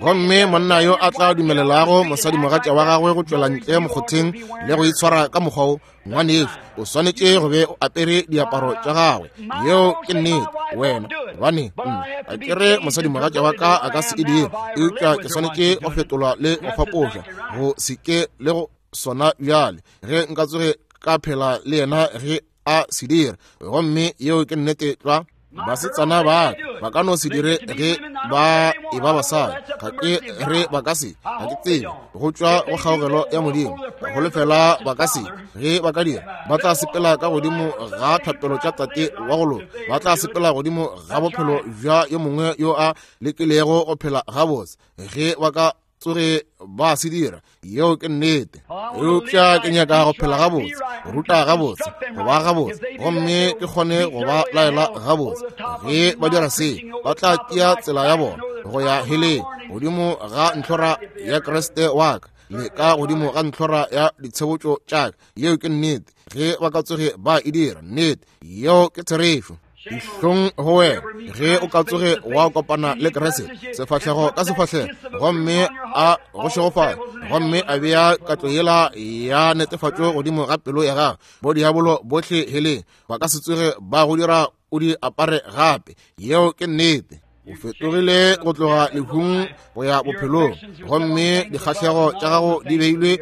Gomme monna yo a tla dumelelago mosadimogatša wa gagwe go tšwela ntle mokgotheng le go itshwara ka mokgwa wo, ngwanešu, o swanetše go be o apere diaparo tša gagwe. Yeo ke nnete. Wena, gobane nna ga ke re mosadimogatša wa ka a ka se e dire, eupša ke swanetše go fetolwa le go fapošwa go se ke le go sona bjale, ge nka tsoge ka phela le yena ge a se dira. Gomme yeo ke nnete tlwa. Basetsana ba ba ka no se dire ge ba e ba basadi, ga ke re ba ka se, ga ke tsebe, go tšwa go kgaogelo ya Modimo, go lefela ba ka se. Ge ba ka dira, ba tla sepela ka godimo ga thapelo tša tate wa go loka, ba tla sepela godimo ga bophelo bja yo mongwe yo a lekilego go phela gabotse. Ge ba ka tsoge ba se dira, yeo ke nnete. Eupša ke nyaka go phela gabotse, go ruta gabotse, go ba gabotse, gomme ke kgone go ba laela gabotse. Ge ba dira se, ba tla tšea tsela ya bona go ya heleng, godimo ga ntlhora ya Kriste wa ka, le ka godimo ga ntlhora ya ditshebotšo tša ka. Yeo ke nnete. Ge ba ka tsoge ba e dira, nnete, yeo ke therešo. Dihlong go wena ge o ka tsoge wa kopana le Kriste sefahlego ka sefahlego, gomme a go šegofatša, gomme a bea katlo yela ya netefatšo godimo ga pelo ya gago. Bodiabolo bohle heleng ba ka se tsoge ba go dira o di apare gape. Yeo ke nnete. O fetogile go tloga lehung go ya bophelong, gomme dikgahlego tša gago di beilwe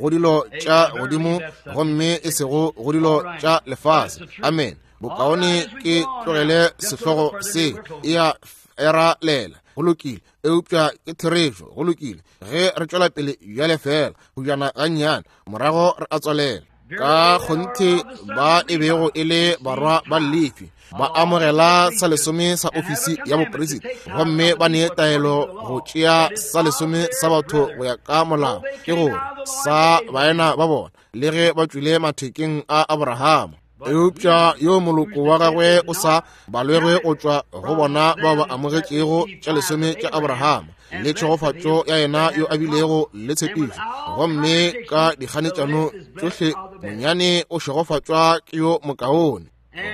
go dilo tša godimo gomme e sego go dilo tša lefase. Amen. Bokaone ke tlogele sehlogo se, e a era lela. Go lokile, eupša ke therešo. Go lokile, ge re tšwela pele bjale fela go bjana gannyane, morago re a tswalela. Ka kgonthe ba e bego e le barwa ba Lefi ba amogela sa lesome sa ofisi ya boperisita, gomme ba nee taelo go tšea sa lesome sa batho go ya ka molao, ke gore sa baena ba bona, le ge ba tšwile mathekeng a Abrahama. Eupša yo moloko wa gagwe o sa balwegwe go tšwa go bona bao ba amogetšego tša lesome tša Abrahama le tšhegofatšo ya yena yo a bilego le tshepišo, gomme ka dikganetšano tšohle monyane o šegofatšwa ke yo mokaone.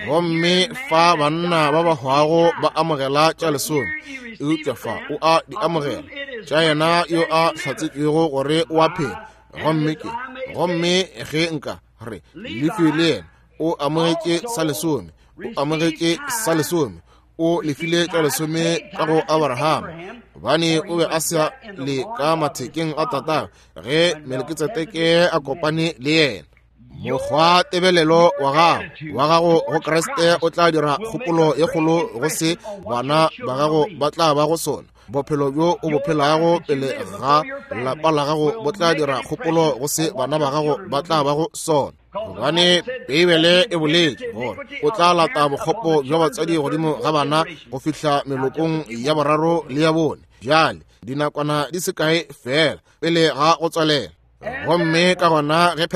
Gomme fa banna ba ba hwago ba amogela tša lesome, eupša fa o a di amogela tša yena yo a hlatsetšwego gore o a phela. Gomme ke, gomme ge nka re Lefi le yena o amogetše sa lesome, o amogetše sa lesome, o lefile tša lesome ka go Abrahama, gobane o be a sa le ka mathekeng a tatagwe ge Melkitsedeke a kopane le yena. Mokgwa tebelelo wa gago wa gago go Kriste o tla dira kgopolo ye kgolo go se bana ba gago ba tla ba go sona. Bophelo bjo o bo phelago pele ga lapa la gago bo tla dira kgopolo go se bana ba gago ba tla ba go sona. Gobane Beibele e boletše gore o tla lata bokgopo bja batswadi godimo ga bana go fihla melokong ya boraro le ya bone. Bjale dinakwana di se kae fela pele ga go tswalela. Gomme ka gona ge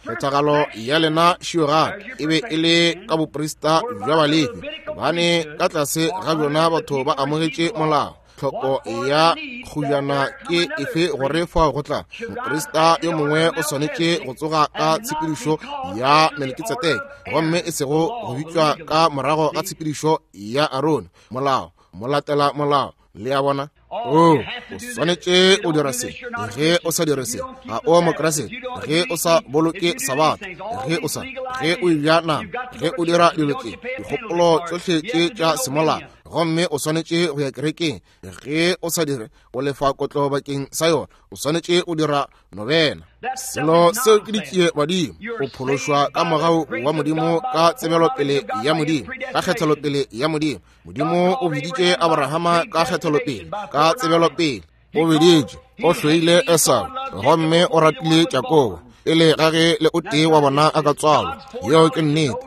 phethagalo ya lena šiogape e be e le ka boprista bja Balefi, gobane ka tlase ga bjona batho ba amogetše molao. Tlhoko ya kgujana ke efe gore fao go tla moprista yo mongwe o swanetše go tsoga ka tshepedišo ya Melkitsedeke, gomme e sego go bitšwa ka morago ga tshepedišo ya Arone. Molao, molatela molao, le a bona. O swanetše o dira se, ge o sa dire se ga o Mokriste, ge o sa boloke Sabatha, ge o sa, ge o eja nama, ge o dira dilo tše, dikgopolo tšohle tše tša semolao, gomme o swanetše go ya kerekeng. Ge o sa dire, o lefa kotlo bakeng sa yona. O swanetše o dira nobena. Selo seo ke ditšie badimo. O phološwa ka mogau wa Modimo, ka tsebelopele ya Modimo, ka kgethelopele ya Modimo. Modimo o biditše Abrahama ka kgethelopele, ka tsebelopele. O biditše, o hloile Esau, gomme o ratile Jakobo, pele ga ge le o tee wa bona a ka tswalwa. Yeo ke nnete.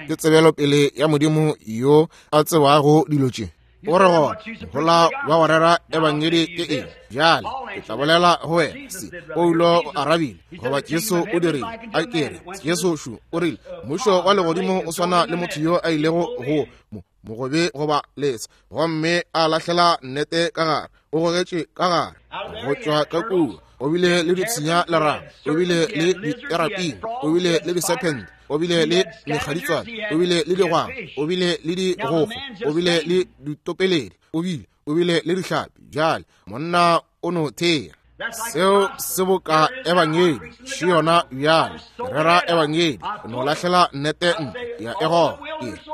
Ke tsebelopele ya Modimo yo a tsebago dilo tše. O re gona mohola wa go rera ebangedi ke eng? Bjale ke tla bolela go wena se Paulo o arabile, goba Jesu o dirile. A ke re Jesu šu o rile, mmušo wa legodimo o swana le motho yo a ilego go mogobe goba letsha, gomme a lahlela nnete ka gare, o gogetše ka gare go tšwa ka kua. O bile le dipshinya lerago, o bile le diteraping, o bile le diserpent, o bile le mekgaditswane, o bile le digwang, o bile le digogo, o bile le ditopeledi, o bile. O bile le dihlapi. Bjale monna o no thea. Seo se boka ebangedi, še yona bjale. Rera ebangedi, no lahlela nnete ntle ya e goga.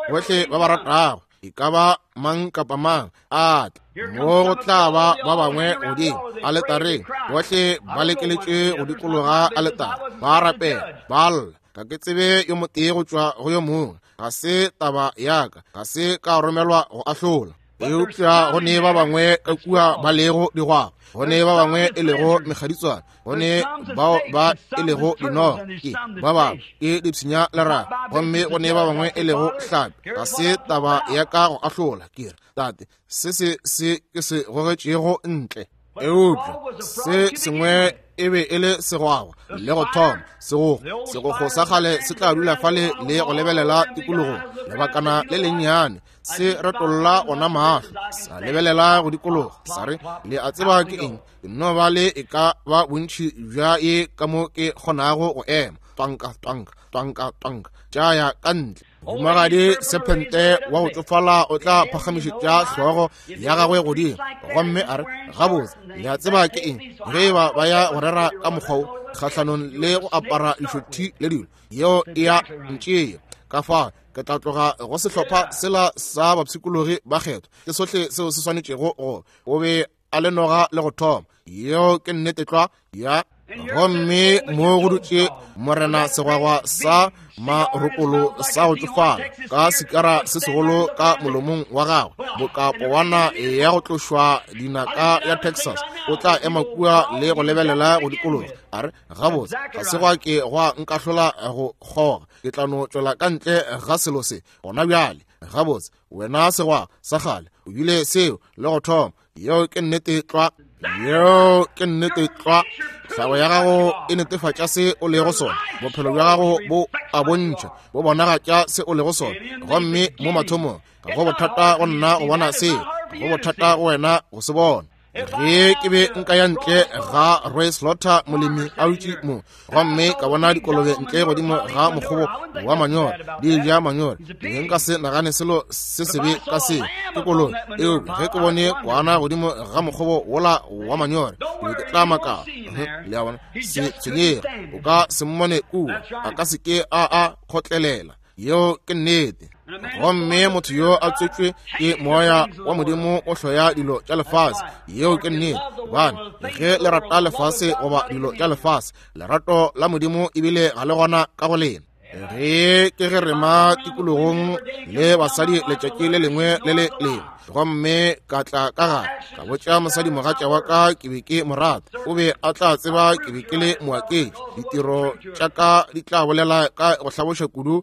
Ke bohle ba ba ratago, e ka ba mang kapa mang a tle mo, go tla ba ba bangwe godimo aletareng, bohle ba lekeletše go dikologa aletare, ba rapela, ba lla. Ga ke tsebe yo motee go tšwa go yo mongwe, ga se taba ya ka, ga se ka romelwa go ahlola. Eupša go ne ba bangwe ka kua ba lego digwagwa, go ne ba bangwe e lego mekgaditswana, go ne bao ba e lego dinoga, ke ba bangwe ke dipshinya lerato, gomme go ne ba bangwe e lego hlapi. Ga se taba ya ka go ahlola. Ke re, Tate, se se se ke se gogetšego ntle. Eupša se sengwe e be e le segwagwa le go thoma segogo. Segogo sa kgale se tla dula fale le go lebelela tikologong lebakana le lennyane, se retolla ona mahlo, sa lebelela go dikologa, sa re, Le a tseba ke eng? Ke nno ba le e ka ba bontši bja ye ka mo ke kgonago go ema. Twanka, twanka, twanka, twanka, tša ya ka ntle. Mohumagadi sephente wa go tšofala o tla phagamišetša hlogo ya gagwe godimo gomme a re, Gabotse, le a tseba ke eng? Ge e ba ba ya go rera ka mokgwa wo kgahlanong le go apara lešothi le dilo, yeo e ya ntšea. Ka fao ke tla tloga go sehlopha sela sa bapshikologi ba kgethwa. Ke sohle seo se swanetšego go o be a le noga le go thoma. Yeo ke nnete tlwa ya. Gomme mo go dutše morena segwagwa sa marokolo sa go tšofala ka sikara se segolo ka molomong wa gagwe, boka powana ya go tlošwa dinaka ya Texas, o tla ema kua le go lebelela go dikologa, a re, Gabotse, ga se gwa ke gwa nkahlola go kgoga, ke tla no tšwela ka ntle ga selo se gona bjale. Gabotse, wena segwa sa kgale, o bile seo le go thoma. Yeo ke nnete tlwa. Yeo ke nnete tlwa. Tlhago ya gago e netefatša se o lego sona. Bophelo bja gago bo a bontšha, bo bonagatša se o lego sona. Gomme mo mathomong, ga go bothata go nna go bona seo, ga go bothata go wena go se bona. Ge ke be nka ya ntle ga Roy Slaughter, molemi a dutše mo, gomme ka bona dikolobe ntle godimo ga mokgobo wa manyora di ja manyora, ke nka se nagane selo se sebe ka seo, ke kolobe. Eupša ge ke bone kwana godimo ga mokgobo wola wa manyora, ke be ke tla makala. Le a bona, se tshwenyege, o ka se mmone kua, a ka se ke a a kgotlelela. Yeo ke nnete. Gomme motho yo a tswetšwe ke moya wa Modimo o hloya dilo tša lefase. Yeo ke nnete. Gobane ge le rata lefase goba dilo tša lefase, lerato la Modimo ebile ga le gona ka go lena. Ge ke ge rema tikologong le basadi letšatši le lengwe le le lengwe, gomme ka tla ka gare ka botša mosadi mogatša wa ka ke be ke mo rata, o be a tla tseba ke be ke le moaketši. Ditiro tša ka di tla bolela ka go hlaboša kudu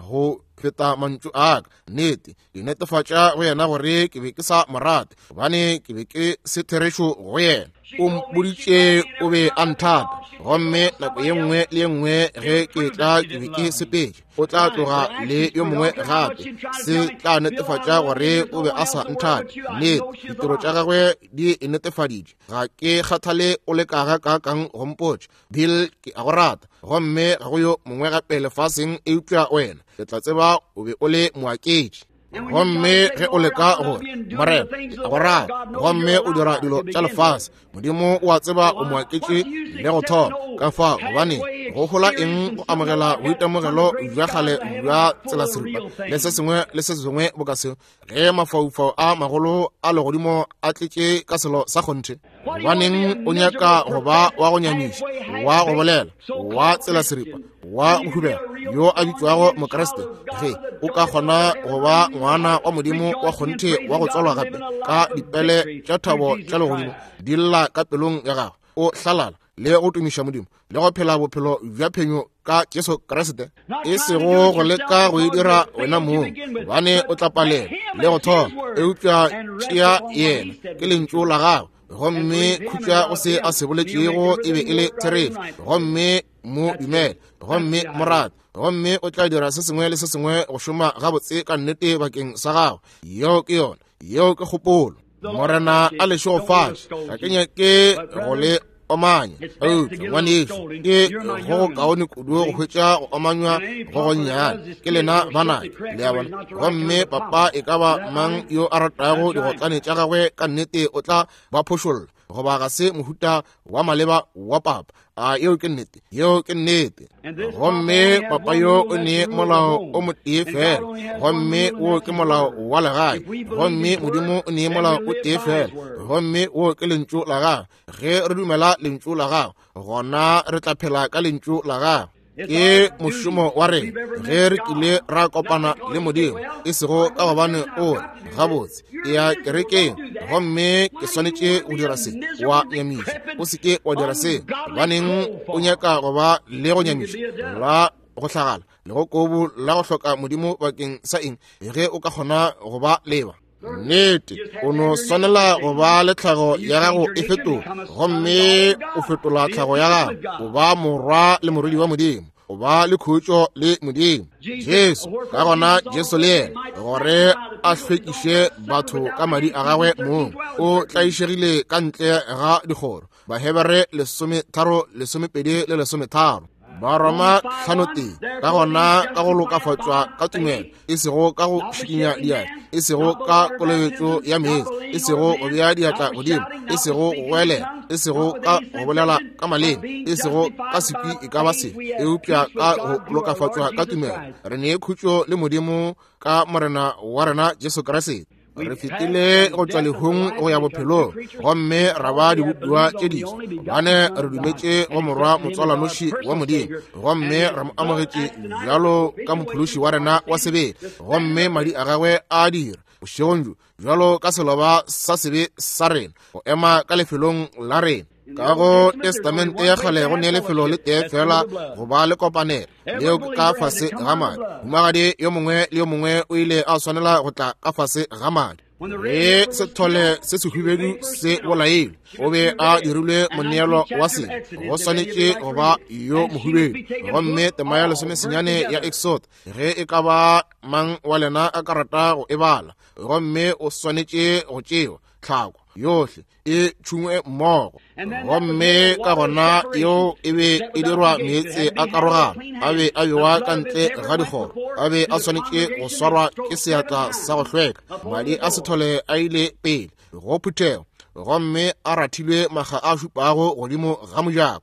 go feta mantšu a ka. Nnete, ke netefatša go yena gore ke be ke sa mo rate, gobane ke be ke se therešo go yena. O mpoditše o be a nthata, gomme nako ye nngwe le ye nngwe ge ke tla ke be ke sepetše, o tla tloga le yo mongwe gape. Se tla netefatša gore o be a sa nthate. Nnete, ditiro tša gagwe di e netefaditše. Ga ke kgathale o leka gakaakang go mpotša, Bill, ke a go rata, gomme ga go yo mongwe gape lefaseng eupša wena. Ke tla tseba o be o le moaketši. Gomme ge o leka gore, Morena, ke a go rata, gomme o dira dilo tša lefase, Modimo o a tseba o moaketše le go thoma. Ka fao, gobane go hola eng go amogela boitemogelo bja kgale bja tselaseripa le se sengwe le se sengwe boka seo, ge mafaufau a magolo a legodimo a tletše ka selo sa kgonthe? Gobaneng o nyaka go ba wa go nyamiša, wa go bolela, wa tselaseripa, wa go hubela, yo a bitšwago Mokriste, ge o ka kgona go ba ngwana wa Modimo wa kgonthe wa go tswalwa gape ka dipele tša thabo tša legodimo di lla ka pelong ya gago, o hlalala le go tumiša Modimo le go phela bophelo bja phenyo ka Jesu Kriste, e sego go leka go e dira wena mong, gobane o tla palela le go thoma. Eupša tšea yena, ke lentšu la gagwe, gomme khutša go se a se boletšego e be e le therešo, gomme mo dumele, gomme mo rate, gomme o tla dira se sengwe le se sengwe go šoma gabotse ka nnete bakeng sa gago. Yeo ke yona, yeo ke kgopolo. Morena a le šegofatše. Ga ke nyake go le omanya. Eupša ngwanešu, ke go go kaone kudu go hwetša go omanywa go gonnyane. Ke lena banake, le a bona. Gomme papa e ka ba mang yo a ratago digotlane tša gagwe ka nnete o tla ba phošolla, goba ga se mohuta wa maleba wa papa. A yeo ke nnete? Yeo ke nnete. Gomme papa yo o ne molao o motee fela, gomme wo ke molao wa legae. Gomme Modimo o ne molao o tee fela, gomme wo ke lentšu la gagwe. Ge re dumela lentšu la gagwe, gona re tla phela ka lentšu la gagwe. Ke mošomo wa rena ge re kile ra kopana le Modimo, e sego ka gobane o re gabotse e ya kerekeng gomme ke swanetše go dira se, wa nyamiša. O se ke wa dira se, gobaneng o nyaka go ba le go nyamiša la go hlagala le go kobu la go hloka Modimo bakeng sa eng ge o ka kgona go ba leba? Nnete, o no swanela go ba le tlhago ya gago e fetola, gomme o fetola tlhago ya gago, o ba morwa le morwedi wa Modimo, o ba le khutšo le Modimo. Jesu, ka gona Jesu le yena, gore a hlwekiše batho ka madi a gagwe mong, o tlaišegile ka ntle ga dikgoro. Bahebere 13, 12 le 13. Baroma 5:1. Ka gona ka go lokafatšwa ka tumelo, e sego ka go šikinya diatla, e sego ka kolobetšo ya meetse, e sego go bea diatla godimo, e sego go goelela, e sego ka go bolela ka maleme, e sego ka sekwi e ka ba sefe, eupša ka go lokafatšwa ka tumelo re ne khutšo le Modimo ka Morena wa rena Jesu Kriste. Re fetile go tšwa lehung go ya bophelong, gomme ra ba dibopiwa tše diswa, gobane re dumetše go Morwa motswalanoši wa Modimo, gomme re mo amogetše bjalo ka mophološi wa rena wa sebele, gomme madi a gagwe a dira bošegong bjo bjalo ka seloba sa sebe sa rena go ema ka lefelong la rena. Ka go Testamente ya kgale go ne lefelo le tee fela go ba le kopanelo, leo ke ka fase ga madi. Mohumagadi yo mongwe le yo mongwe o ile a swanela go tla ka fase ga madi. Ge sethole se sehubedu se bolailwe, o be a dirilwe moneelo wa sebe, go swanetše go ba yo mohubedu. Gomme tema ya 19 ya Exod, ge e ka ba mang wa lena a ka rata go e bala, gomme o swanetše go tšewa tlhako yohle e tšhungwe mmogo, gomme ka gona yeo e be e dirwa meetse a karogano, a be a bewa ka ntle ga dikgoro, a be a swanetše go swarwa ke seatla sa go hlweka. Madi a sethole a ile pele go phuthego, gomme a rathilwe makga a šupago godimo ga mojako.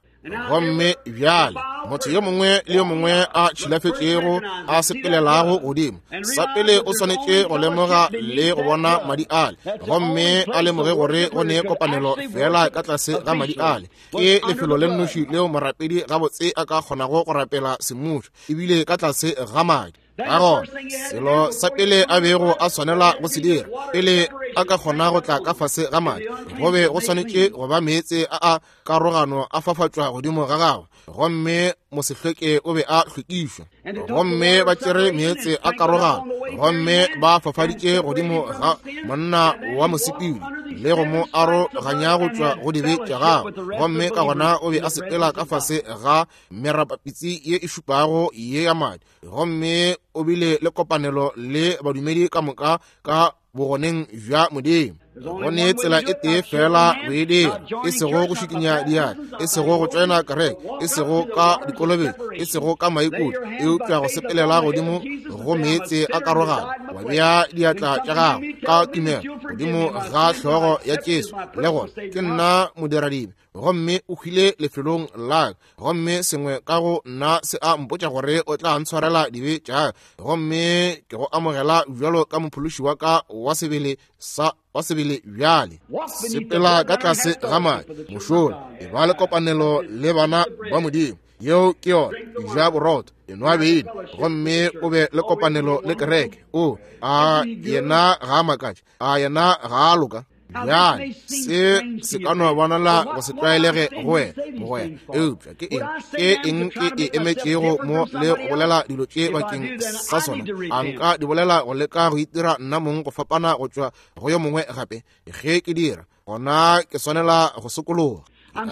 Gomme bjale motho yo mongwe le yo mongwe a tšhilafetšego a sepelelago godimo, sa pele o swanetše go lemoga le go bona madi ale, gomme a lemoge gore go ne kopanelo fela ka tlase ga madi ale. Ke lefelo le nnoši leo morapedi gabotse a ka kgonago go rapela semmušo, ebile ka tlase ga madi. Ka gona selo sa pele a bego a swanela go se dira pele a ka kgona go tla ka fase ga madi, go be go swanetše go ba meetse a a karogano a fafatšwa godimo ga gagwe, gomme mosehlweke o be a hlwekišwa. Gomme ba tšere meetse a karogano gomme ba fafaditše godimo ga monna wa mosepedi le go mo aroganya go tšwa go dibe tša gagwe, gomme ka gona o be a sepela ka fase ga merapapitsi ye e šupago ye ya madi, gomme o bile le kopanelo le badumedi ka moka ka bogoneng bja Modimo. Go ne tsela e tee fela go e dira, e sego go šikinya diatla, e sego go tšoena kereke, e sego ka dikolobetšo, e sego ka maikutlo, eupša go sepelela godimo go meetse a karogano, wa bea diatla tša gago ka tumelo godimo ga hlogo ya Jesu, le gore ke nna modiradibe, gomme o hwile lefelong la ka, gomme sengwe ka go nna se a mpotša gore o tla ntshwarela dibe tša ka, gomme ke go amogela bjalo ka mophološi wa ka wa sebele sa wa sebele bjale. Sepela ka tlase ga madi, mošola, e ba le kopanelo le bana ba Modimo. Yeo ke yona. Ja borotho, enwa beine, gomme o be le kopanelo le kereke. O a yena ga a makatše, a yena ga a loka. Bjale se se ka no bonala go se tlwaelege go wena, mogwera, eupša ke eng ke eng ke e emetšego mo le go bolela dilo tše bakeng sa sona? A nka di bolela go leka go itira nna mong go fapana go tšwa go yo mongwe gape? Ge ke dira, gona ke swanela go sokologa.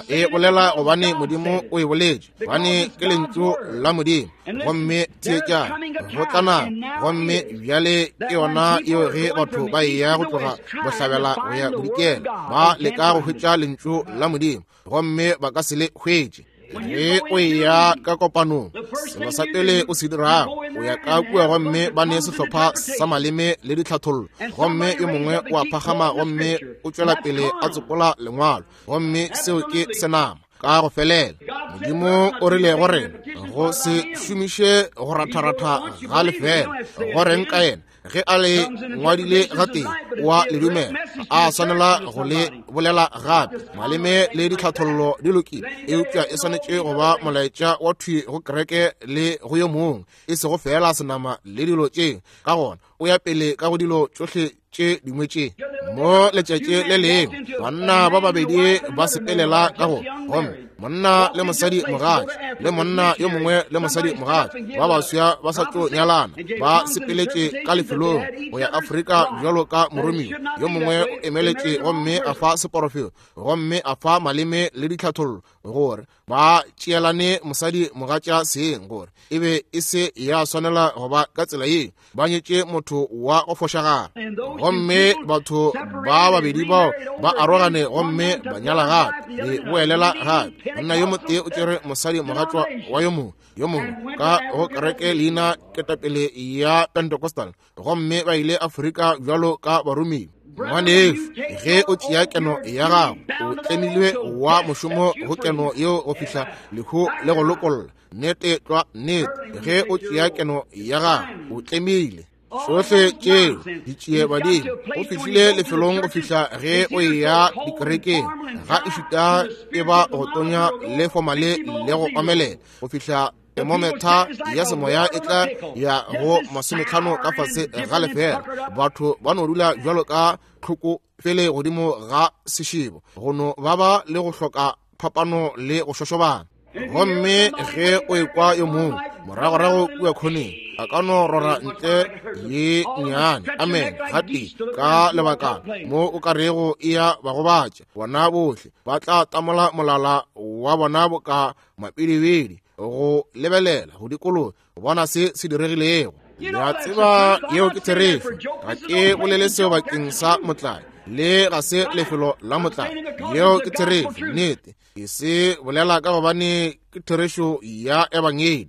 E bolela gobane Modimo o e boletše, gobane ke lentšu la Modimo. Gomme theetša, go tla nako, gomme bjale ke yona yeo ge batho ba eya go tloga bohlabela go ya bodikela, ba leka go hwetša lentšu la Modimo, gomme ba ka se le hwetše. Ge o eya ka kopanong, selo sa pele o se dirago, o ya ka kua gomme ba ne sehlopha sa maleme le ditlhathollo, gomme yo mongwe o a phagama gomme o tšwela pele a tsopola lengwalo, gomme seo ke senama ka go felela. Modimo o rile go rena go se šomiše go ratharatha ga lefela. Go reng ka yena? Ge a le ngwadile gatee, wa le dumela, a swanela go le bolela gape. Maleme le ditlhathollo di lokile, eupša e swanetše go ba molaetša wa thwi go kereke le go yo mongwe, e sego feela senama le dilo tše. Ka gona o ya pele ka go dilo tšohle tše dingwe tše. Mo letšatši le lengwe banna ba babedi ba sepelela ka go, gomme monna le mosadi mogatši le monna yo mongwe le mosadi mogatši ba baswa ba sa tlo nyalana ba sepeletše ka lefelong go ya Afrika bjalo ka moromiwa. Yo mongwe o emeletše gomme a fa seporofeto gomme a fa maleme le ditlhathollo gore ba tšeelane mosadi mogatša seng, gore e be e se ya swanela go ba ka tsela ye, ba nyetše motho wa go fošagala. Gomme batho ba babedi bao ba arogane gomme ba nyala gape, le boelela gape. Monna yo motee o tšere mosadi mogatšwa wa yo mongwe, yo mongwe ka go kereke leina ketapele ya Pentecostal, gomme ba ile Afrika bjalo ka baromiwa. Ngwanešu, ge o tšea keno ya gago, o tlemilwe wa mošomo go keno yeo go fihla lehu le go lokolla. Nnete tlwa, nnete. Ge o tšea keno ya gago, o tlemile. Tšohle tšeo di tšee badimo. O fihlile lefelong go fihla ge o eya dikerekeng, ga e šuta e ba go tonya le fomale le go omelela, go fihla thermometer ya semoya e tla ya go 50 ka fase ga lefela. Batho ba no dula bjalo ka tlhoko fele godimo ga sešebo, go no ba ba le go hloka phapano le go šošobana. Gomme ge o ekwa yo mongwe moragorago kua khoneng a ka no rora ntle ye nnyane amen gatee ka lebakana mo o ka rego e ya ba gobatša, bona bohle ba tla tamola molala wa bona boka mapidibidi go lebelela go dikologa go bona se se diregilego. Ya tseba yeo ke therešo. Ga ke bolele seo bakeng sa motlae, le ga se lefelo la motlae. Yeo ke therešo, nnete. Ke se bolela ka gobane ke therešo ya ebangedi.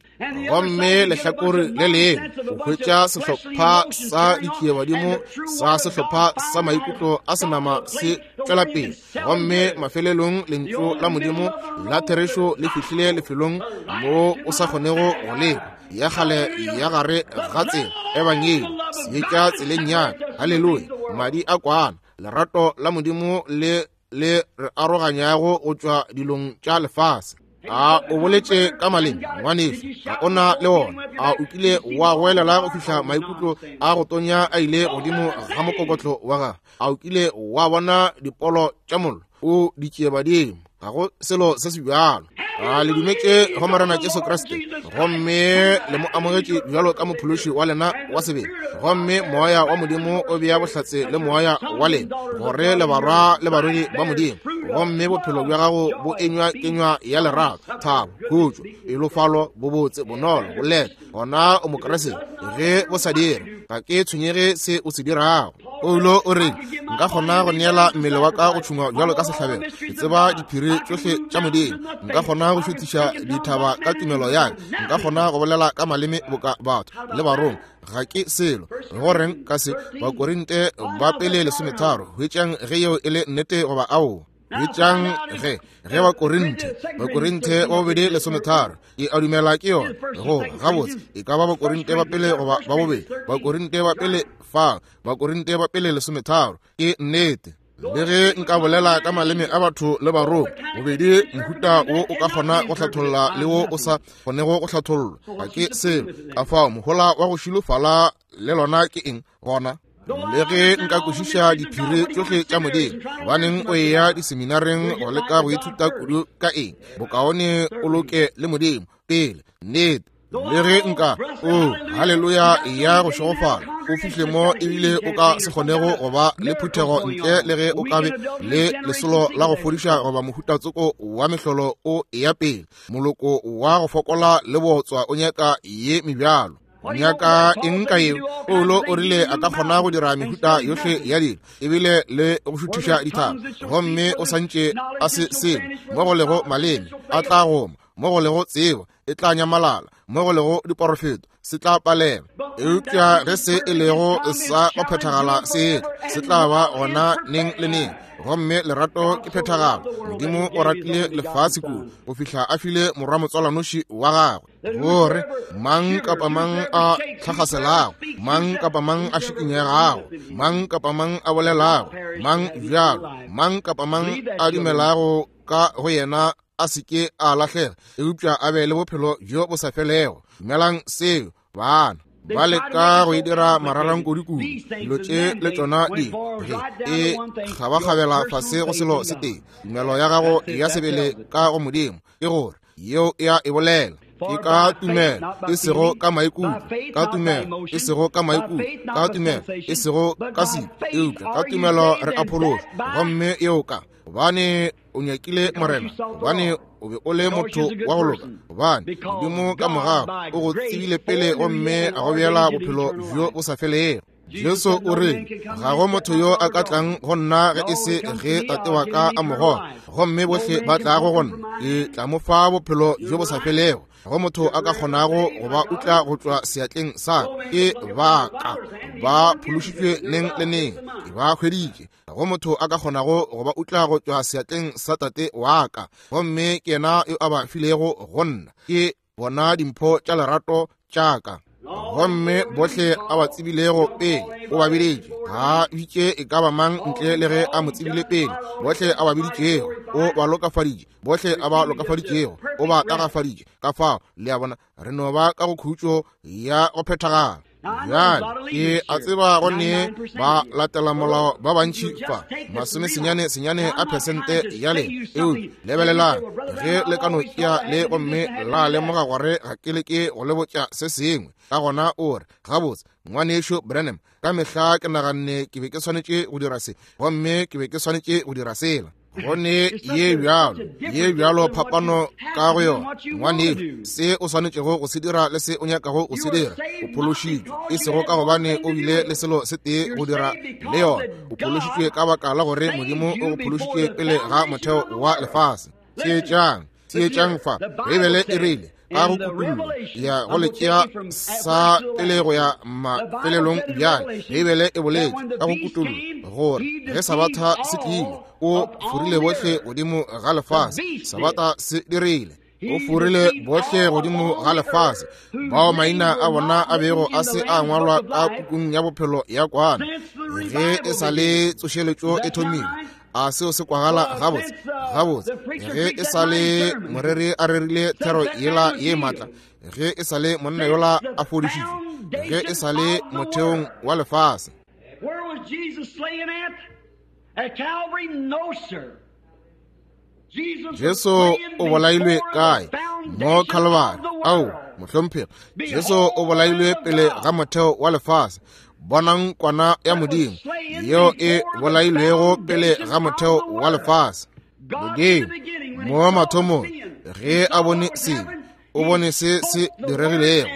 Gomme lehlakore le lengwe o hwetša sehlopha sa ditšiebadimo sa sehlopha sa maikutlo a senama se tšwela pele, gomme mafelelong lentšu la Modimo la therešo le fihlile lefelong mo o sa kgonego go lekwa. Ya kgale ya gare ga tsela ebangedi seetša tseleng ya ka. Haleluya! Madi a kwana, lerato la Modimo le le re aroganyago go tšwa dilong tša lefase. A o boletše ka maleme, ngwanešu? Ga o na le wona. A o kile wa goelela go fihla maikutlo a go tonya a ile godimo ga mokokotlo wa gago? A o kile wa bona dipolo tša mollo o di tšeebadimo? Ga go selo se se bjalo. A le dumetše go Morena Jesu Kriste gomme le mo amogetše bjalo ka mophološi wa lena wa sebele, gomme moya wa Modimo o bea bohlatse le moya wa lena gore le barwa le barwedi ba Modimo, gomme bophelo bja gago bo enywa kenywa ya lerato, thabo, khutšo, pelofalo, bobotse, bonolo, boleta. Gona o Mokriste. Ge bo sa dire, ga ke tshwenyege se o se dirago. Paulo o re, nka kgona go neela mmele wa ka go tšhungwa bjalo ka sehlabelo. Ke tseba diphiri tšohle tša Modimo. Nka kgona go šuthiša dithaba ka tumelo ya ka. Nka kgona go bolela ka maleme boka batho le barongwa. Ga ke selo. Go reng ka se? Bakorinte ba pele 13. Hwetšang ge yeo e le nnete goba aowa. Hwetšang ge ge Bakorinthe, Bakorinthe ba bobedi 13, ke a dumela ke yona. Go gabotse e ka ba Bakorinte ba pele goba ba bobedi, Bakorinte ba pele fa, Bakorinte ba pele 13, ke nnete. Le ge nka bolela ka maleme a batho le barongwa, bobedi mohuta wo o ka kgona go hlatholla le wo o sa kgonego go hlathollwa, ga ke selo. Ka fao mohola wa go šilofala le lona ke eng gona? Le ge nka kwešiša diphiri tšohle tša Modimo, gobaneng o eya diseminareng go leka go ithuta kudu ka eng? Bokaone o loke le Modimo pele. Nnete. Le ge nka, o, haleluya ya go šegofala, o fihle mo ebile o ka se kgonego go ba le phuthego ntle le ge o ka be le lesolo la go fodiša goba mohuta tsoko wa mehlolo o eya pele. Moloko wa go fokola le botswa o nyaka ye mebjalo. Nyaka eng ka yeo? Paulo o rile a ka kgona go dira mehuta yohle ya dilo ebile le go šuthiša dithaba, gomme o santše a se selo. Mo go lego maleme a tla goma, mo go lego tsebo e tla nyamalala, mo go lego diporofeto se tla palela. Eupša ge se e lego sa go phethagala se etla, se tla ba gona neng le neng. Gomme lerato ke phethagalo. Modimo o ratile lefase kudu go fihla a file morwa motswalanoši wa gagwe, gore mang kapa mang a tlhagaselago, mang kapa mang a šikinyegago, mang kapa mang a bolelago, mang bjalo, mang kapa mang a dumelago ka go yena a se ke a lahlega, eupša a be le bophelo bjo bo sa felego. Dumelang seo, bana. Ba leka go e dira mararankodi kudu. Dilo tše le tšona di ge e kgabakgabela fase go selo se tee, tumelo ya gago ya sebele ka go Modimo, ke gore yeo e a e bolela. Ke ka tumelo, e sego ka maikutlo, ka tumelo, e sego ka maikutlo, ka tumelo, e sego ka sebe, eupša ka tumelo re a phološwa. Gomme yeo ka gobane o nyakile Morena, gobane o be o le motho wa go loka, gobane Modimo ka morago o go tsebile pele gomme a go beela bophelo bjo bo sa felego. Jesu o re, ga go motho yo a ka tlang go nna ge e se ge Tate wa ka a mo goga, gomme bohle ba tlago go nna ke tla mo fa bophelo bjo bo sa felego. Go motho a ka kgonago go ba utla go tšwa seatleng sa ke ba ka ba phološitšwe neng le neng, ke ba hweditše. Go motho a ka kgonago go ba utla go tšwa seatleng sa Tate wa ka, gomme ke yena yo a ba filego go nna. Ke bona dimpho tša lerato tša ka. Gomme bohle a ba tsebilego pele o ba biditše, ga bitše e ka ba mang ntle le ge a mo tsebile pele. Bohle a ba biditšego o ba lokafaditše, bohle a ba lokafaditšego o ba tagafaditše. Ka fao le a bona, re no ba ka go khutšo ya go phethagala. Bjale ke a tseba go ne ba latela molao ba bantši fa, 90 a phesente ya lena. Eupša lebelelang, ge le ka no tšea le gomme la lemoga gore ga ke leke go le botša se sengwe, ka gona o re, gabotse, ngwanešu Branham, ka mehla ke naganne ke be ke swanetše go dira se, gomme ke be ke swanetše go dira sela. Go ne ye bjalo, ye bjalo phapano ka go yona, ngwanešu, se o swanetšego go se dira le se o nyakago go se dira. O phološitšwe, e sego ka gobane o bile le selo se tee go dira le yona. O phološitšwe ka baka la gore Modimo o go phološitše pele ga motheo wa lefase. Theetšang, theetšang fa. Beibele e rile ka go kutullo ya go le tšea sa pele go ya mafelelong. Bjale Beibele e boletše ka go kutullo gore ge Sabatha se tlile, o forile bohle godimo ga lefase. Sabatha se dirile, o forile bohle godimo ga lefase bao maina a bona a bego a se a ngwalwa ka pukung ya bophelo ya kwana ge e sa le tsošeletšo e thomile. A seo se kwagala gabotse? Gabotse, ge e sa le moreri a rerile thero yela ye maatla, ge e sa le monna yola a fodišitšwe, ge e sa le motheong wa lefase. Where was Jesus slain at? At Calvary? No, sir. Jesu o bolailwe kae? Mo Calvary. Ao, mohlomphegi, Jesu o bolailwe pele ga motheo wa lefase. Bonang kwana ya Modimo yeo e bolailwego pele ga motheo wa lefase. Modimo mo mathomong ge a bone sebe, o bone se se diregilego,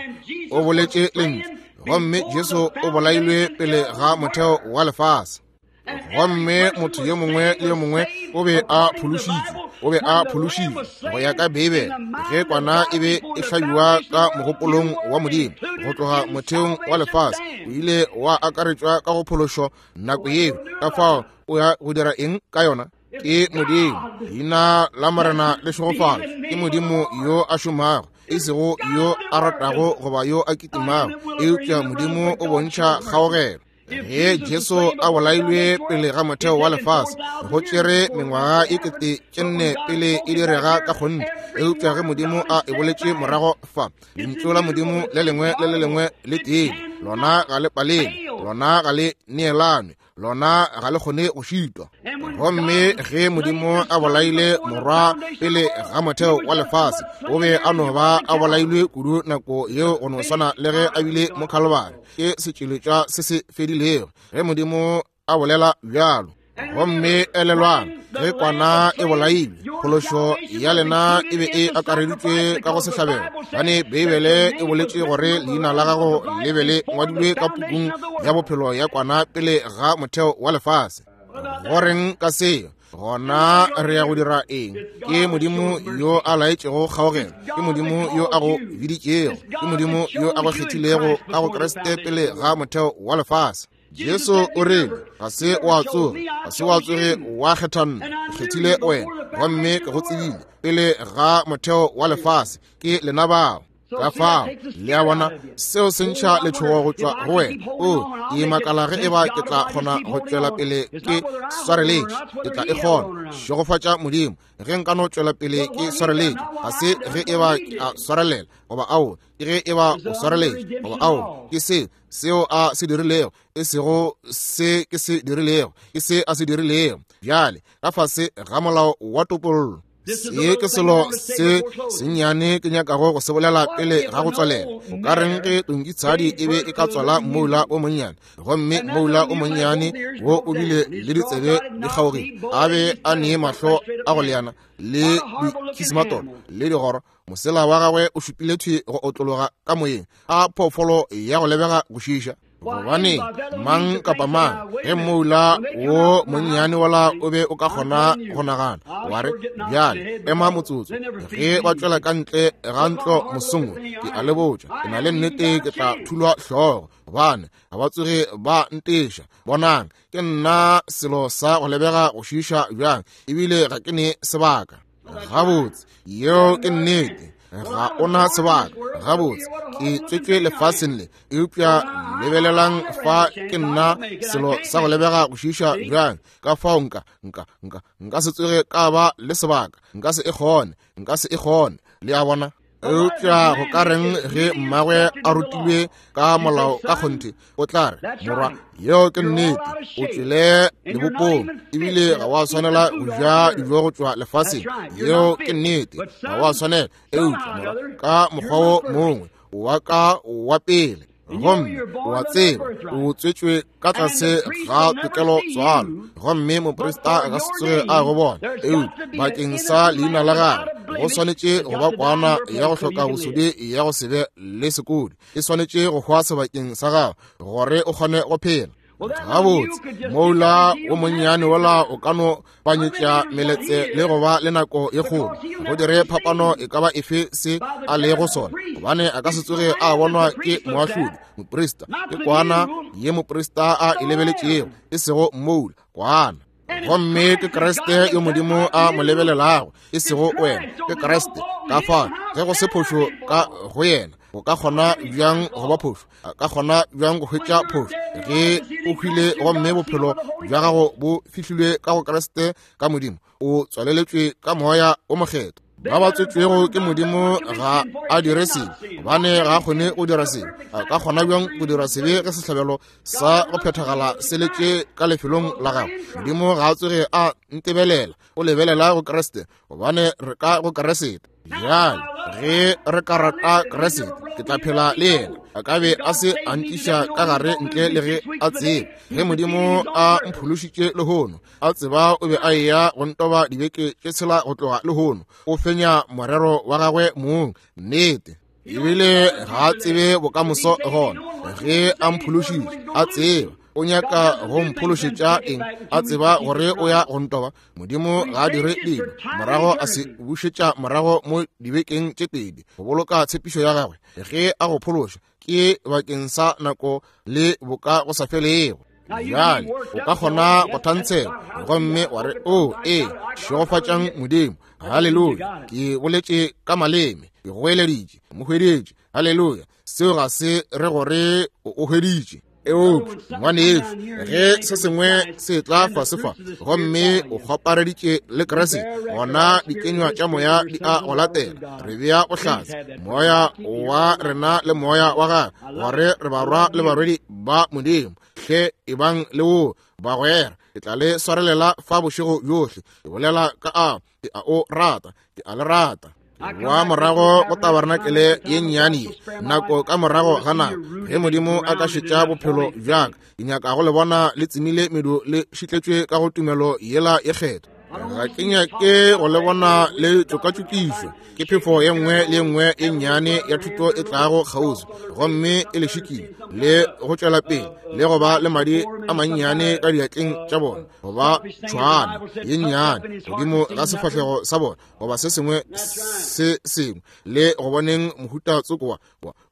o boletše lentšu, gomme Jesu o bolailwe pele ga motheo wa lefase. Gomme motho yo mongwe le yo mongwe o be a phološitšwe, o be a phološitšwe go ya ka Beibele, ge kwana e be e hlabiwa ka mogopolong wa Modimo go tloga motheong wa lefase, o ile wa akaretšwa ka go phološo nako yeo. Ka fao o ya go dira eng ka yona? Ke Modimo, leina la Morena le šegofala. Ke Modimo yo a šomago, e sego yo a ratago goba yo a kitimago, eupša Modimo o bontšha kgaogelo. Ge Jesu a bolailwe pele ga motheo wa lefase, go tšere mengwaga e 4000 pele e direga ka kgonthe. Eupša ge Modimo a e boletše morago fa, lentšu la Modimo le lengwe le le lengwe le tiile, lona ga le palele. Lona ga le neelanwe, lona ga le kgone go šitwa. Gomme ge Modimo a bolaile morwa pele ga motheo wa lefase, o be a no ba a bolailwe kudu nako yeo go no swana le ge a bile mo Khalibari. Ke setšweletšwa se se fedilego ge Modimo a bolela bjalo. Gomme elelwang, ge kwana e bolailwe, phološo ya lena e be e akareditšwe ka go sehlabelo, gobane Beibele e boletše gore leina la gago le be le ngwadilwe ka pukung ya bophelo ya kwana pele ga motheo wa lefase. Go reng ka seo? Gona re ya go dira eng? Ke Modimo yo a laetšego kgaogelo, ke Modimo yo a go biditšego, ke Modimo yo a go kgethilego ka go Kriste pele ga motheo wa lefase. Jesu o rile, ga se wa tsoge, ga se wa tsoge wa kgetha nna, ke kgethile wena, gomme ke go tsebile pele ga motheo wa lefase. Ke lena bao. Ka fao, le a bona, seo se ntšha letšhogo go tšwa go wena. O, ke makala ge eba ke tla kgona go tšwela pele ke swareletše. Ke tla e kgona. Šegofatša Modimo, ge nka no tšwela pele ke swareletše. Ga se ge eba ke a swarelela, goba ao, ke ge eba o swareletše, goba ao, ke se seo a se dirilego, e sego se ke se dirilego, ke se a se dirilego. Bjale, ka fase ga molao wa topollo, se ke selo se sennyane ke nyakago go se bolela pele ga go tswalela. O ka reng ge tonkitshadi e be e ka tswala mmoula o monnyane, gomme mmoula o monnyane wo o bile le ditsebe di kgaogile, a be a ne mahlo a go leana le dikhismatolo le digoro, mosela wa gagwe o šupile thwi go otlologa ka moyeng, a phoofolo ya go lebega go šiša. Gobane mang kapa mang, ge mmoula wo monnyane wola o be o ka kgona go nagana, wa re, bjale ema motsotso, ge ba tšwela ka ntle ga ntlo mosong wo, ke a le botša, ke na le nnete ke tla thulwa hlogo, gobane ga ba tsoge ba nteša. Bonang, ke nna selo sa go lebega go šiša bjang, ebile ga ke ne sebaka. Gabotse, yeo ke nnete, ga o na sebaka. Gabotse, ke tswetšwe lefaseng le, eupša lebelelang fa, ke nna selo sa go lebega go šiša bjang. Ka fao nka, nka, nka, nka se tsoge ka ba le sebaka, nka se e kgone, nka se e kgone. Le a bona? Eupša go ka reng ge mmagwe a rutilwe ka molao ka kgonthe? O tla re, morwa, yeo ke nnete, o tšwele lebopong, ebile ga wa swanela go ja dijo go tšwa lefaseng. Yeo ke nnete, ga wa swanela. Eupša morwa, ka mokgwa wo mongwe wa ka wa pele, gomme o a tseba o tswetšwe ka tlase ga tokelo tswalo, gomme moprista a ka se tsoge a go bona, eupša bakeng sa leina la gagwe go swanetše go ba kwana ya go hloka bosodi ya go se be le sekodi, e swanetše go hwa sebakeng sa gago gore o kgone go phela. Gabotse, moula o monnyane wola o ka no panyetša meletse le go ba le nako ye kgolo, go dire phapano e ka ba efe se a lego sona, gobane a ka se tsoge a bonwa ke moahlodi. Moprista ke kwana ye moprista a e lebeletšego, e sego moula, kwana. Gomme ke Kriste yo Modimo a mo lebelelago, e sego wena, ke Kriste. Ka fao ge go se phošo ka go yena, go ka kgona bjang go ba phošo? A ka kgona bjang go hwetša phošo ge o hwile gomme bophelo bja gago bo fihlilwe ka go Kriste ka Modimo, o tswaleletšwe ka Moya o Mokgethwa? Ba ba tswetšwego ke Modimo ga a dire sebe, gobane ga a kgone go dira sebe. A ka kgona bjang go dira sebe ge sehlabelo sa go phethagala se letše ka lefelong la gago? Modimo ga a tsoge a ntebelela, o lebelela go Kriste, gobane re ka go Kriste. Bjale ge re ka rata Kriste, ke tla phela le yena. A ka be a se a ntliša ka gare ntle le ge a tseba. Ge Modimo a mphološitše lehono, a tseba o be a eya go ntoba dibeke tše tshela go tloga lehono, o fenya morero wa gagwe mong. Nnete. Ebile ga a tsebe bokamoso gona. Ge a mphološitše, a tseba o nyaka go mphološetša eng, a tseba gore o ya go ntoba. Modimo ga a dire dilo morago a se bušetša morago mo dibekeng tše pedi go boloka tshepišo ya gagwe. Ge a go phološa, ke bakeng sa nako le boka go sa felego. Bjale o ka kgona go thantshela gomme wa re, o ee, šegofatšang Modimo, haleluya, ke boletše ka maleme, ke goeleditše, mo hweditše, haleluya. Seo ga se re gore o hweditše. Eupša ngwanešu, ge se sengwe se tla fase fa gomme o kgwapareditše le Kriste, gona dikenywa tša moya di a go latela. Re bea bohlatse, moya wa rena le moya wa gagwe, gore re barwa le barwedi ba Modimo. Hle ebang le wo, bagwera. Ke tla le swarelela fa bošego bjohle. Ke bolela ka a, ke a o rata, ke a le rata. Wa morago go tabarnakele ye nnyane ye, nako ka morago ga nako, ge Modimo a ka šetša bophelo bja ka, ke nyaka go le bona le tsemile medu le šitletšwe ka go tumelo yela ye kgethwa. Ga ke nyake go le bona le tšokatšokišwa ke phefo ye nngwe le ye nngwe ye nnyane ya thuto e tlago kgauswi gomme e le šikile le go tšwela pele le go ba le madi a mannyane ka diatleng tša bona, goba tšhwaana ye nnyane godimo ga sefahlego sa bona, goba se sengwe se sengwe, le go boneng mohuta tsoko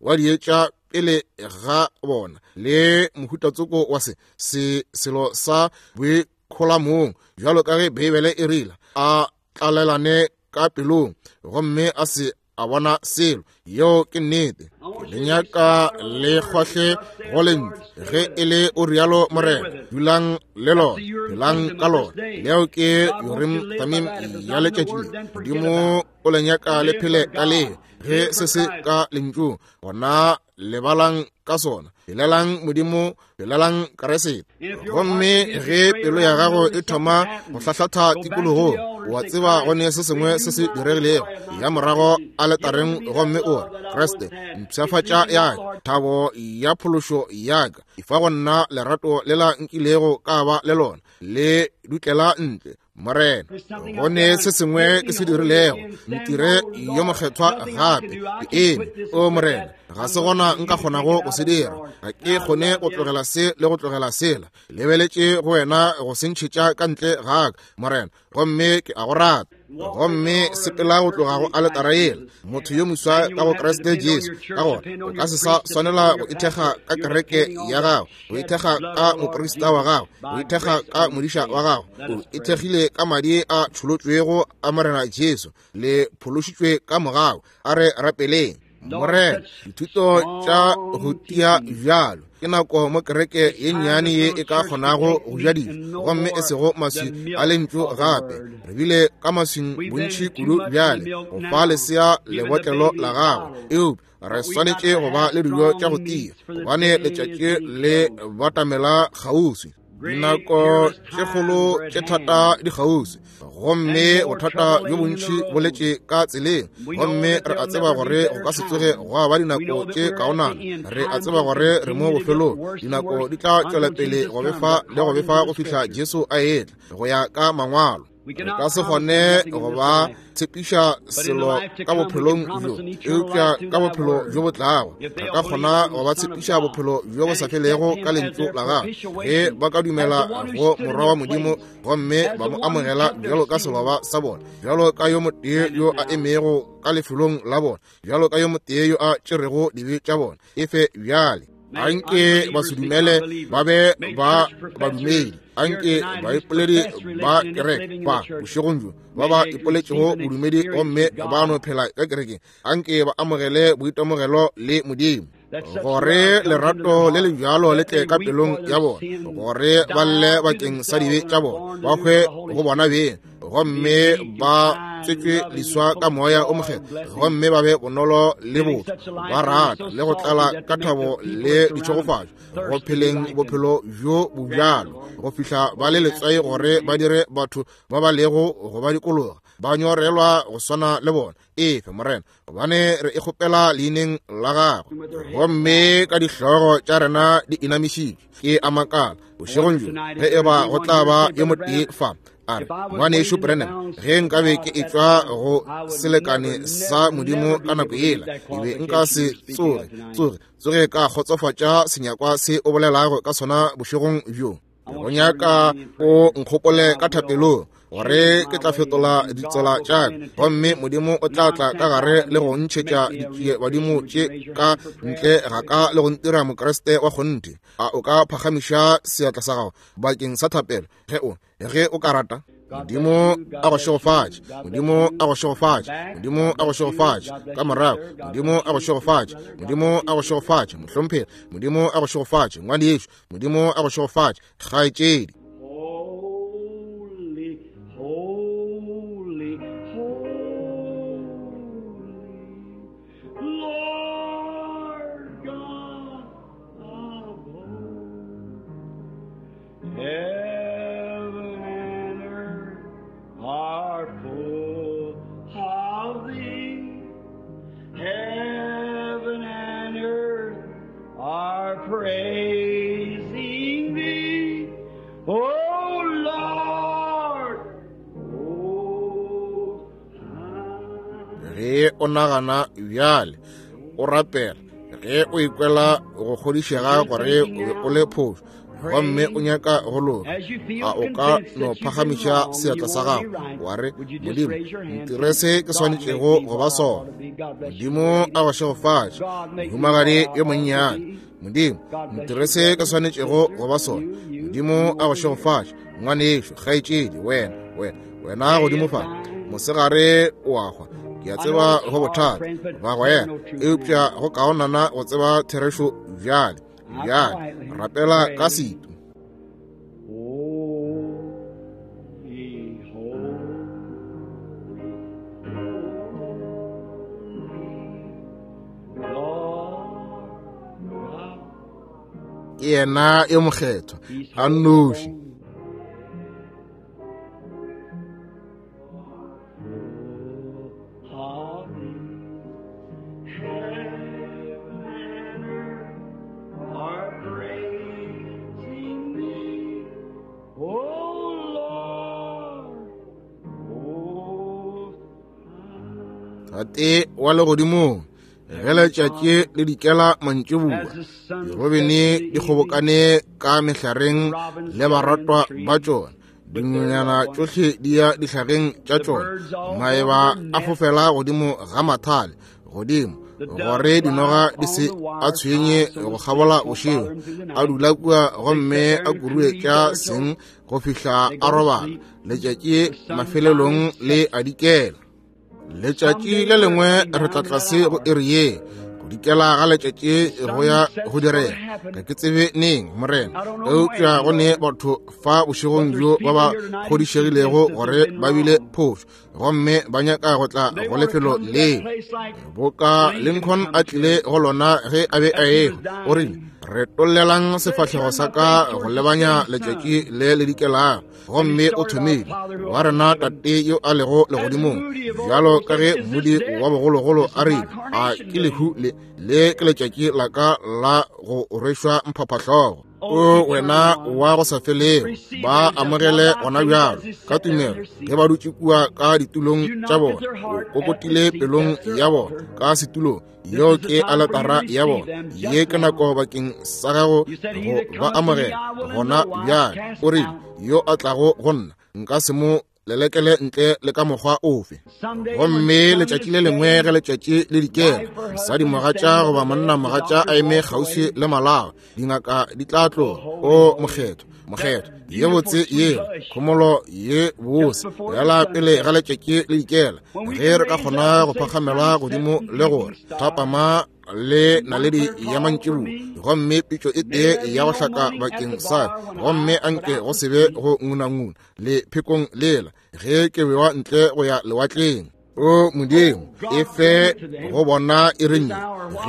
wa dietša pele ga bona, le mohuta tsoko wa se se selo sa boikgolamong, bjalo ka ge Beibele e rile, a tlalelane ka pelong gomme a se a bona selo. Yeo ke nnete. Ke le nyaka le kgwahle go lentšu. Ge e le o rialo Morena, dulang le lona, phelang ka lona. Leo ke Urim Thummim ya letšatši le. Modimo o le nyaka le phele ka le. Ge se se ka lentšung, gona lebalang ka sona. Phelelang Modimo, phelelang Kriste. Gomme ge pelo ya gago e thoma go hlahlatha tikologong, wa tseba go ne se sengwe se se diregilego, ya morago aletareng gomme o re, Kriste, mpshafatša ya ka, thabo ya phološo ya ka, efa go nna lerato lela nkilego ka ba le lona, le dutlela ntle, Morena. Go ne se sengwe ke se dirilego, ntire yo mokgethwa gape. Ke eme, o Morena, ga se gona nka kgonago go se dira. Ga ke kgone go tlogela se le go tlogela sela. Lebeletše go wena go se ntšhetša ka ntle ga ka, Morena, gomme ke a go rata. Gomme sepela go tloga go aletara yela, motho yo moswa ka go Kriste Jesu. Ka gona o ka se sa swanela go ithekga ka kereke ya gago, go ithekga ka moprista wa gago, go ithekga ka modiša wa gago. O ithekgile ka madi a tšholotšwego a Morena Jesu, le phološitšwe ka mogau. A re rapeleng. Morena, dithuto tša go tia bjalo ke nako mo kereke ye nnyane ye e ka kgonago go ja dijo, gomme e sego maswi a lentšu gape. Re bile ka maswing bontši kudu bjale go fa lesea lebotlelo la gagwe, eupša re swanetše go ba le dijo tša go tia, gobane letšatši le batamela kgauswi. Dinako tše kgolo tše thata di kgauswi, gomme bothata bjo bontši bo letše ka tseleng, gomme re a tseba gore go ka se tsoge gwa ba dinako tše kaonana. Re a tseba gore re mo bofelong. Dinako di tla tšwela pele go befa le go befa go fihla Jesu a etla, go ya ka Mangwalo. Re ka se kgone go ba tshepiša selo ka bophelong bjo, eupša ka bophelo bjo bo tlago re ka kgona go ba tshepiša bophelo bjo bo sa felego ka lentšu la gagwe, ge ba ka dumela go Morwa wa Modimo gomme ba mo amogela bjalo ka seloba sa bona, bjalo ka yo motee yo a emego ka lefelong la bona, bjalo ka yo motee yo a tšerego dibe tša bona. Efe bjale. Anke ba se dumele ba be ba badumedi, anke baipoledi ba kereke ba bošegong bjo ba ba ipoletšego bodumedi gomme ba no phela ka kerekeng, anke ba amogele boitemogelo le Modimo, gore lerato le le bjalo le tle ka pelong ya bona, gore ba lle bakeng sa dibe tša bona, ba hwe go bona beng, gomme ba tswetšwe leswa ka moya o mokgethwa, gomme ba be bonolo le botho, ba rata le go tlala ka thabo le ditšhegofatšo, go pheleng bophelo bjo bo bjalo, go fihla ba le letswai gore ba dire batho ba ba lego go ba dikologa ba nyorelwa go swana le bona. Efe, Morena, gobane re e kgopela leineng la gagwe. Gomme ka dihlogo tša rena di inamišitšwe, ke a makala bošegong bjo ge e ba go tla ba yo motee fa a re, Ngwanešu Branham, ge nkabe ke etšwa go selekane sa Modimo ka nako yela, ke be nka se tsoge ka kgotsofatša senyakwa se o bolelago ka sona bošegong bjo. Go nyaka o nkgopole ka thapelong. gore ke tla fetola ditsela tša ka, gomme Modimo o tla tla ka gare le go ntšhetša ditšiebadimo tše ka ntle ga ka le go ntira Mokriste wa kgonthe. A o ka phagamiša seatla sa gago bakeng sa thapelo ge o ge o ka rata? Modimo a go šegofatše. Modimo a go šegofatše. Modimo a go šegofatše. Ka morago, Modimo a go šegofatše. Modimo a go šegofatše, mohlomphegi. Modimo a go šegofatše, ngwanešu. Modimo a go šegofatše, kgaetšedi. Holy, holy, holy, Lord God of hosts. Heaven and earth are full of thee. Heaven and earth are praising thee. O Lord, O Ge o nagana bjale, o rapela, ge o ikwela go kgodišega gore o be o le phošo gomme o nyaka go loka, a o ka no phagamiša seatla sa gago wa re, Modimo, ntire se ke swanetšego go ba sona. Modimo a go šegofatše, mohumagadi yo monnyane. Modimo, ntire se ke swanetšego go ba sona. Modimo a go šegofatše, ngwanešu, kgaetšedi, wena, wena, wena godimo fa. Mosegare o a hwa. Ke a tseba go bothata bagwera, eupša go kaonana go tseba therešo bjale. Bjale rapela ka setu. Holy, holy, holy, Lord God. Ke yena yo mokgethwa a nnoši. Are praising thee, O Lord, O Tate wa legodimong, ge letšatši le dikela mantšiboa, dirobene di kgobokane ka mehlareng le baratwa ba tšona, dinonyana tšohle di ya dihlageng tša tšona, maeba a fofela godimo ga mathale godimo, gore dinoga di se a tshwenye go kgabola bošego, a dula kua gomme a kurue tša seng go fihla a robala. Letšatši mafelelong le a dikela. Letšatši le lengwe re tla tlase go iri ye, go dikela ga letšatši go ya go direga. Ga ke tsebe neng, Morena, eupša go ne batho fa bošegong bjo ba ba kgodišegilego gore ba bile phošo gomme ba nyaka go tla go lefelo leo boka Lincoln a tlile go lona ge a be a ehwa. O rile, retollelang sefahlego sa ka go lebanya letšatši le le dikelago. Gomme o thomile wa rena Tate yo a lego legodimong, bjalo ka ge mmudi wa bogologolo a rile, a ke lehu le, le ke letšatši la ka la go rwešwa mphaphahlogo. O wena wa go sa felego, ba amogele gona bjalo ka tumelo ge ba dutše kua ka ditulong tša bona. O kokotile pelong ya bona ka setulong. Yeo ke aletara ya bona. Ye ke nako bakeng sa gago go ba amogela gona bjale. O rile, yo a tlago go nna, nka se mo lelekele ntle le ka mokgwa ofe. Gomme letšatši le lengwe ge letšatši le dikela, mosadi mogatša goba monna mogatša a eme kgauswi le malao, dingaka di tla tloga. O mokgethwa, mokgethwa, ye botse yela, khomolo ye bose, yala pele ga letšatši le dikela, ge re ka kgona go phakgamela godimo le gore thapama le naledi ya mantšiboa, gomme pitšo e tee ya go hlaka bakeng sa, gomme anke go se be go ngunanguna le phekong lela ge ke bewa ntle go ya lewatleng. O Modimo, e fe go bona e re nne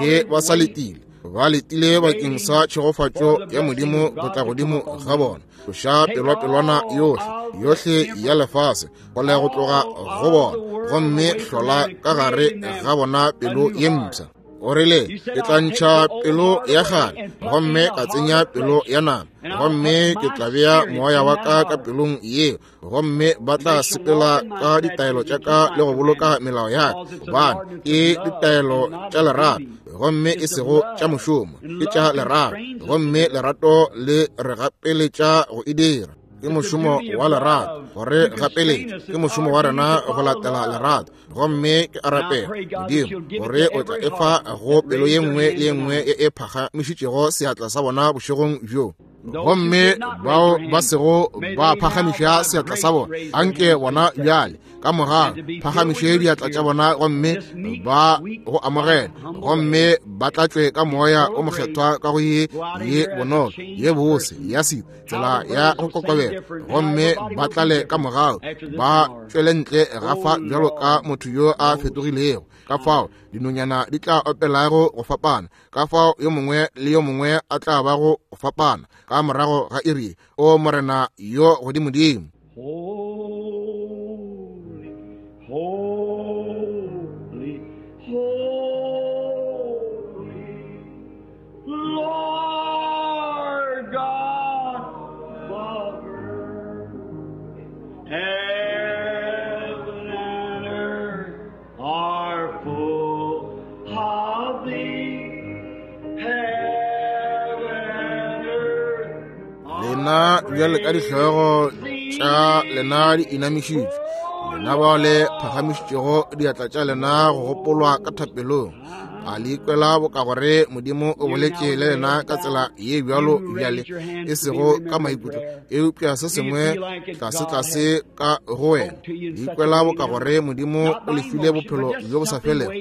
ge ba sa letile, ba letile bakeng sa tšhegofatšo ya Modimo go tla godimo ga bona. Tloša pelwapelwana yohle, yohle ya lefase go le go tloga go bona, gomme hlola ka gare ga bona pelo ye mpsha. O rile, ke tla ntšha pelo ya kgale gomme ka tsenya pelo ya nama, gomme ke tla bea moya wa ka ka pelong yeo, gomme ba tla sepela ka ditaelo tša ka le go boloka melao ya ka, gobane ke ditaelo tša lerato gomme e sego tša mošomo, ke tša lerato, gomme lerato le re gapeletša go e dira. Ke mošomo wa lerato gore gapeletše, ke mošomo wa rena go latela lerato. Gomme ke a rapela, Modimo, gore o tla efa go pelo ye nngwe le ye nngwe e e phagamišitšego seatla sa bona bošegong bjo. Gomme bao ba sego ba phagamiša seatla sa bona, anke bona bjale ka morago phagamiše diatla tša bona gomme ba go amogela, gomme ba tlatšwe ka Moya o Mokgethwa ka go ye ye bonolo ye bose ya sita tsela ya go kokobela, gomme ba tlale ka morago ba tšwele ntle gafa bjalo ka motho yo a fetogilego. Ka fao dinonyana di tla opelago go fapana, ka fao yo mongwe le yo mongwe a tla bago go fapana ka morago ga iri. O Morena yo godimodimo. Holy, holy, holy, Lord God, Father, heaven and earth are full of thee. Heaven and earth are Lena bjale ka dihlogo tša lena di inamišitšwe, lena bao le phagamišitšego diatla tša lena go gopolwa ka thapelong, a le ikwela boka gore Modimo o boletše le lena ka tsela ye bjalo bjale, e sego ka maikutlo, eupša se sengwe tlase-tlase ka go wena? Le ikwela boka gore Modimo o le file bophelo bjo bo sa felego? Le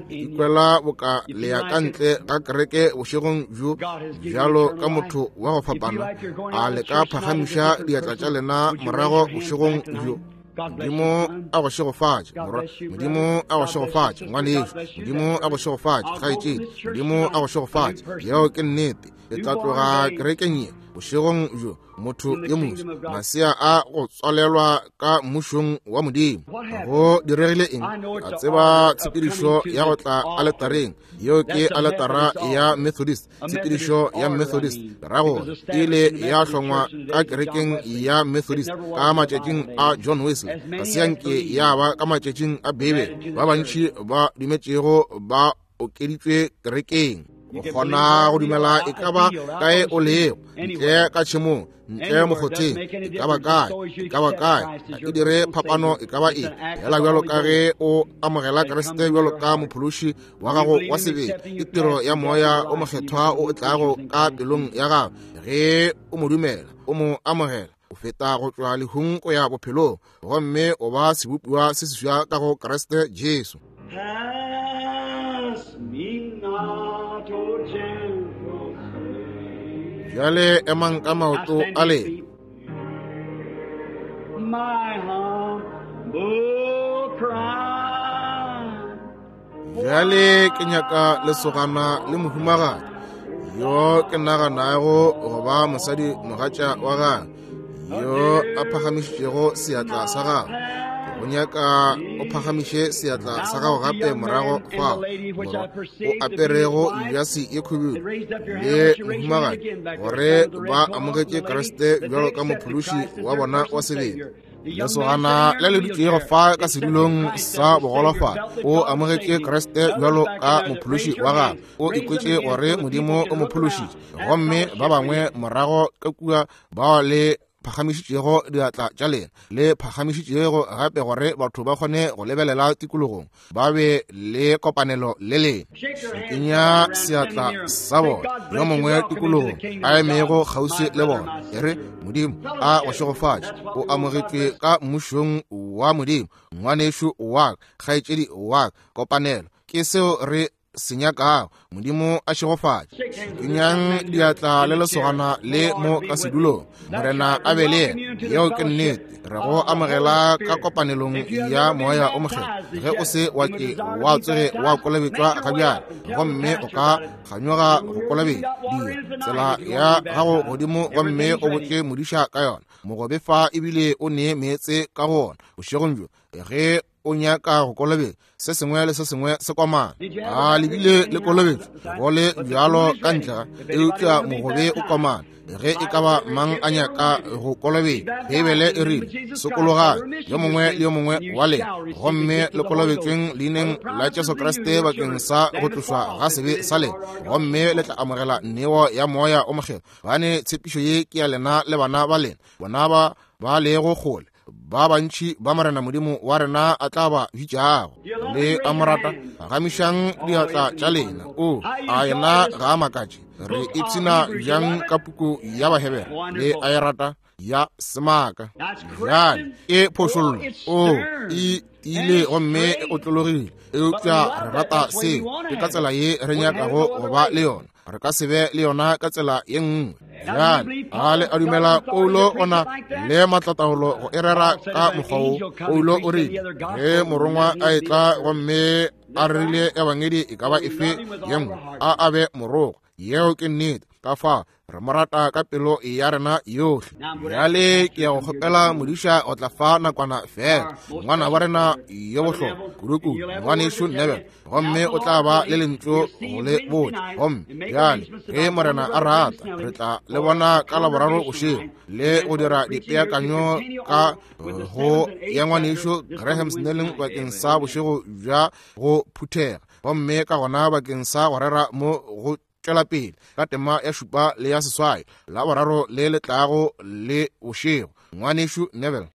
ikwela boka le ya ka ntle ga kereke bošegong bjo bjalo ka motho wa go fapana? A le ka phagamiša diatla tša lena morago bošegong bjo? Modimo a go šegofatše, morwa. Modimo a go šegofatše, ngwanešu. Modimo a go šegofatše, kgaetšedi. Modimo a go šegofatše. Yeo ke nnete. Le tla tloga kerekeng ye bošegong bjo, motho yo moswa, masea a go tswalelwa ka mmušong wa Modimo. Go diregile eng? A tseba tshepedišo ya go tla aletareng. Yeo ke aletara ya Methodist, tshepedišo ya Methodist. Rago ile ya hlongwa ka kerekeng ya Methodist ka matšatšing a John Wesley, ga se ya nke ya ba ka matšatšing a Beibele. Ba bantši ba dumetšego ba okeditšwe kerekeng. O kgona go dumela e ka ba kae o lego, ntle ka tšhemong, ntle mokgotheng, e ka ba kae, e ka ba kae, ga e dire phapano e ka ba eng. Fela bjalo ka ge o amogela Kriste bjalo ka mophološi wa gago wa sebele, ke tiro ya Moya o Mokgethwa o tlago ka pelong ya gago. Ge o mo dumela, o mo amogela, o feta go tšwa lehung go ya bophelong, gomme o ba sebopiwa se seswa ka go Kriste Jesu. Pass me not, O gentle Savior. Bjale emang ka maoto a lena. My humble cry. Bjale ke nyaka lesogana le mohumagadi yo ke naganago go ba mosadi mogatša wa gagwe yo a phagamišitšego seatla sa gagwe. Ke go nyaka o phagamiše seatla sa gago gape morago fao, morwa, o aperego jase ye khubedu le mohumagadi, gore ba amogetše Kriste bjalo ka mophološi wa bona wa sebele. Lesogana le le dutšego fa ka sedulong sa bogolofadi o amogetše Kriste bjalo ka mophološi wa gagwe, o ikwetše gore Modimo o mo phološitše. Gomme ba bangwe morago ka kua bao le phagamišitšego diatla tša lena, le phagamišitšego gape gore batho ba kgone go lebelela tikologong, ba be le kopanelo le lena. Šikinya seatla sa bona, yo mongwe tikologong a emego kgauswi le bona, e re, Modimo a go šegofatše, o amogetšwe ka mmušong wa Modimo, ngwanešu wa ka, kgaetšedi wa ka. Kopanelo ke seo re se nyakago. Modimo a šegofatše. Šikinyang diatla le lesogana le mo ka sedulong. Morena a be le yena. Yeo ke nnete. Re go amogela ka kopanelong ya Moya o Mokgethwa. Ge o se wa ke wa tsoge wa kolobetšwa ga bjale, gomme o ka kganyoga go kolobetšwa, dira tsela ya gago godimo gomme o botše modiša ka yona. Mogobe fa ebile o nee meetse ka go ona bošegong bjo. Ge o nyaka go kolobetšwa, se sengwe le se sengwe se komana. A le bile le kolobetšo? Go le bjalo ka ntle ga, eupša mogobe o komana. Ge e ka ba mang a nyaka go kolobetšwa, Beibele e rile, Sokologang, yo mongwe le yo mongwe wa lena, gomme le kolobetšweng leineng la Jesu Kriste bakeng sa go tlošwa ga sebe sa lena, gomme le tla amogela neo ya Moya o Mokgethwa. Gobane tshepišo ye ke ya lena le bana ba lena, bona ba ba lego kgole, ba bantši ba Morena Modimo wa rena a tla ba bitšago. Le a mo rata? Phagamišang diatla tša lena. O, a yena ga a makatše? Re ipshina bjang ka puku ya Bahebere? Le a e rata? Ya semaka. Bjale e phošollo. O, e tiile gomme e otlologile, eupša re rata seo. Ke ka tsela ye re nyakago go ba le yona. Re ka se be le yona ka tsela ye nngwe. Bjale a le a dumela Paulo o na le maatlataolo go e rera ka mokgwa wo? Paulo o rile ge morongwa a etla gomme a rerile ebangedi e ka ba efe ye nngwe, a a be morogwa. Yeo ke nnete. Ka fao re mo rata ka pelo ya rena yohle. Bjale ke ya go kgopela modiša go tla fa nakwana fela, ngwana wa rena yo bohlokwa kudukudu, ngwanešu Neville, gomme o tla ba le lentšu go le botša. Gomme bjale ge Morena a rata, re tla le bona ka Laboraro bošego le go dira dipeakanyo ka go ya ngwanešu Graham Snelling bakeng sa bošego bja go phuthega, gomme ka gona bakeng sa go rera mo go tšwela pele ka tema ya šupa le ya seswai Laboraro le le tlago le bošego. Ngwanešu Neville.